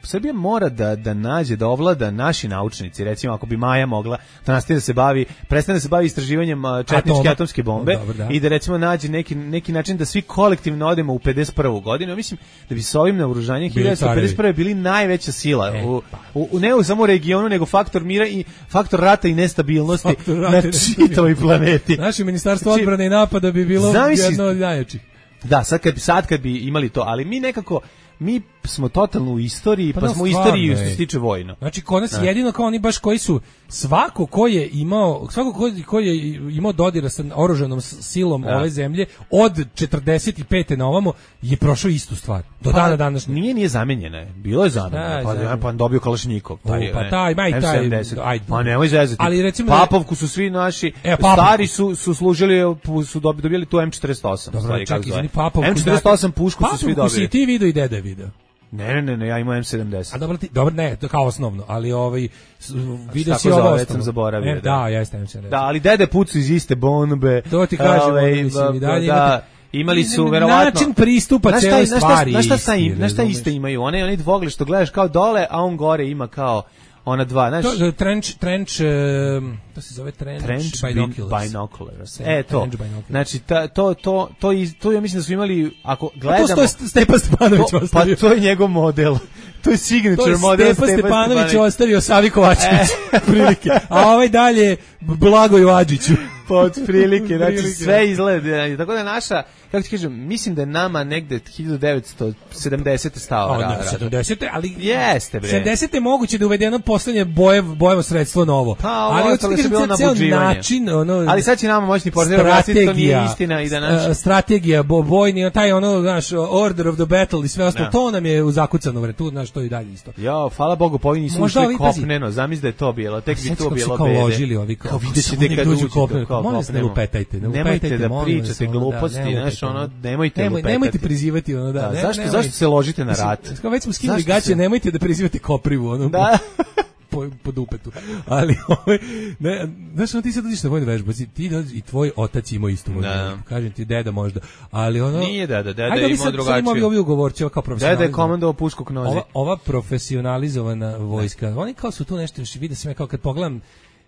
Srbija mora da, da nađe, da ovlada naši naučnici, recimo ako bi Maja mogla da nastavi da se bavi, prestane da se bavi istraživanjem a, četničke Atoma. atomske bombe Dobro, da. i da recimo nađe neki, neki način da svi kolektivno odemo u pedeset prvu godinu. Ja mislim da bi sa ovim naoružanjem Bili hiljadu devetsto pedeset prve bili najveća sila E, u, u, u, ne u samo u regionu, nego faktor mira i faktor rata i nestabilnosti Faktor rata na i nestabilnosti. čitavoj planeti. Naše ministarstvo Znači, odbrane i napada bi bilo zamisli- jedno od najjačih. Da, sad kad, bi- sad kad bi imali to, ali mi nekako, mi smo totalno u istoriji, pa, Pa da, smo u stvarno istoriji je. što se tiče vojno. Znači kod nas jedino kao oni baš koji su svako ko je imao svako ko, ko je imao dodira sa oružanom s- silom Da. ove zemlje od četrdeset pete na ovamo je prošao istu stvar. Do dana današnjeg. Nije, nije zamenjena je. Bilo je zamenjeno. Da, Pa, zamenjeno. pa dobio Kalašnikov. Taj, O, pa ne, taj, ma i M taj, sedamdeset. ajde. Pa nemoj zezati. Ali recimo da- Papovku su svi naši, E, Papovku. stari su, su služili, su dobi- dobili tu M četrdeset osam. Dobro, stvari, kako čekaj, zove. izvini, Papovku. M četrdeset osam dakle, pušku su svi Papovku si dobili. i ti video i deda je video. Ne, ne, ne, ne, ja imam M sedamdeset. A dobro, ti, dobro, ne, to kao osnovno, ali ovaj, s- video Tako si ovo zove, već osnovno. sam zaboravio, Ne, da. da, jeste, M sedamdeset. Da, ali dede pucu iz iste bombe. To ti kažem, Ovaj, ono, mislim, i dalje da, imate- imali su Na- verovatno način pristupa Znaš šta- celoj znaš šta- stvari znaš šta je sta isti, im- znaš šta razumeš? isto imaju? One oni dvogle što gledaš kao dole, a on gore ima kao ona dva, znaš, To, trench, trench, um, to se zove trench, trench binoculars. binoculars. Tre- E to. trench binoculars. Znači ta, to to to iz- to ja mislim da su imali ako A gledamo to, to je Stepa Stepanović to- ostavio. pa to je njegov model. To je signature To je model Stepa Stepanović ostavio Savi Kovačević, E. prilike. A ovaj dalje Blagoju Adžiću. Pa od prilike, znači Prilike. sve izgleda. Tako da je naša, kako ti kažem, mislim da je nama negde hiljadu devetsto sedamdesete stava. A, ra- ne, ra- sedamdesete, ali Jeste, bre. sedamdesete je moguće da je uvedeno poslednje bojev, bojevo sredstvo novo. Pa, ovo ali ostalo hoćete je bilo kažem, ceo nabuđivanje. način, ono, Ali sad će nama moćni portir objasniti to nije istina i da naš... uh, strategija, bo, bojni, taj ono, znaš, order of the battle i sve ostalo, Da. to nam je zakucano, vre, tu, znaš, to i dalje isto. Jo, hvala Bogu, pa ovi nisu Možda ušli ovi, pazi. kopneno, zamisli da je to bilo, tek bi Sjeti to kako su bilo kao bede. ložili ovi, kao, Kao kako vidjet su ćete oni kad dođu uđete, kopneno. kao Molim vas, ne kopnemo. lupetajte, ne Nemojte lupetajte, da molim vas, pričate ono, da, gluposti, nemojte znaš, to, ono, ono. nemojte Nemoj, lupetati. nemojte prizivati ono, da. Da, ne, zašto, nemoj- zašto se ložite na Mislim, rat? kao već smo skinuli Zašto gaće, se- nemojte da prizivate koprivu, ono. Da. po, po dupetu. Ali, ovaj, ne, znaš, ono, ti sad dođeš na vojnu vežbu, si- ti dođeš i tvoj otac ima istu vojnu Da. vežbu. Kažem ti, deda možda. Ali ono... Nije deda, deda Ajde, je ovi imao sad- sad ima ovi, drugačiju. ovi ugovorci, ova kao Deda je profesionalizam. komandovao pušku k nozi. Ova, ova profesionalizovana vojska, oni kao su tu nešto, vide se me kao kad pogledam,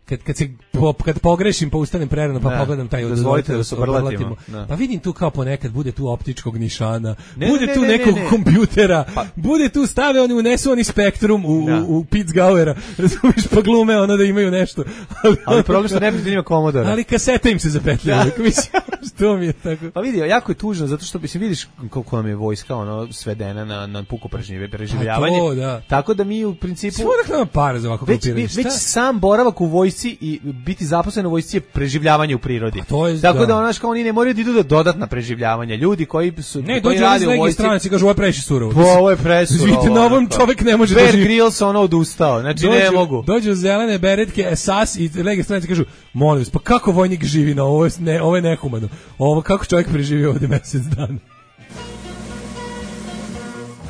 kad, kad, se, po, kad pogrešim pa ustanem prerano pa Da. pogledam taj Dozvolite da da se se obrlatimo. obrlatimo. Da. Pa vidim tu kao ponekad bude tu optičkog nišana, Ne, bude ne, tu ne, ne, nekog ne. kompjutera, Pa- bude tu stave oni unesu oni spektrum u, Da. u, u Pitzgauera, razumiješ, pa glume ono da imaju nešto. Ali, Ali problem što ne bi ima komodora. ali kaseta im se zapetlja. uvijek, mislim, Što mi je tako? Pa vidi, jako je tužno, zato što mislim, vidiš koliko nam je vojska ono, svedena na, na puko preživljavanje. To, da. Tako da mi u principu... Sve odakle nam para za ovako već, već, već sam boravak u vojsci i biti zaposlen u vojsci je preživljavanje u prirodi. To je, tako da, da onaš kao oni ne moraju da idu do dodatna preživljavanja. Ljudi koji su ne, koji rade u vojsci, stranac i kažu ovo je previše surovo. Po, ovo je presurovo. Vidite, na ovom čovjek ne može Bear da živi. Grylls ono odustao, znači dođu, ne mogu. Dođu zelene beretke, S A S i lege stranice kažu, molim vas, pa kako vojnik živi na ovo, ne, ovo je nehumano. Ovo, kako čovjek preživi ovdje mjesec dana?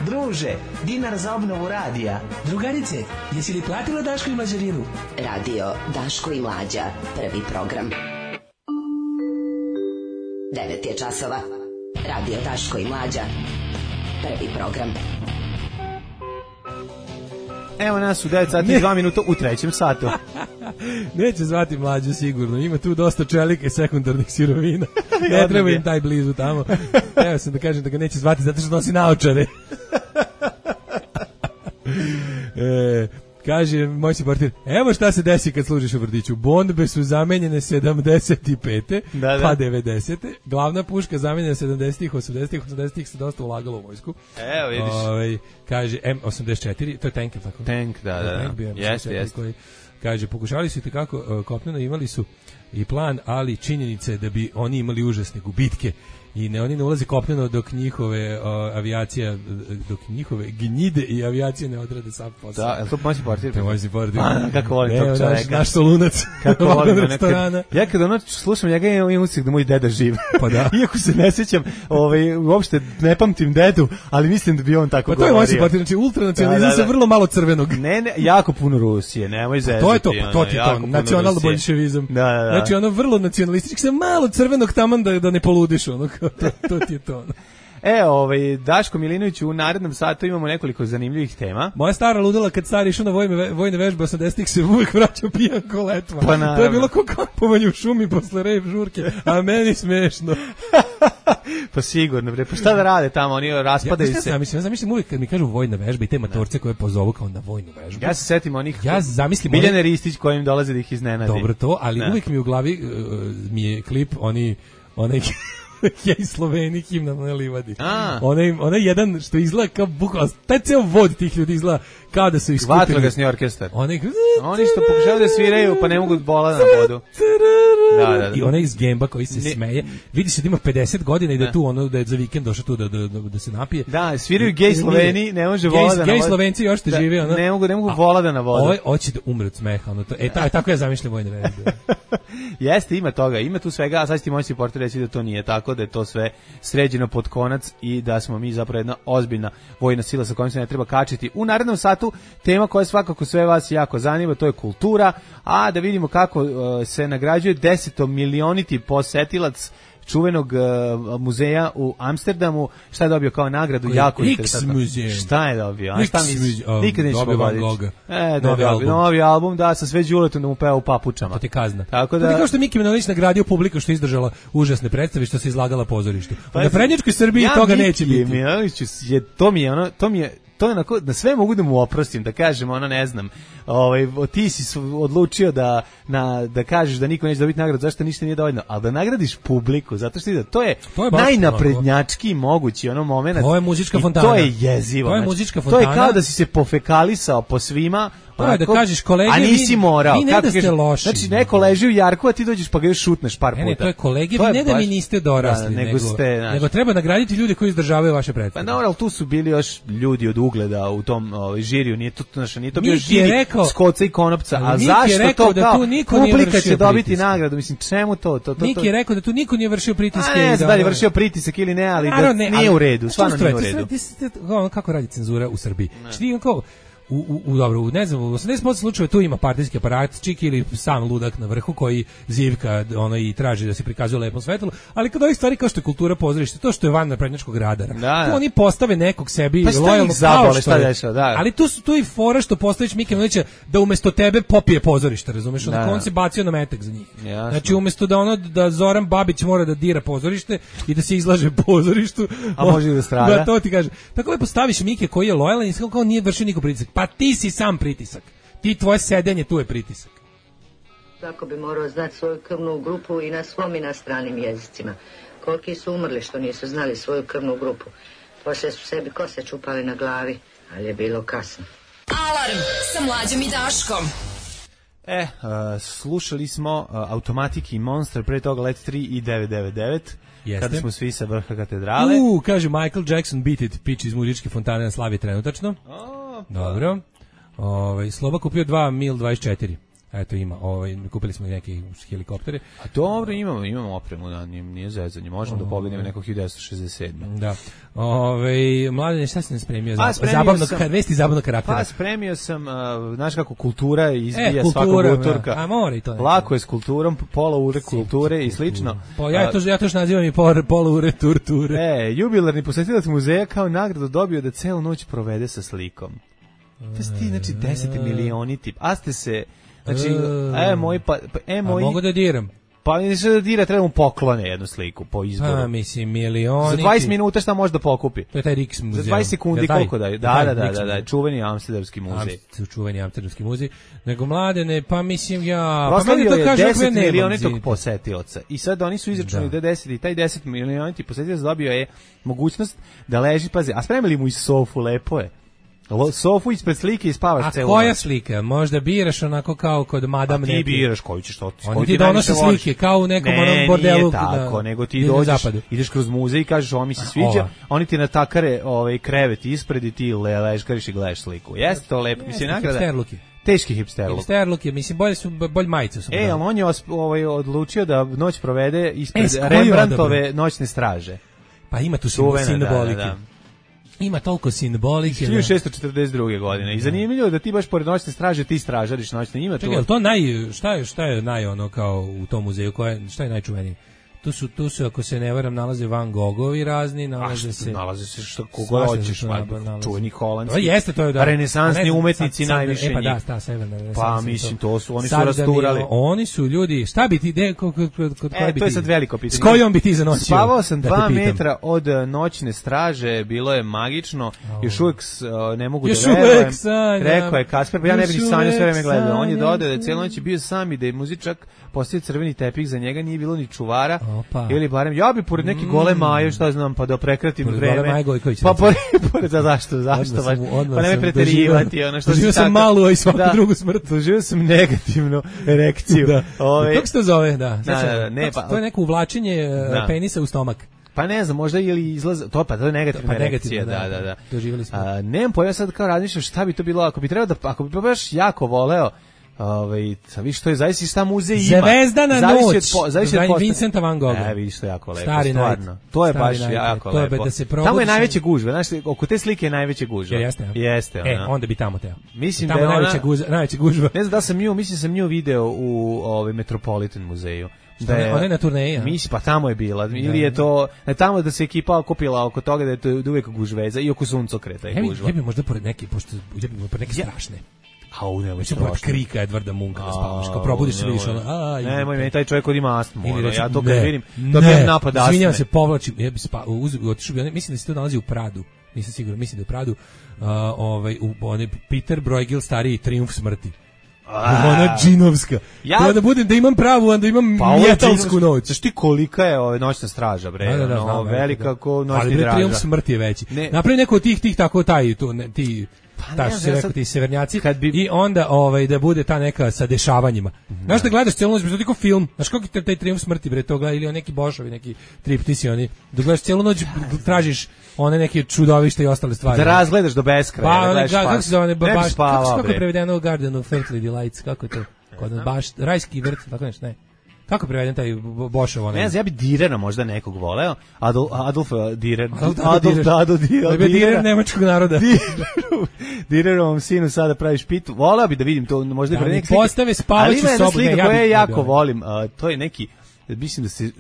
Druže, dinar za obnovu radija. Drugarice, jesi li platila Daško i Mlađarinu? Radio Daško i Mlađa, prvi program. devet je časova. Radio Daško i Mlađa, prvi program. Evo nas u devet sati i dva minuta u trećem satu. Neće zvati Mlađu sigurno, ima tu dosta čelike sekundarnih sirovina. Ne treba im taj blizu tamo. Evo sam da kažem da ga neće zvati zato što nosi naočare. e, kaže moj si portir, evo šta se desi kad služiš u vrtiću. Bombe su zamenjene sedamdeset pete da, da. pa devedesete. Glavna puška zamenjena sedamdesetih, osamdesetih, osamdesetih se dosta ulagalo u vojsku. Evo vidiš. Ove, kaže M osamdeset četiri, to je tank, tako? Tank, da, da. Tank bio jeste, jeste. Koji, kaže, pokušali su i tekako uh, kopneno, imali su i plan, ali činjenica je da bi oni imali užasne gubitke i ne, oni ne ulaze kopneno dok njihove uh, avijacija, dok njihove gnjide i avijacije ne odrade sav posao. Da, je li to moći portir? To moći portir. Kako volim tog čoveka. Naš, naš solunac. Kako volim restorana. Ja kad ono slušam njega imam utisak da moj deda živ. Pa da. Iako se ne sjećam, ovaj, uopšte ne pamtim dedu, ali mislim da bi on tako govorio. Pa to je moći portir, znači ultranacionalizam sa vrlo malo crvenog. Ne, ne, jako puno Rusije, nemoj zezati. To je to, pa to ti to, nacionalno bolševizam. Da, da, da. Znači ono vrlo nacionalistički, sa malo crvenog taman da, da ne poludiš, ono, to, to ti je to. Ono. E, ovaj, Daško Milinović, u narednom satu imamo nekoliko zanimljivih tema. Moja stara ludila kad stari išao na vojne, vojne vežbe osamdesetih se uvijek vraćao pijan ko letva. Pa naravno. To je bilo kao kampovanje u šumi posle rejv žurke, a meni smešno. Pa sigurno, bre, pa šta da rade tamo, oni raspadaju ja, se. Ja zamislim, ja zamislim uvijek kad mi kažu vojna vežba i te matorce koje pozovu kao na vojnu vežbu. Ja se setim onih, ja zamislim Biljane Ristić kojim dolaze da ih iznenadi. Dobro to, ali ne. Uvijek mi u glavi uh, mi je klip, oni, onaj ja i Sloveni himna na livadi. Onaj, onaj jedan što izgleda kao bukvalno, taj ceo vod tih ljudi izgleda kao da su ih skupili. Vatrogasni orkestar. Onaj, oni što pokušavaju da sviraju pa ne mogu bola na vodu. Da, da, da. I onaj iz Gemba koji se ne, smeje. Vidi se da ima pedeset godina i da je tu ono da je za vikend došao tu da, da, da, da se napije. Da, sviraju gej Sloveni, ne može vola da na vodu. Gej Slovenci još te da, žive. Ono. Ne mogu, ne mogu vola da na vodu. Ovo hoće da umre od smeha. Ono, to, e, ta, tako ja zamišljam vojne vežbe. Jeste, ima toga, ima tu svega, a sad ti moći portir reći da to nije tako, da je to sve sređeno pod konac i da smo mi zapravo jedna ozbiljna vojna sila sa kojom se ne treba kačiti. U narednom satu tema koja svakako sve vas jako zanima, to je kultura, a da vidimo kako uh, se nagrađuje desetomilioniti posetilac čuvenog uh, muzeja u Amsterdamu. Šta je dobio kao nagradu? Koje jako interesantno. Šta je dobio? A šta misliš? Um, Nikad nećeš pogoditi. E, novi album. Novi album, da, sa sve Đuletom da mu peva u papučama. To ti kazna. Tako da... To ti kao što Miki Manojlović nagradio publiku što je izdržala užasne predstave što se izlagala pozorištu. Pa, na prednjačkoj Srbiji ja toga Miki neće biti. Manojloviću je, to mi je ono, to mi je to je onako, da sve mogu da mu oprostim, da kažem, ono ne znam, ovaj, ti si odlučio da, na, da kažeš da niko neće dobiti nagradu, zašto ništa nije dovoljno, ali da nagradiš publiku, zato što to je, to je najnaprednjački mogući ono moment. To je muzička fontana. To je jezivo. To je muzička fontana. To je kao da si se pofekalisao po svima. To je da kažeš kolege, a nisi morao. Vi ne da ste loši. Znači neko leži u jarku, a ti dođeš pa ga još šutneš par puta. Ne, ne, to je kolege, vi ne da mi niste dorasli, da, nego, nego, ste, znači, nego treba nagraditi ljude koji izdržavaju vaše predstave. Pa dobro, ali tu su bili još ljudi od ugleda u tom ovaj, žiriju, nije to, znači, nije to bio živi Skoca i Konopca, a zašto to da kao tu niko publika će dobiti nagradu, mislim, čemu to? to, to Niki je rekao da tu niko nije vršio pritiske. Ne znam da li je vršio pritisak ili ne, ali da nije u redu, stvarno nije u redu. Kako radi cenzura u Srbiji? Znači, kao U, u, u dobro, u, ne znam, u osamdeset posto slučajeva tu ima partijski aparat, čik ili sam ludak na vrhu koji zivka ono i traži da se prikazuje lepom svetlu, ali kod ovih stvari kao što je kultura pozorište, to što je van naprednjačkog radara, da, tu oni postave nekog sebi pa lojalno zabole, šta dešava, da. Ali tu su tu i fora što postaviš Mike Manojlovića da umesto tebe popije pozorište, razumeš, da, on se bacio na metak za njih. Jasno. Znači umesto da ono da Zoran Babić mora da dira pozorište i da se izlaže pozorištu, a može da strada. Da, to ti kaže. Tako lepo staviš Mike koji je lojalan i kao nije vršio nikog pritisak. Pa ti si sam pritisak. Ti tvoje sedenje tu je pritisak. Svako bi morao znati svoju krvnu grupu i na svom i na stranim jezicima. Koliki su umrli što nisu znali svoju krvnu grupu. Poslije su sebi kose čupali na glavi, ali je bilo kasno. Alarm sa Mlađom i Daškom. E, uh, slušali smo uh, Automatic i Monster, pre toga Let tri i devet devet devet. Jeste. Kada smo svi sa vrha katedrale. U, kaže Michael Jackson Beat It, pič iz muzičke fontane na Slavi trenutačno. O, dobro. Ovaj Sloba kupio dva Mil dvadeset četiri. Eto ima, ovaj kupili smo neke helikoptere. A dobro, imamo, imamo opremu, da, nije, nije zezanje. Možemo da pobedimo nekog hiljadu devetsto šezdeset sedme. Da. Ovaj Mladen, šta si nam spremio? Pa, spremio zabavno sam, kar, vesti zabavno karaktera. Pa spremio sam, uh, znaš kako kultura izbija e, kultura, svakog utorka. A mora i to. Lako je s kulturom, pola ure kulture i slično. Pa ja to ja to što nazivam i pola ure torture. E, jubilarni posetilac muzeja kao nagradu dobio da celu noć provede sa slikom. To ste ti, znači, deset milioni tip. A ste se, znači, e, moj, pa, e, moj... A mogu da diram? Pa mi se da dira, treba mu poklone jednu sliku po izboru. A, mislim, milioni... Za dvadeset minuta šta može da pokupi? To je taj Riks muzej. Za dvadeset sekundi koliko daju? Da, da, da, da, da, čuveni amsterdamski muzej. Am, čuveni amsterdamski muzej. Nego Mladene, pa mislim ja... Proslavio pa je deset milionitog posetioca. I sad oni su izračunali da je deset i taj deset milionitog posetioca dobio je mogućnost da leži, pazi, a spremili mu i sofu, lepo je. Sofu ispred slike i spavaš celu noć. A koja slika? Možda biraš onako kao kod Madame Neti. A ti biraš koju ćeš to. Oni ti donose slike kao u nekom onom bordelu. Ne, nije tako, nego ti dođeš, ideš kroz muzej i kažeš ovo mi se sviđa, oni ti natakare ovaj krevet ispred i ti ležkariš i gledaš sliku. Jeste to lepo, mislim nagrada. Hipsterluki. Teški hipsterluk. Hipsterluki, mislim bolje su bolj majice su. E, ali on je ovaj odlučio da noć provede ispred e, Rembrandtove noćne straže. Pa ima tu simbolike. Ima toliko simbolike. hiljadu šessto četrdeset druge godine. I zanimljivo je da ti baš pored noćne straže ti stražariš noćne. Ima Čekaj, to naj šta je šta je naj ono kao u tom muzeju, koje šta je najčuvenije? Tu su, tu su, ako se ne varam, nalaze Van Gogovi razni, nalaze se... Nalaze se što kogo hoćeš, čuveni holandski. To jeste, to je da... Renesansni umetnici najviše njih. E pa da, ta severna renesansa. Pa mislim, to su, oni su rasturali. Oni su ljudi, šta bi ti, de, kod koje bi ti... E, to je sad veliko pitanje. S kojom bi ti zanoćio? Spavao sam dva metra od noćne straže, bilo je magično, još uvijek ne mogu da verujem. Rekao je Kasper, pa ja ne bih sanjao, sve vreme gledao. On je dodao da je cijelu noć bio sam i da je muzičak postavio crveni tepih, za njega nije bilo ni čuvara. Opa. Ili barem ja bi pored neke gole Maje, šta znam, pa da prekratim pored vreme. Pa pored, pored za zašto, zašto baš. Pa ne me preterivati, ono što doživio sam malu, a i svaku da, drugu smrt. Doživio sam negativnu erekciju. Da. Ove, kako se to zove, da. da, da, da ne, pa, to je neko uvlačenje da. penisa u stomak. Pa ne znam, možda ili izlaz, to pa to je negativna pa erekcija, da, da, da. Doživjeli smo. A, nemam pojma sad kao razmišljam šta bi to bilo, ako bi trebao da, ako bi baš jako voleo, ovaj, sa vi što je zaista šta muzej ima. Zvezdana noć. Zavisi od Vincenta van Gogha. E, vidiš što je jako lepo, Stari stvarno. Night. To je Stari baš night. jako to lepo. Je da se tamo je najveće gužve, znaš, oko te slike je najveće gužve. Jeste. Jeste, ona. E, onda bi tamo teo. Mislim tamo da je ona najveća gužva, najveća gužva. Ne znam da sam nju, mislim sam nju video u ovaj Metropolitan muzeju. Da je, ona je na turneji, a? Mislim, pa tamo je bila. Ili je to, ne, tamo da se ekipa okupila oko toga da je to uvijek gužveza i oko suncokreta je gužva. Ja bi možda pored neke, pošto ja bi pored neke strašne. A u nemoj se pored krika Edvarda Munka da spavaš, kao probudiš se, vidiš ono, a... Nemoj, meni taj čovjek od ima astmu, ono, ja to kad ne, vidim, dobijem napad astme. Izvinjam se, povlačim, ja bi spavao, otišao bi, mislim da se to nalazi u Pradu, nisam siguran, mislim da je u Pradu, uh, ovaj, u, onaj Peter Bruegel stariji Trijumf smrti. Ona džinovska. Ja to da budem da imam pravu, onda imam pa metalsku noć. Znaš ti kolika je ova noćna straža, bre? Da, da, da, no, znam, velika da. Ko noćni ali, draža. Ali Trijumf smrti je veći. Ne. Napravi neko od tih tih tako taj tu ne, ti pa ta što se rekao ti severnjaci bi... i onda ovaj da bude ta neka sa dešavanjima. Mm-hmm. Znaš da gledaš celu noć, to je kao film. Znaš kako ti taj Trijumf smrti, bre, to gleda ili on neki Bošovi, neki triptisi oni. Da gledaš celu noć, tražiš one neke čudovišta i ostale stvari. Da razgledaš do beskraja, pa, da gledaš kako se zove, baš, baš, spava, kako, kako je prevedeno u Garden of Earthly Delights, kako je to? Kod nas baš rajski vrt, tako nešto, ne. Kako preveden taj Bošov onaj? Ne znam, ja bi Direna možda nekog voleo. Adolf, Adolf Direr. Adolf, Adolf Dado Direr. Direr, Direr nemačkog naroda. Direrovom sinu sada praviš pitu. Voleo bi da vidim to, možda da i pre neki postave spavaću sobu. Ali ima jedna slika koju ja jako volim. Uh, to je neki mislim da se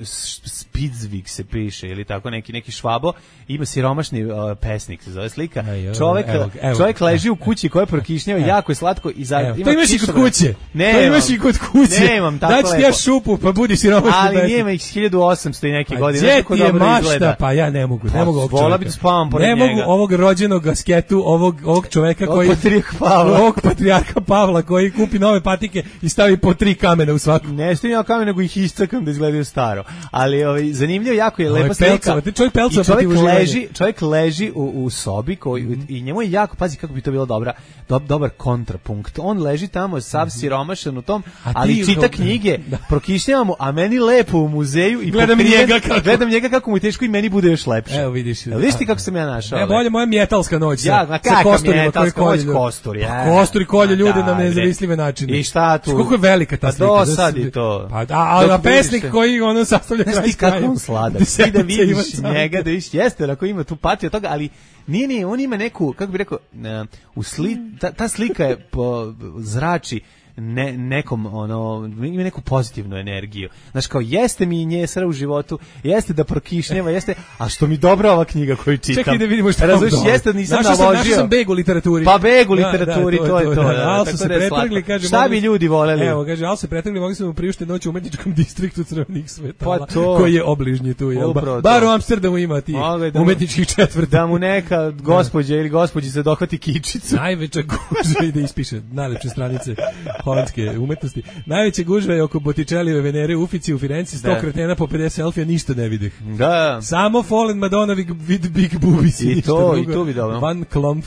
Spitzvik se piše ili tako neki neki Švabo, ima siromašni uh, pesnik se zove slika. Aj, čovjek evo, evo, čovjek leži u kući koja je prokišnjava, jako je slatko i za evo, ima to imaš i kod kuće. Ne, to imaš i kod kuće. Nemam tako lepo. Daći ja šupu, pa budi siromašni. Ali nema ih hiljadu osamsto i neke godine. Gdje ti je mašta? Pa ja ne mogu, ne mogu ovog čovjeka. Bi spavam pored ne njega. mogu ovog rođenog asketu, ovog, ovog čoveka koji... Patrijarh Pavla. Ovog patrijarha Pavla koji kupi nove patike i stavi po tri kamena u svaku. Ne stavim ja kamen, nego ih iscakam da izgledaju staro. Ali ovaj, zanimljivo, jako je lepa slika. Pelcova, čovjek pelcova I čovjek uživanja. leži, čovjek leži u, u sobi koji, mm. i njemu je jako, pazi kako bi to bilo dobra, do, dobar kontrapunkt. On leži tamo, sav siromašan u tom, ali čita knjige, da. Prokišnjava mu, a meni lepo u muzeju i gledam pokriven, njega kako... gledam njega kako mu je teško i meni bude još lepše. Evo vidiš. Evo, vidiš ti kako sam ja našao? Ne, bolje moja mjetalska noć. Ja, na kakva mjetalska noć, kostur. Ja. Kostur kolje ljude na nezamislive načine. I šta tu? Koliko je velika ta slika. Pa dosadi to. Pa, a, a pesnik koji ono sastavlja kraj s krajem. Kako on sladak. Ti da vidiš njega, da vidiš, jeste, ako ima tu patio toga, ali nije, nije, on ima neku, kako bi rekao, u sli, ta, ta slika je po, zrači ne, nekom, ono, ima neku pozitivnu energiju. Znaš, kao, jeste mi njesra u životu, jeste da prokišnjeva, jeste, a što mi dobra ova knjiga koju čitam. Čekaj da vidimo što razumiješ, jeste da nisam naložio. Našao sam beg u literaturi. Pa beg u literaturi, da, da, to, to je to. to, da, ali su se pretrgli, kaže. Šta bi ljudi voleli? Evo, kaže, ali se pretrgli, mogli smo priuštiti noć u umetničkom distriktu Crvenih svetala, pa to, koji je obližnji tu. Jel? Upravo bar u Amsterdamu ima ti da umetničkih četvrti. Da mu neka gospođa ili gospođi se dohvati kičicu. Najveća gužva i da ispiše najlepše stranice holandske umetnosti. Najveća gužva je oko Botticelliove Venere Ufici u Firenci, sto kretena po pedeset selfija, ništa ne videh. Da. Samo Fallen Madonna with big boobies. I to, i to bi dobro. Van Klomp.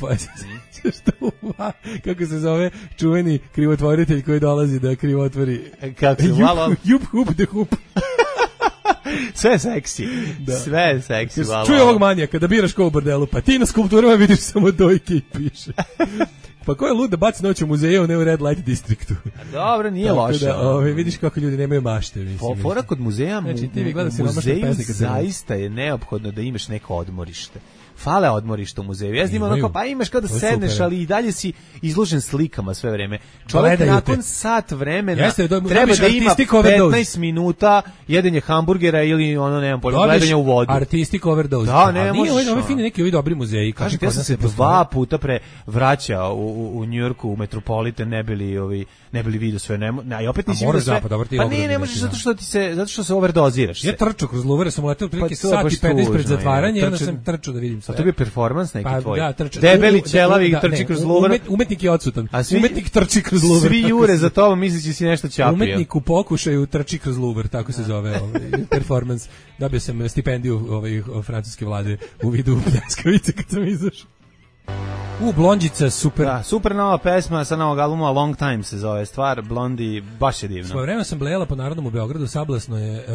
Kako se zove čuveni krivotvoritelj koji dolazi da krivotvori. Kako se malo? Jup, hup, de hup. Sve je seksi. Da. Sve je seksi. Čuj ovog manijaka, da biraš ko u bordelu, pa ti na skulpturama vidiš samo dojke i piše. Pa ko je lud da baci noć u muzeju, ne u Red Light Districtu? Dobro, nije loše. Da, ove, vidiš kako ljudi nemaju mašte. Mislim, fora kod muzeja, znači, ti u muzeju zaista je neophodno da imaš neko odmorište. Fale odmorište u muzeju. Ja znam onako, pa imaš kada sedneš, super. Ali i dalje si izložen slikama sve vreme. Čovjek nakon te. sat vremena Jeste, do, treba da ima petnaest minuta jedenje hamburgera ili ono, nemam pojma, gledanja u vodu. Artistic overdose. Da, ne možeš. Ove, ove fine neki ovi dobri muzeji. Kažete, ja sam se dva puta pre vraćao u, u, u Njujorku, u Metropolitan, ne bili ovi ne bili vidio sve, ne, ne, i opet nisi vidio sve. Zapad, pa nije, ne možeš zato što ti se zato što se overdoziraš. Ja trčao kroz Louvre, sam letao prilike sat i petnaest pred zatvaranje, onda sam trčao da vidim sve. A to je performans neki pa, tvoj. Da, trča, debeli ćelavi da, trči ne, kroz Louvre. Umet, umetnik je odsutan. A svi, umetnik trči kroz Louvre. Svi jure za tobom misleći si nešto ćapio. Umetnik u pokušaju trči kroz Louvre, tako se zove ovaj performans. Dobio sam stipendiju ovaj francuske vlade u vidu pljeskavice kad sam izašao. U, Blondjica, super. Da, super nova pesma sa novog albuma, Long Time se zove stvar, Blondi, baš je divno. Svoje vreme sam blejala po Narodnom u Beogradu, sablasno je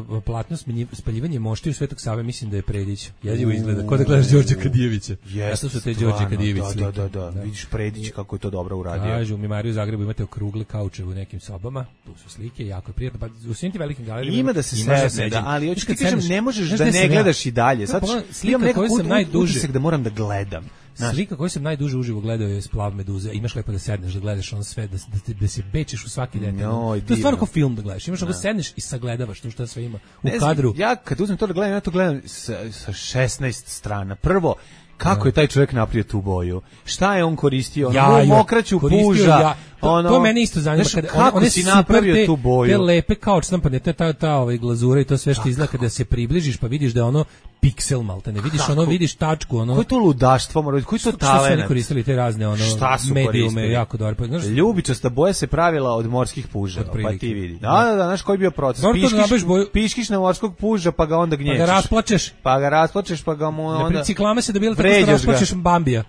uh, platno spaljivanje mošti u Svetog Save, mislim da je Predić. Jezivo izgleda, ko da gledaš Đorđa Kadijevića. Jeste, su te Đorđe Kadijević slike. Da, da, da, da, vidiš Predić kako je to dobro uradio. Kažu, u Mimariju u Zagrebu imate okrugle kaučeve u nekim sobama, tu su slike, jako je prijatno, pa u svim tim velikim galerijama ima da se sedne, da, ali hoćeš ti kažem, ne možeš da ne gledaš i dalje. Sad slika koju sam najduže da moram da gledam. Znaš, slika koju sam najduže uživo gledao je Splav Meduze. Imaš lepo da sedneš da gledaš on sve, da, da, da se bečeš u svaki detalj. No, to je stvarno kao film da gledaš. Imaš da sedneš i sagledavaš to što sve ima u ne kadru. Znam, ja kad uzmem to da gledam, ja to gledam sa, sa šesnaest strana. Prvo, kako je taj čovjek napravio tu boju? Šta je on koristio? Ja, mokraću puža. Ja. To, ono, to mene isto zanima kada kako one si napravio te, tu boju. Te lepe kao štampane, ta ta ta ovaj glazura i to sve što izgleda kada se približiš pa vidiš da je ono piksel malte, ne vidiš kako? Ono, vidiš tačku, ono. Koje to ludaštvo, mora, koji to talent. Što su oni koristili te razne ono medijume jako dobro. Znaš, ljubičasta boja se pravila od morskih puža, pa ti vidi. Da, da, da, znaš koji je bio proces? Piškiš, boju... piškiš na morskog puža pa ga onda gnječeš. Pa ga rasplačeš. Pa ga rasplačeš, pa ga mu onda na ciklame se da bilo tako što rasplačeš Bambija.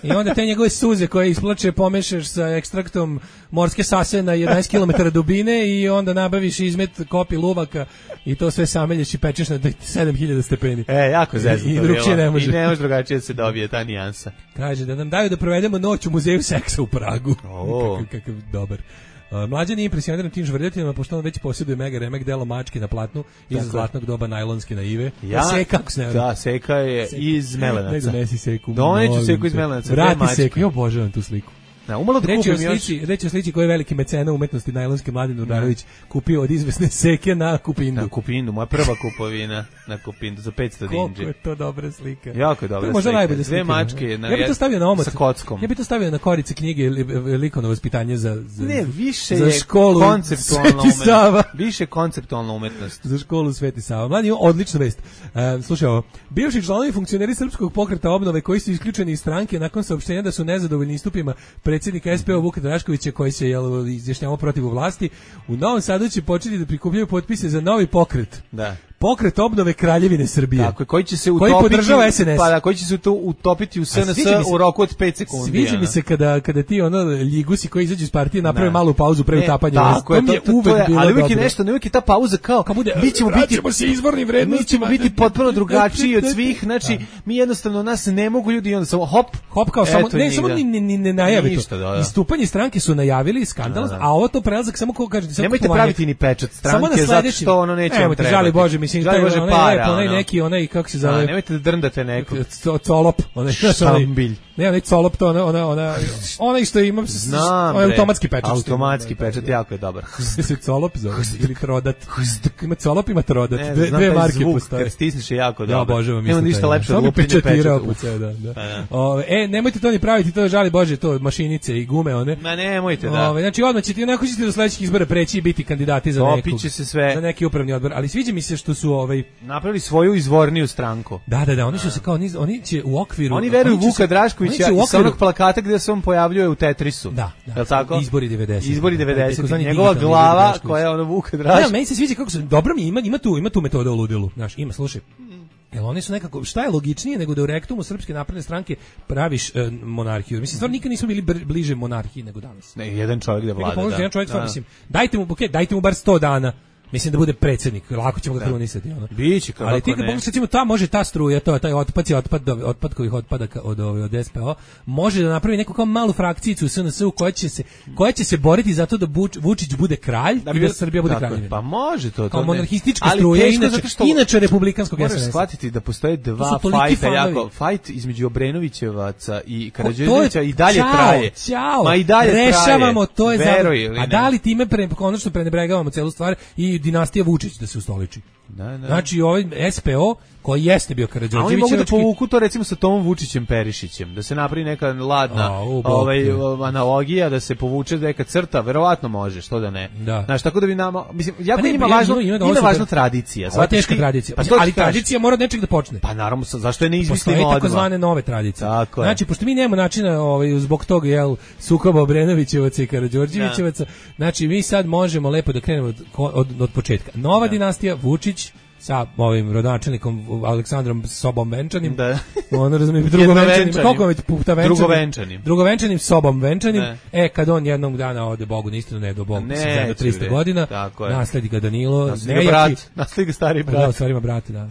I onda te njegove suze koje isplače pomešaš sa ekstraktom morske sase na jedanaest kilometara dubine i onda nabaviš izmet kopi luvaka i to sve samelješ i pečeš na sedam hiljada stepeni. E, jako zezno I, i drugčije ne može. I ne može drugačije da se dobije ta nijansa. Kaže da nam daju da provedemo noć u muzeju seksa u Pragu. Oh. kakav, kakav dobar. Uh, mlađan je impresioniran tim žvrljatinama, pošto on već posjeduje mega remek delo mačke na platnu iz zlatnog doba najlonske naive. Ja, seka, kako se ne da, Seka je Seka. Iz Melenaca. Ne donesi Seku. Doneću Seku iz Melenaca. Vrati Seku, ja obožavam tu sliku. Da, umalo da reći kupim o slici, još. Reći o slici koji je veliki mecena umetnosti najlonski Mladen Urdarević kupio od izvesne Seke na Kupindu. Na Kupindu, moja prva kupovina na Kupindu za petsto dinđi. Koliko je to dobra slika. Jako je dobra možda slika. Najbolje Dve mačke. Ja bih to stavio na omot. Sa kockom. Ja bih to stavio na korice knjige likovno vaspitanje za, za, ne, više za je školu konceptualna umetnost. Više konceptualna umetnost. Za školu Sveti Sava. Mladi, odlična vest. Uh, slušaj ovo. Bivši članovi funkcioneri Srpskog pokreta obnove koji su isključeni iz stranke nakon saopštenja da su nezadovoljni istupima predsjednika S P O Vuka Draškovića koji se jel, izjašnjavao protiv vlasti, u Novom Sadu će početi da prikupljaju potpise za novi pokret. Da. Pokret obnove Kraljevine Srbije. Tako, koji će se utopiti, koji podržava S N S. Pa da, koji će se to utopiti u S N S u roku od pet sekundi. Sviđa mi se kada kada ti ono ljigusi koji izađu iz partije naprave malu pauzu pre utapanja. Tako je, to, to, to je, ali uvijek je nešto, ne uvijek je ta pauza kao, kao bude, mi ćemo biti, se izvornim vrednostima. Mi ćemo biti potpuno drugačiji od svih, znači, mi jednostavno nas ne mogu ljudi i onda samo hop, hop kao samo, ne, samo ni, ni, ne najavi to. Da, da. Istupanje stranke su najavili skandal, a ovo to prelazak samo ko kaže. Nemojte praviti ni pečat stranke, zato što ono neće vam trebati. Žali Bože, mislim, taj onaj neki, onaj, kako se zove? Nemojte da drndate nekog. Colop, onaj štambilj. Ne, onaj colop, to ona, ona, ona, onaj što imam, onaj automatski pečat. Automatski pečat, jako je dobar. Se colop zove, ili trodat. Ima colop, ima trodat. Ne, dve, znam dve taj marke zvuk, postoje. kad stisneš je jako dobro. Ja obožavam. Nema ništa lepše od lupinje pečata. Da, da. O, e, nemojte to ni praviti, to žali Bože, to mašinice i gume, one. Ma nemojte, da. O, znači, odmah ćete, onako ćete do sledećih izbora preći i biti kandidati za nekog. Opiće se sve. Za neki upravni odbor, ali sviđa mi se što su ovaj napravili svoju izvorniju stranku. Da, da, da, oni su se kao niz, oni će u okviru. Oni veruju Vuka Draškovića i sa onog plakata gde se on pojavljuje u Tetrisu. Da, da. Jel tako? Izbori devedesetih. Izbori devedesetih. Njegova glava koja je ono Vuka Drašković. Da, meni se sviđa kako su dobro mi ima ima tu ima tu metoda u ludilu. Znaš, ima, slušaj. Jel oni su nekako, šta je logičnije nego da u rektumu Srpske napredne stranke praviš e, monarhiju? Mislim, stvarno nikad nismo bili bliže monarhiji nego danas. Ne, jedan čovjek da vlada, da. Jedan čovjek, stvarno, mislim, dajte mu, okay, dajte mu bar sto dana. Mislim da bude predsjednik, lako ćemo ga krunisati, ono. Biće kako. Ali ti kad pogledaš, recimo, ta može ta struja, to taj otpad, otpad, otpad koji otpada od od S P O, može da napravi neku kao malu frakcijicu u S N S-u koja će se koja će se boriti za to da Vučić bude kralj da i da Srbija bude kraljevina. Pa može to, to. Kao monarhistička struja, inače što inače republikanskog S N S-a. Moraš shvatiti da postoje dva fajta, jako fajt između Obrenovićevaca i Karađorđevića i dalje traje. Ma i dalje traje. Rešavamo, to je za. A da li time pre konačno prenebregavamo celu stvar i dinastija Vučić da se ustoliči. Da, da. Znači ovaj S P O koji jeste bio Karađorđević. Oni mogu da povuku to recimo sa Tomom Vučićem Perišićem, da se napravi neka ladna A, ovaj, analogija, da se povuče neka crta, verovatno može, što da ne. Da. Znaš, tako da bi nama, mislim, jako ne, ima važno, ima, ima važna tradicija. Ova teška tradicija, pa ali tradicija mora od nečeg da počne. Pa naravno, zašto je ne izmislimo odmah? Postoje takozvane nove tradicije. Tako znači, pošto mi nemamo načina ovaj, zbog toga, jel, sukoba Obrenovićevaca i Karađorđevićevaca, znači mi sad možemo lepo da krenemo od, od, od početka. Nova da. dinastija, Vučić, sa ovim rodonačelnikom Aleksandrom Sobom Venčanim. Da. On razumijem drugovenčanim. Koliko već puta venčanim? Drugovenčanim. Drugovenčanim Sobom Venčanim. Ne. E kad on jednog dana ode Bogu na istinu, ne do Bogu, ne, za tristo godina. Nasledi ga Danilo, nasledi ga brat, nasledi ga stari brat. Da, stvarima brat, da.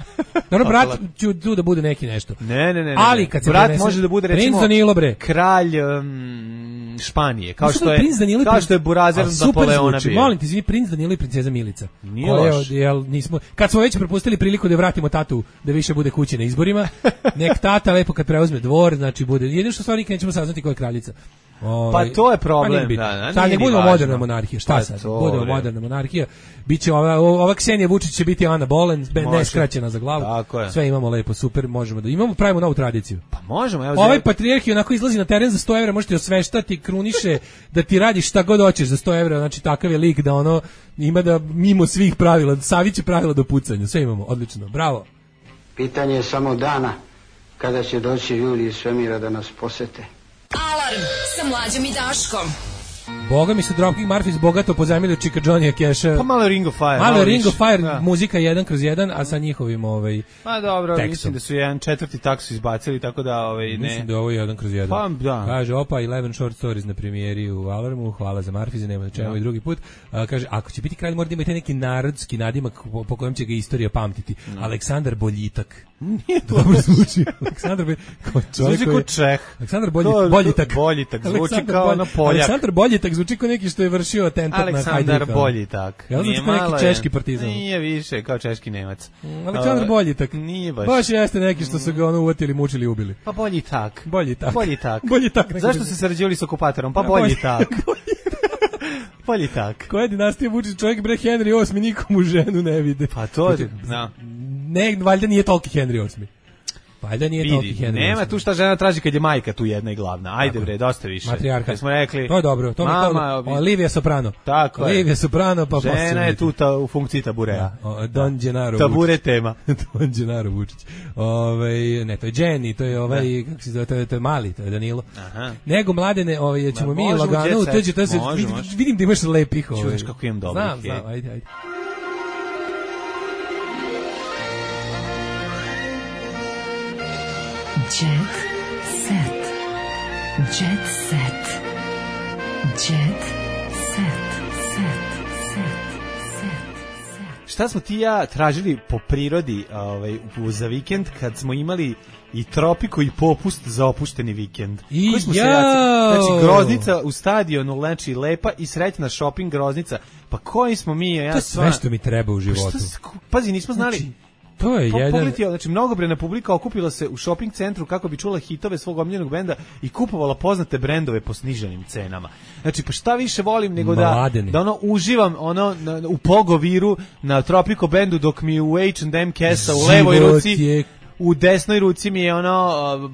Dobro, brat ću tu da bude neki nešto. Ne, ne, ne. Ali kad se brat prenese, može da bude recimo Princ Danilo bre. Kralj um, Španije, kao što je kao što je Burazer Napoleona bio. Molim te, izvini, Princ Danilo i princeza Milica. Nije loš. Jel nismo kad smo već propustili priliku da vratimo tatu da više bude kući na izborima. Nek tata lepo kad preuzme dvor, znači bude. Jedino što stvari nikad nećemo saznati ko je kraljica. Ovaj, pa to je problem, da, da. Sad ne budemo moderna monarhija, šta pa sad? Budemo moderna monarhija. Biće ova ova Ksenija Vučić će biti Ana Bolen, ne skraćena za glavu. Sve imamo lepo, super, možemo da imamo pravimo novu tradiciju. Pa možemo, evo. Ovaj patrijarh onako izlazi na teren za sto evra, možete osveštati, kruniše, da ti radi šta god hoćeš za sto evra, znači takav je lik da ono ima da mimo svih pravila, saviće pravila do pucanja. Sve imamo, odlično. Bravo. Pitanje je samo dana kada će doći ljudi iz svemira da nas posete. Alarm sa Mlađom i Daškom. Boga mi su Dropkick Murphys bogato pozajmili od Chicka Johnny Casha. Pa malo Ring of Fire. Malo, malo Ring of Fire, da. Muzika jedan kroz jedan, a sa njihovim ovaj pa dobro, tekstom. Mislim da su jedan četvrti tak su izbacili, tako da ovaj ne. Mislim da ovo je jedan kroz jedan. Pa da. Kaže opa eleven short stories na premijeri u Alarmu, hvala za Murphys, nema da čemu i drugi put. A, kaže ako će biti kralj mora da ima taj neki narodski nadimak po, po kojem će ga istorija pamtiti. No. Aleksandar Boljitak. Nije to dobro zvuči. Aleksandar Boljitak. Zvuči kao Čeh. Aleksandar Boljitak. Boljitak. Boljitak zvuči kao na Poljak. Aleksandar Boljitak zvuči kao neki što je vršio atentat na Hajduk. Aleksandar Boljitak. Jel zvuči kao neki češki partizan? Nije više, kao češki Nemac. Mm, Aleksandar Boljitak. Nije baš. Baš jeste neki što su ga ono uvatili, mučili i ubili. Pa Boljitak. Boljitak. Boljitak. Boljitak. Zašto se sarađivali s okupatorom? Pa Boljitak. Boljitak. Koja dinastija Vučić, čovjek bre Henry osmi nikomu ženu ne vide. Pa to, da. Ne, valjda nije toliki Henry osmi. Valjda nije toliki Henry. Nema tu šta žena traži kad je majka tu jedna i glavna. Ajde bre, dosta više. Matrijarka. Kad smo rekli. To je dobro. To mama, mi Livia Soprano. Tako je. Livia Soprano pa žena posebno je tu ta, u funkciji taburea. Da, Don Gennaro. Tabure tema. Don Gennaro Vučić. Ovaj ne, to je Jenny, to je ovaj kako se zove, to je, to je mali, to je Danilo. Aha. Nego mladene, ovaj ćemo mi lagano uteđi to se vidim, vidim da imaš lepih ovaj. Čuješ kako imam dobrih. Znam, znam, ajde, ajde. Jet set. Jet set. Jet set. Set. Set. Set. Šta smo ti ja tražili po prirodi ovaj, za vikend kad smo imali i tropiku i popust za opušteni vikend? I koji smo ja. se jacili? Znači, Groznica u stadionu, znači, lepa i srećna shopping Groznica. Pa koji smo mi? Ja to je sve što mi treba u životu. Pa pazi, nismo znali... Znači, to je po, jedan... Pogledaj, znači, mnogobrojna publika okupila se u shopping centru kako bi čula hitove svog omiljenog benda i kupovala poznate brendove po sniženim cenama. Znači, pa šta više volim nego da, da ono uživam ono na, u Pogoviru na Tropico bendu dok mi u H and M kesa u levoj ruci... Je... U desnoj ruci mi je ono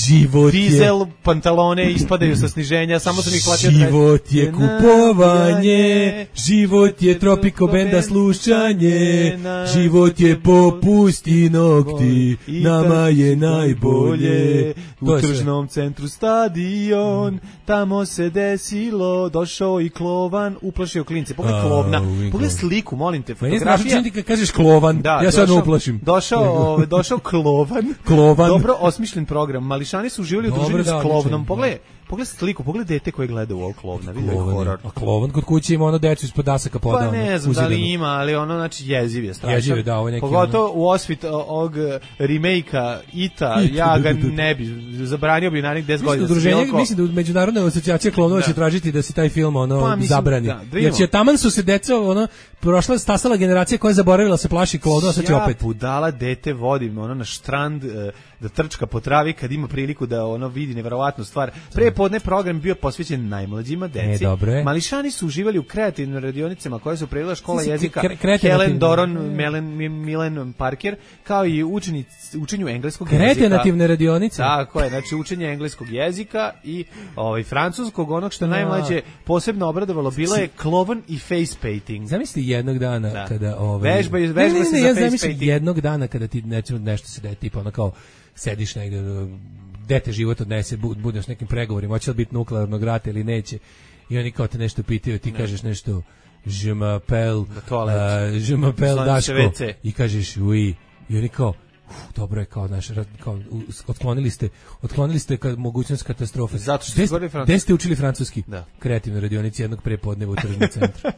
život dizel, je. Pantalone ispadaju sa sniženja, samo sam ih platio. Život je kupovanje, život je Tropico benda slušanje, život je popust i nokti, nama je najbolje. U tržnom centru stadion, tamo se desilo, došao i Klovan, uplašio klince. Pogledaj Klovna, pogledaj sliku, molim te, fotografija. Ti kad kažeš Klovan, da, ja se odmah uplašim. Došao, došao Klovan. Klovan. Dobro osmišljen program. Mališani su uživali u družini s Klovnom. Pogledaj, pogledaj sliku, pogledaj dete koje gleda u ovog Klovna. Vidi ovaj horor. A Klovan kod kuće ima ono decu ispod dasaka podao. Pa ne znam da li ima, ali ono znači jeziv je strašan. Jeziv je, da, ovo neki. Pogotovo u osvit ovog remake-a Ita, ja ga ne bi zabranio bi narednih deset godina. Udruženje, mislim da međunarodna asocijacija Klovnova će tražiti da se taj film ono zabrani. Jer će taman su se deca ono prošla stasala generacija koja je zaboravila se plaši Klovnova, sad će opet. Ja budala dete vodim ono na štrand da trčka po travi kad ima priliku da ono vidi neverovatnu stvar. Pre podne program bio posvećen najmlađima deci. E, Mališani su uživali u kreativnim radionicama koje su predila škola jezika Helen Doron, Melen, Milen Parker, kao i učenic, učenju engleskog jezika. Kreativne radionice. Tako je, znači učenje engleskog jezika i ovaj francuskog, onog što najmlađe posebno obradovalo bilo je klovan i face painting. Zamisli jednog dana da. kada ovaj vežba vežba ne, ne, ne, se ne, za ja face painting. Jednog dana kada ti nešto nešto se da tipa ono kao sediš negde, dete život odnese, budeš nekim pregovorima, hoće li biti nuklearnog rata ili neće, i oni kao te nešto pitaju, ti ne. kažeš nešto je m'appelle uh, je m'appelle Daško i kažeš oui, i oni kao uf, dobro je kao naš kao otklonili ste otklonili ste ka, mogućnost katastrofe. Zato što ste govorili francuski. Gde ste učili francuski? Da. Kreativnoj radionici jednog prepodneva u tržnom centru.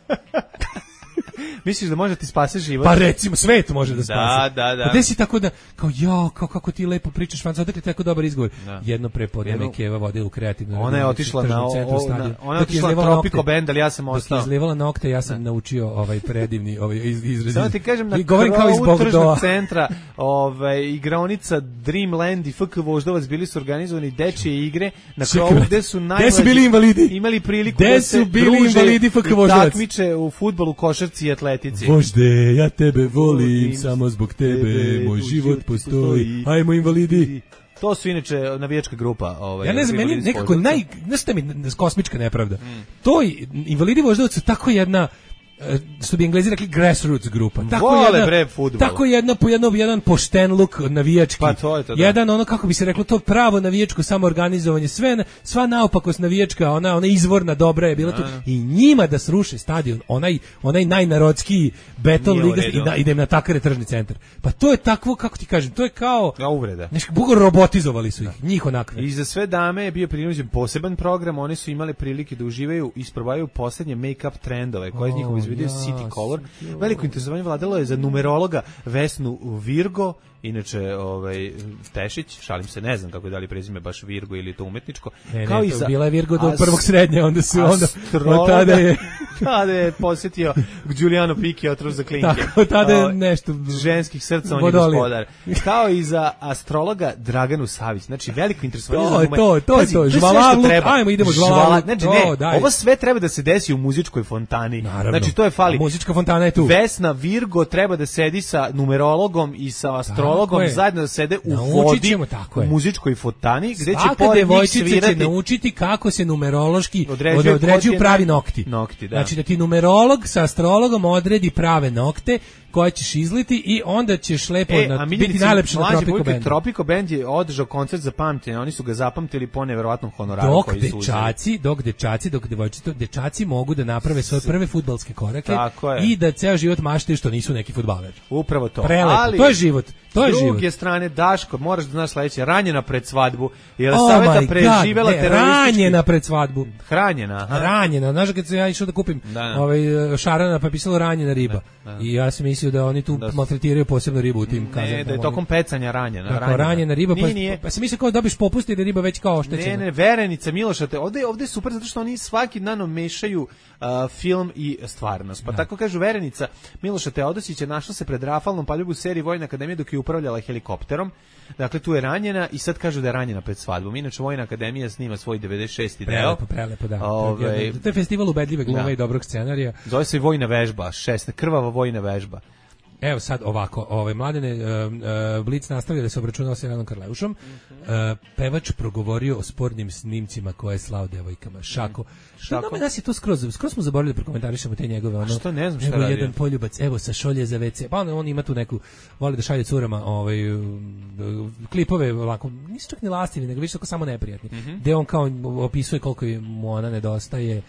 Misliš da može ti spase život? Pa recimo, svet može da spase. Da, da, da. Pa gde si tako da, kao ja, kao kako ti lepo pričaš francuski, odakle tako dobar izgovor. Da. Jedno prepodne me Keva vodila u kreativnu. Ona je otišla na, o, na ona je otišla na Tropico bend, ali ja sam ostao. Dok je izlivala nokte, ja sam da. naučio ovaj predivni ovaj izraz. Samo ti kažem, na krovu tržnog centra ovaj, igraonica Dreamland i F K Voždovac bili su organizovani dečije igre na krovu gde su najmlađi bili invalidi. Imali priliku da se bili invalidi F K Voždovac. Takmiče u fudbalu, košarci i atletici. Vožde, ja tebe volim, samo zbog tebe moj život postoji. Ajmo invalidi. To su inače navijačka grupa. Ovaj, ja ne znam, meni nekako naj... Znaš šta mi kosmička nepravda? Mm. To invalidi Voždovac su tako jedna... što bi Englezi rekli grassroots grupa. Tako Vole, jedna, bre, tako jedna po jedno, jedan pošten luk navijački. Pa to je to, da. Jedan ono, kako bi se reklo, to pravo navijačko samoorganizovanje, sve, sva naopakost navijačka, ona, ona izvorna dobra je bila tu. I njima da sruše stadion, onaj, onaj najnarodskiji beton liga i da idem na takare tržni centar. Pa to je takvo, kako ti kažem, to je kao... Ja, uvreda. Nešto, bugo robotizovali su ih, da. Njih onakve. I za sve dame je bio prinuđen poseban program, oni su imali prilike da uživaju i isprobaju poslednje make-up trendove, koje iz njihovih se vidio ja, City Color. Veliko interesovanje vladalo je za numerologa Vesnu Virgo, inače ovaj Tešić, šalim se, ne znam kako je da li prezime baš Virgo ili to umetničko. Ne, kao ne, i za bila je Virgo do as, prvog srednje, onda su onda od tada je tada je posjetio Giuliano Picchi otrov za klinke. Tako, tada je nešto ženskih srca, on je gospodar. Kao i za astrologa Draganu Savić. Znači veliko interesovanje to, za to, to, Pazi, to, je žvalavluk, treba. ajmo idemo Žvala, žvalavluk. znači to, ne, daj. ovo sve treba da se desi u muzičkoj fontani. Naravno. Znači to je fali. A muzička fontana je tu. Vesna Virgo treba da sedi sa numerologom i sa astrologom zajedno da sede u Naučit vodi ćemo, tako je. u muzičkoj fontani gde će svaka pored njih devojčica svirati. će naučiti kako se numerološki Određuje određuju kod je pravi ne- nokti. nokti, da. Znači da ti numerolog sa astrologom odredi prave nokte koje ćeš izliti i onda ćeš lepo E, na, a biti najlepši na Tropico Bandu. Tropico Band je održao koncert za pamćenje, oni su ga zapamtili po neverovatnom honoraru Dok koji su uzeli. dečaci, dok dečaci, dok devojčice, dečaci mogu da naprave svoje prve fudbalske korake Tako je. i da ceo život maštaju što nisu neki fudbaleri. Upravo to. Prelepo, Ali, to je život. To je s život. druge strane, Daško, moraš da znaš sledeće, ranjena pred svadbu, jer Oh Saveta my God, preživela ne, teroristički... ranjena pred svadbu. Hranjena, aha. Ranjena, znaš kad sam ja išao da kupim Da, da. ovaj šarana pa je pisalo ranjena riba. Da, da. I ja sam mislio da oni tu Da su- maltretiraju posebno ribu u tim Ne, kazanama. da je tokom pecanja ranjena. Tako, ranjena riba, pa, Nije, nije. pa sam mislio kao dobiš popust jer je riba već kao oštećena. Ne, ne, Verenica Miloša, te, ovde, ovde je super zato što oni svaki dan mešaju uh, film i stvarnost. Pa tako kažu Verenica Miloša Teodosića našla se pred rafalnom paljubom u seriji Vojna akademija dok je upravljala helikopterom. Dakle, tu je ranjena i sad kažu da je ranjena pred svadbom. Inače, Vojna akademija snima svoj devedeset šesti deo. Prelepo, prelepo, da. Ove, To je festival ubedljive glume da. i dobrog scenarija. Zove se Vojna vežba, šest, krvava vojna vežba. Evo sad ovako, ovaj Mladene uh, uh, Blic nastavlja da se obračunao sa Jelenom Karleušom. Uh, pevač progovorio o spornim snimcima koje je slao devojkama. Šako. Što nama nas je to skroz, skroz smo zaboravili da prokomentarišemo te njegove ono. Što ne znam šta evo radi. jedan poljubac, evo sa šolje za ve ce. Pa on, on ima tu neku voli da šalje curama, ovaj um, klipove ovako, nisu čak ni lastivi, nego više tako samo neprijatni. Mm-hmm. Gde on kao opisuje koliko mu ona nedostaje.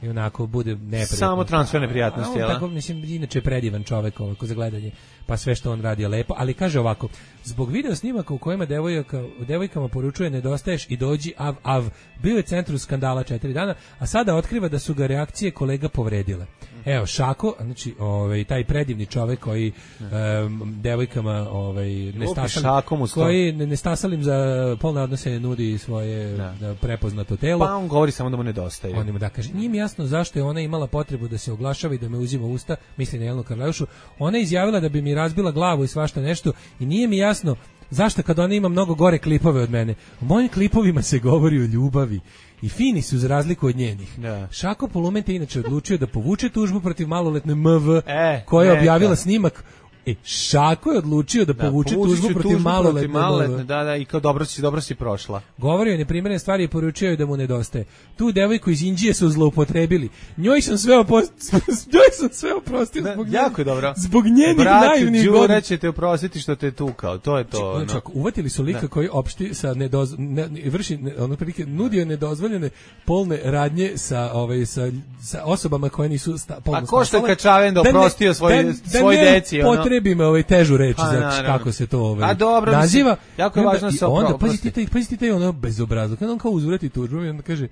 I onako bude neprijatno. Samo transferne prijatnosti, A on jel? tako, mislim, inače je predivan čovek ovako za gledanje, pa sve što on radi je lepo, ali kaže ovako, zbog video snimaka u kojima devojka, devojkama poručuje nedostaješ i dođi av av, bio je centru skandala četiri dana, a sada otkriva da su ga reakcije kolega povredile. Evo, Šako, znači, ovaj, taj predivni čovek koji um, devojkama ovaj, nestasalim, koji ne, nestasalim za polne odnose nudi svoje da. prepoznato telo. Pa on govori samo da mu nedostaje. On ima da kaže, nije mi jasno zašto je ona imala potrebu da se oglašava i da me uzima u usta, misli na Jelenu Karleušu. Ona je izjavila da bi mi razbila glavu i svašta nešto i nije mi jasno zašto kad ona ima mnogo gore klipove od mene. U mojim klipovima se govori o ljubavi i fini su za razliku od njenih. Da. Šako Polumente inače odlučio da povuče tužbu protiv maloletne M V e, koja je neka. objavila snimak. E, Šako je odlučio da, da povuče tužbu protiv maloletne, maloletne, da, da, i kao dobro si, dobro si prošla. Govorio je neprimjerene stvari i poručio je da mu nedostaje. Tu devojku iz Indije su zloupotrebili. Njoj sam sve oprostio, njoj sam sve oprostio da, zbog jako je dobro. Zbog njenih Brate, naivnih Đura godina. će te oprostiti što te tukao, to je to. Znači, no. uvatili su lika da. koji opšti sa nedoz, ne, vrši ne, ono prilike nudio nedozvoljene polne radnje sa ovaj sa, sa osobama koje nisu sta, polno. A ko što je Kačaven da oprostio svoj da, svoj da deci, ono. Potrebime ovaj težu reč a, za kako se to ovaj. A dobro, naziva. Mislim, jako je važno se oprosti. Onda pazite taj pazite taj ono bezobrazluk. Kada on kao uzvrati tužbu i onda kaže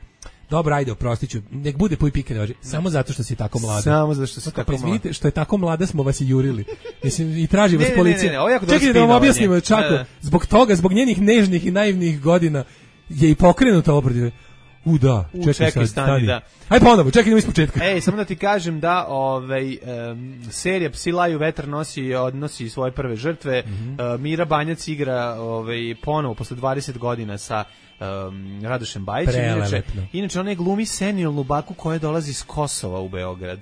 dobro, ajde, oprostiću. Nek bude puj pike, ne važi. Samo zato što si tako mlada. Samo zato što si tako mlada. Pa izvinite, što je tako mlada smo vas i jurili. Mislim, i traži vas ne, policija. Ne, ne, ne, čekajte da vam objasnimo, Čako. Da, da. Zbog toga, zbog njenih nežnih i naivnih godina je i pokrenuta obradive. U da, U, čekaj, čekaj sad, stani, stani. da. Aj ponovo, čekaj idemo ispočetka. Ej, samo da ti kažem da ovaj um, serija Psi laju vetar nosi odnosi svoje prve žrtve. Mm -hmm. uh, Mira Banjac igra ovaj ponovo posle dvadeset godina sa um, Radošem Bajićem. Inače, inače ona je glumi senilnu baku koja dolazi iz Kosova u Beograd.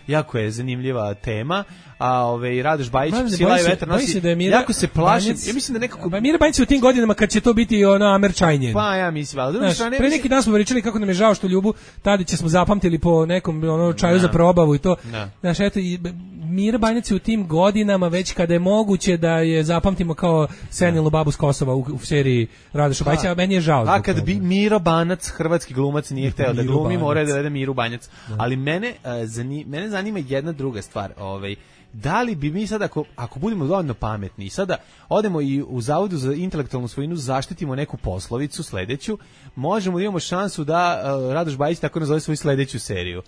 Jako je zanimljiva tema, a ovaj Radoš Bajić Psila i vetar nosi. Da Mira, jako se plaši. Ja mislim da nekako pa Mira Banjac u tim godinama kad će to biti ono Amerčajnje. Pa ja mislim, al druga strana pre neki dan smo pričali kako nam je žao što Ljubu Tadića smo zapamtili po nekom ono čaju da. za probavu i to. Da. Znaš, eto i Mira Banjac u tim godinama već kada je moguće da je zapamtimo kao senilnu babu s Kosova u, u seriji Radoša Bajića, a meni je žao. A kad bi Miro Banac, hrvatski glumac, nije hteo da glumi, mora da dovede Miru Banjac. Da. Ali mene uh, zani, mene zanima jedna druga stvar, ovaj da li bi mi sad, ako, ako budemo dovoljno pametni i sada odemo i u Zavodu za intelektualnu svojinu zaštitimo neku poslovicu sledeću, možemo da imamo šansu da uh, Radoš Bajić tako nazove svoju sledeću seriju.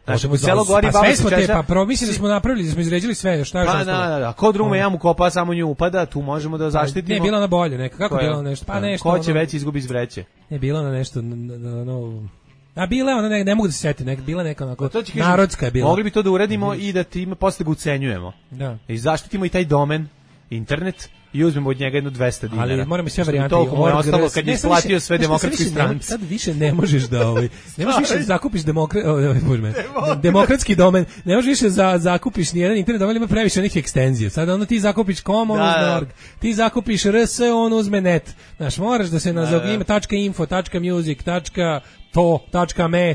Znači, Možemo selo za- gori, pa baba sve se smo te, češa. pa pro, mislim da smo napravili, da smo izređili sve, šta je Pa, ostalo? da, da, da. Ko drume jamu kopa, samo nju upada, tu možemo da zaštitimo. Ne, bila na bolje, neka. Kako Koja? bila na nešto? Pa Da. nešto. Ko će ono- već izgubi iz vreće? Ne, bila na nešto, na, na, na, a bila je ona, ne, ne mogu da se setim, nek, bila neka onako, To će kažem, narodska je bila. Mogli bi to da uradimo i da time posle ga ucenjujemo. Da. I zaštitimo i taj domen, internet, i uzmemo od njega jedno dvesta dinara. Ali moramo sve Što bi varijante. toliko mu je org, ostalo rs, kad ne, je sad isplatio više- sve znaš šta, demokratskoj sad više ne- stranci. Sad više ne možeš da ovaj, ne možeš više da zakupiš demokra, o, o, bože me, demokratski domen, ne možeš više za zakupiš ni jedan internet domen, ima previše onih ekstenzija. Sad ono ti zakupiš com, on Da, uzme da. org, ti zakupiš rs, on uzme net. Znaš, moraš da se na Da, da. ima .info, .music, .to, .me,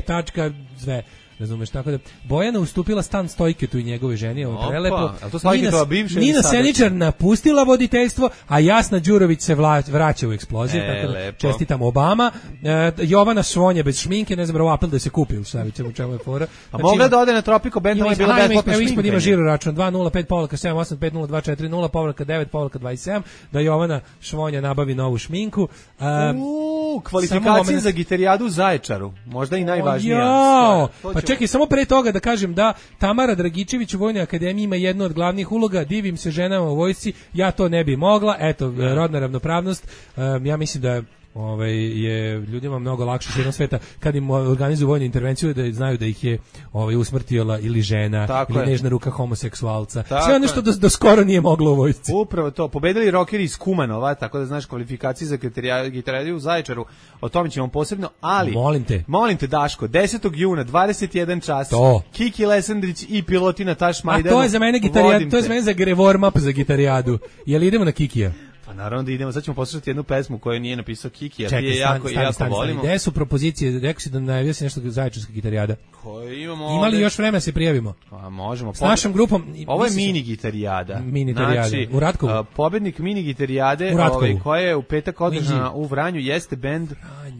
sve. Razumeš, tako da Bojana ustupila stan Stojketu i njegove ženi, ovo Opa, prelepo. a to Stojketova Nina- bivša ili Nina sada? Seničar napustila voditeljstvo, a Jasna Đurović se vla, vraća u eksploziju, E, tako da lepo. čestitam Obama. E, Jovana Švonja bez šminke, ne znam, bravo, apel da se kupi, u šta ćemo, u čemu je fora. A mogla da ode na Tropico Band, ima, ovo je bila aha, ima- besplatna evo ispod ima šminkanje. žiro račun dva nula pet povlaka sedam osam pet nula dva četiri nula povlaka devet povlaka dvadeset sedam, da Jovana Švonja nabavi novu šminku. E, Uuu, samo kvalifikacije moment- za gitarijadu u Zaječaru. Možda i najvažnija Jao! stvar. To Pa ćemo- čekaj, samo pre toga da kažem da Tamara Dragičević u Vojnoj akademiji ima jednu od glavnih uloga, divim se ženama u vojsci, ja to ne bi mogla, eto, rodna ravnopravnost, um, ja mislim da je ovaj je ljudima mnogo lakše širom sveta kad im organizuju vojnu intervenciju da znaju da ih je ovaj usmrtila ili žena Tako ili je. nežna ruka homoseksualca. Tako Sve ono što je. do, do skoro nije moglo u vojsci. Upravo to, pobedili rokeri iz Kumanova, tako da znaš kvalifikacije za gitarija- gitarijadu u Zaječaru, o tome ćemo posebno, ali... Molim te. Molim te, Daško, desetog juna, dvadeset jedan čas, To. Kiki Lesandrić i pilotina Taš A Majdanu. to je za mene gitarijad, vodim to je te. za mene za warm up za gitarijadu. Jel idemo na Kikija? Pa naravno da idemo, sad ćemo poslušati jednu pesmu koju nije napisao Kiki, a ti Čekaj, je stani, jako, stani, jako stani, stani. volimo. Gde su propozicije? Rekao si da najavio si nešto zaječarska gitarijada. Koje imamo Ima li ovde? još vremena da se prijavimo? Pa možemo. S našom grupom. Ovo je misliš- mini gitarijada. Mini gitarijada. Znači, U Ratkovu? a, pobednik mini gitarijade, U Ratkovu. ovaj, koja je u petak održana Minđi. u Vranju, jeste bend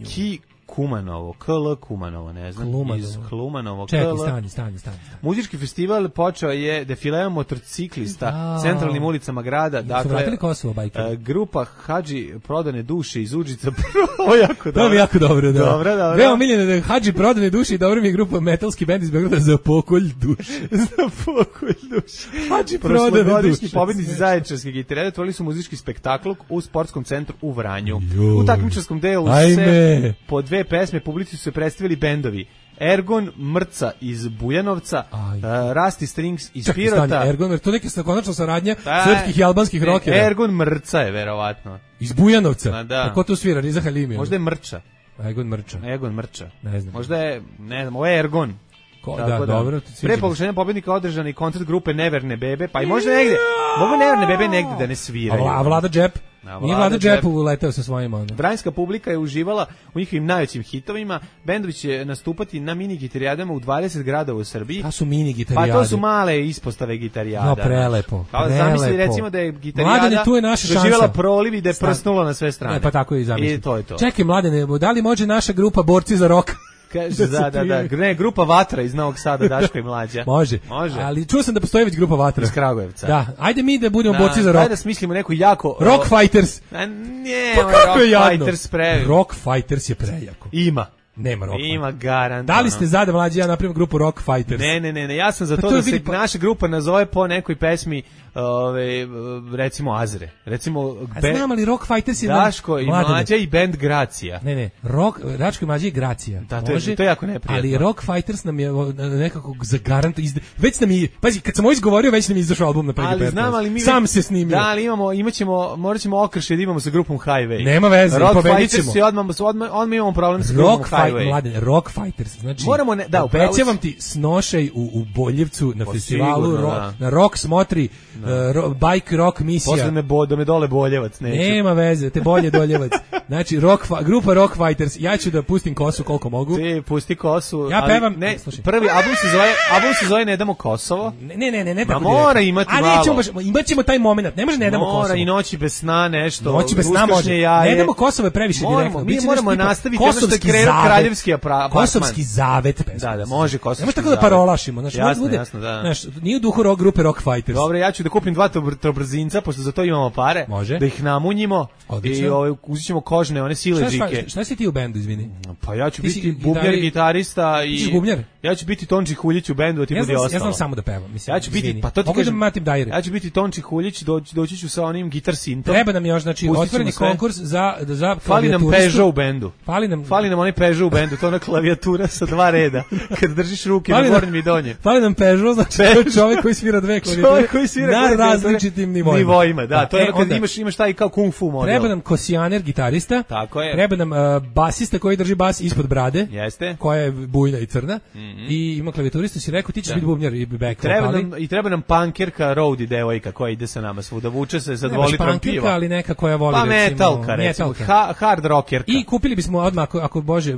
Ki Kumanovo, K L Kumanovo, ne znam, Klumanovo. iz Klumanovo, Čekaj, K L. stani, stani, stani. stani. Muzički festival počeo je defileom motociklista Da. centralnim ulicama grada. Su Dakle, vratili Kosovo, bajkeri? e, grupa Hadži prodane duše iz Užica. Ovo je jako dobro. To mi je jako dobro, da. Dobro, dobro. Veoma miljeno da je Hadži prodane duši i dobro mi je grupa metalski bend iz Beograda za pokolj duše. Za pokolj duše. Hadži prodane Prošlogodišnji duše. pobednici Zaječarske gitarede otvorili su muzički spektakl u sportskom centru u Vranju. Joj. U takmičarskom delu Ajme. se po dve pesme publici su se predstavili bendovi Ergon Mrca iz Bujanovca, Aj. uh, Rasti Strings iz Čekaj, Pirota. stani, Ergon, jer to neka sa konačna saradnja Da, srpskih i albanskih ne, rokera. Ergon Mrca je verovatno. Iz Bujanovca. Ma da. A ko tu svira? Riza Halimi. Možda je Mrča. Ergon Mrča. Ergon Mrča. Ne znam. Možda je, ne znam, ovo je Ergon. Ko, Tako da, dobro. sviđa Pre mi se. poglašenja pobednika održan i koncert grupe Neverne bebe, pa i možda negde, mogu Neverne bebe negde da ne A, sviraju. Vla, a Vlada Džep? A Nije Vlada Vlada Džep. Džep uleteo sa svojima. Ono. Vranjska publika je uživala u njihovim najvećim hitovima. Bendovi će nastupati na mini gitarijadama u dvadeset gradova u Srbiji. Ta su mini Pa gitarijade. to su male ispostave gitarijada. No, prelepo, Kao zamisli prelepo. recimo da je gitarijada Mladene, tu je naša šansa. doživjela proliv i da je Stan- prsnula na sve strane. E, pa tako i zamisli. I to je to. Čekaj, Mladene, da li može naša grupa Borci za rok? Kaže, se da, da, da. prijavi? Ne, grupa Vatra iz Novog Sada, Daško i Mlađa. Može. Može. Ali čuo sam da postoji već grupa Vatra. Iz Kragujevca. Da, ajde mi da budemo Da, borci za rok. Daj da smislimo neku jako... Rock Fighters. A ne, Pa ovaj kako je Rock jadno? Fighters previ. Rock Fighters je prejako. Ima. Nema Rock Ima Fighters. garant. Da li ono. ste za da Mlađi ja napravim grupu Rock Fighters? Ne, ne, ne, ne, ja sam za Pa to, to da se vidi pa- naša grupa nazove po nekoj pesmi, ove, recimo Azre. Recimo A be- znam, ali Rock Fighters je... Daško i Mladene. Mlađa i band Gracija. Ne, ne, rock, Daško i Mlađa i Gracija. Da, to je- Može, to je jako neprijatno. Ali Rock Fighters nam je o, nekako za garant izde... Već nam je, pazi, kad sam ovo izgovorio, već nam je izašao album na P G P. Ali znam, ali mi Sam se snimio. Da, ali imamo, imaćemo, morat ćemo okršiti da imamo sa grupom Highway. Nema veze, Rock pobedit Fighters ćemo. i odmah, odmah, odmah imamo problem sa grupom Rock Fight, Highway. mladene, Rock Fighters. Znači, Moramo ne- da, upravo obećavam si. ti snošaj u, u Boljevcu na Pa festivalu, sigurno, ro- da. na Rock smotri, uh, ro, bike rock misija. Posle me bo, da me dole Boljevac, neću. Nema veze, te bolje doljevac. Znači, rock, fa- grupa Rock Fighters, ja ću da pustim kosu koliko mogu. Ti pusti kosu. Ja ali pevam- Ne, slušaj. prvi album se zove, album se zove Ne damo Kosovo. Ne, ne, ne, ne, ne Ma tako mora direktno. imati A nećemo malo. baš, imat ćemo taj moment, ne može ne damo Mora Kosovo. i Noći bez sna nešto. Noći bez sna uskršnje može. Jaje. Ne damo Kosovo je previše Moramo, direktno. mi Biće moramo nešto tipa nastaviti ono što je kosovski krenuo zalev. kraljevski apartman. Kosovski zavet pesma. Da, da, može kosovski. Ne može tako da parolašimo, znači jasno, bude, jasno, da. Znaš, nije u duhu rock grupe Rock Fighters. Dobro, ja ću da kupim dva trobrzinca, pošto za to imamo pare, može. Da ih namunjimo. Odlično. I ovaj uzet ćemo kožne, one siledžike. Šta, šta si ti u bendu, izvini? Pa ja ću ti biti bubnjar, gitarista i... Ti si bubnjar? Ja ću biti Tonči Huljić u bendu, a ti ja budi znam, ostalo. Ja znam samo da pevam, mislim. Ja ću biti, izvini. pa to ti Mogu kažem, da matim dajre. Ja ću biti Tonči Huljić, doći, doći ću sa onim gitar sintom. Treba nam još, znači, otvoreni konkurs za, za Fali nam Peugeot u bendu. Fali nam... Fali nam onaj Peugeot u bendu, to je ona klavijatura sa dva reda, kad držiš ruke na gornjem i donjem. Fali nam Peugeot, znači to je čovjek koji svira dve klavijature koji svira na različitim nivoima. nivoima. Da, to je ono kad onda, imaš, imaš taj kao kung fu model. Treba nam kosijaner, gitarista. Tako je. Treba nam uh, basista koji drži bas ispod brade. Jeste. Koja je bujna i crna. Mm -hmm. I ima klavijaturista, si rekao, ti ćeš biti bubnjar i back treba vokali. nam, I treba nam punkerka, roadie devojka koja ide sa nama svuda. Vuče se sa dva litrom piva. Ali neka koja voli, pa recimo, metalka, recimo, ha, hard rockerka. I kupili bismo odmah, ako, ako Bože,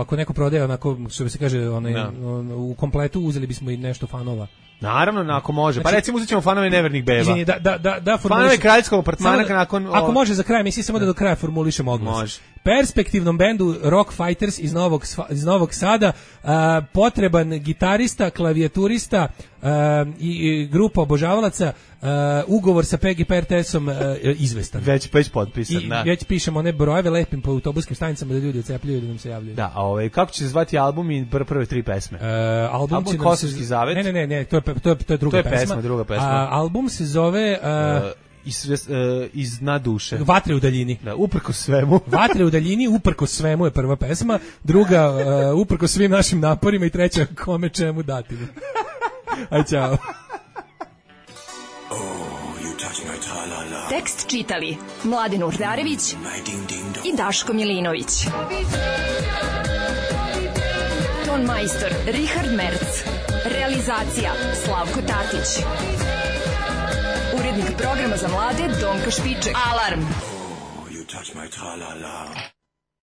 ako neko prodaje, onako, što bi se kaže, onaj, no. on, u kompletu uzeli bismo i nešto fanova. Naravno, ako može. Znači, pa recimo uzet ćemo fanove Nevernih beba. Izvini, da, da, da, da fanove kraljevskog apartmana da, nakon... Ako može za kraj, mislim samo da do kraja formulišemo odnos. Može. Perspektivnom bendu Rock Fighters iz Novog, iz Novog Sada uh, potreban gitarista, klavijaturista uh, i, i grupa obožavalaca, uh, ugovor sa P G P R T S-om uh, izvestan. Već, već potpisan, I da. već pišemo one brojeve, lepim po autobuskim stanicama da ljudi ocepljaju da nam se javljaju. Da, a ovaj, kako će se zvati album i pr prve tri pesme? Uh, album album će Kosovski se, zavet? Ne, ne, ne, ne, to je, to je, to je druga to je pesma. pesma, druga pesma. A, album se zove... Uh, uh, Iz, uh, iz dna duše. Vatre u daljini. Da, uprkos svemu. Vatre u daljini, uprkos svemu je prva pesma, druga uh, uprkos svim našim naporima i treća kome čemu dati. Aj, čao. Tekst čitali Mladin Urdarević i Daško Milinović. Ton majstor Richard Merc. Realizacija Slavko Tatić. Urednik programa za mlade Donka Špiček. Alarm! Oh, you touch my tra-la-la.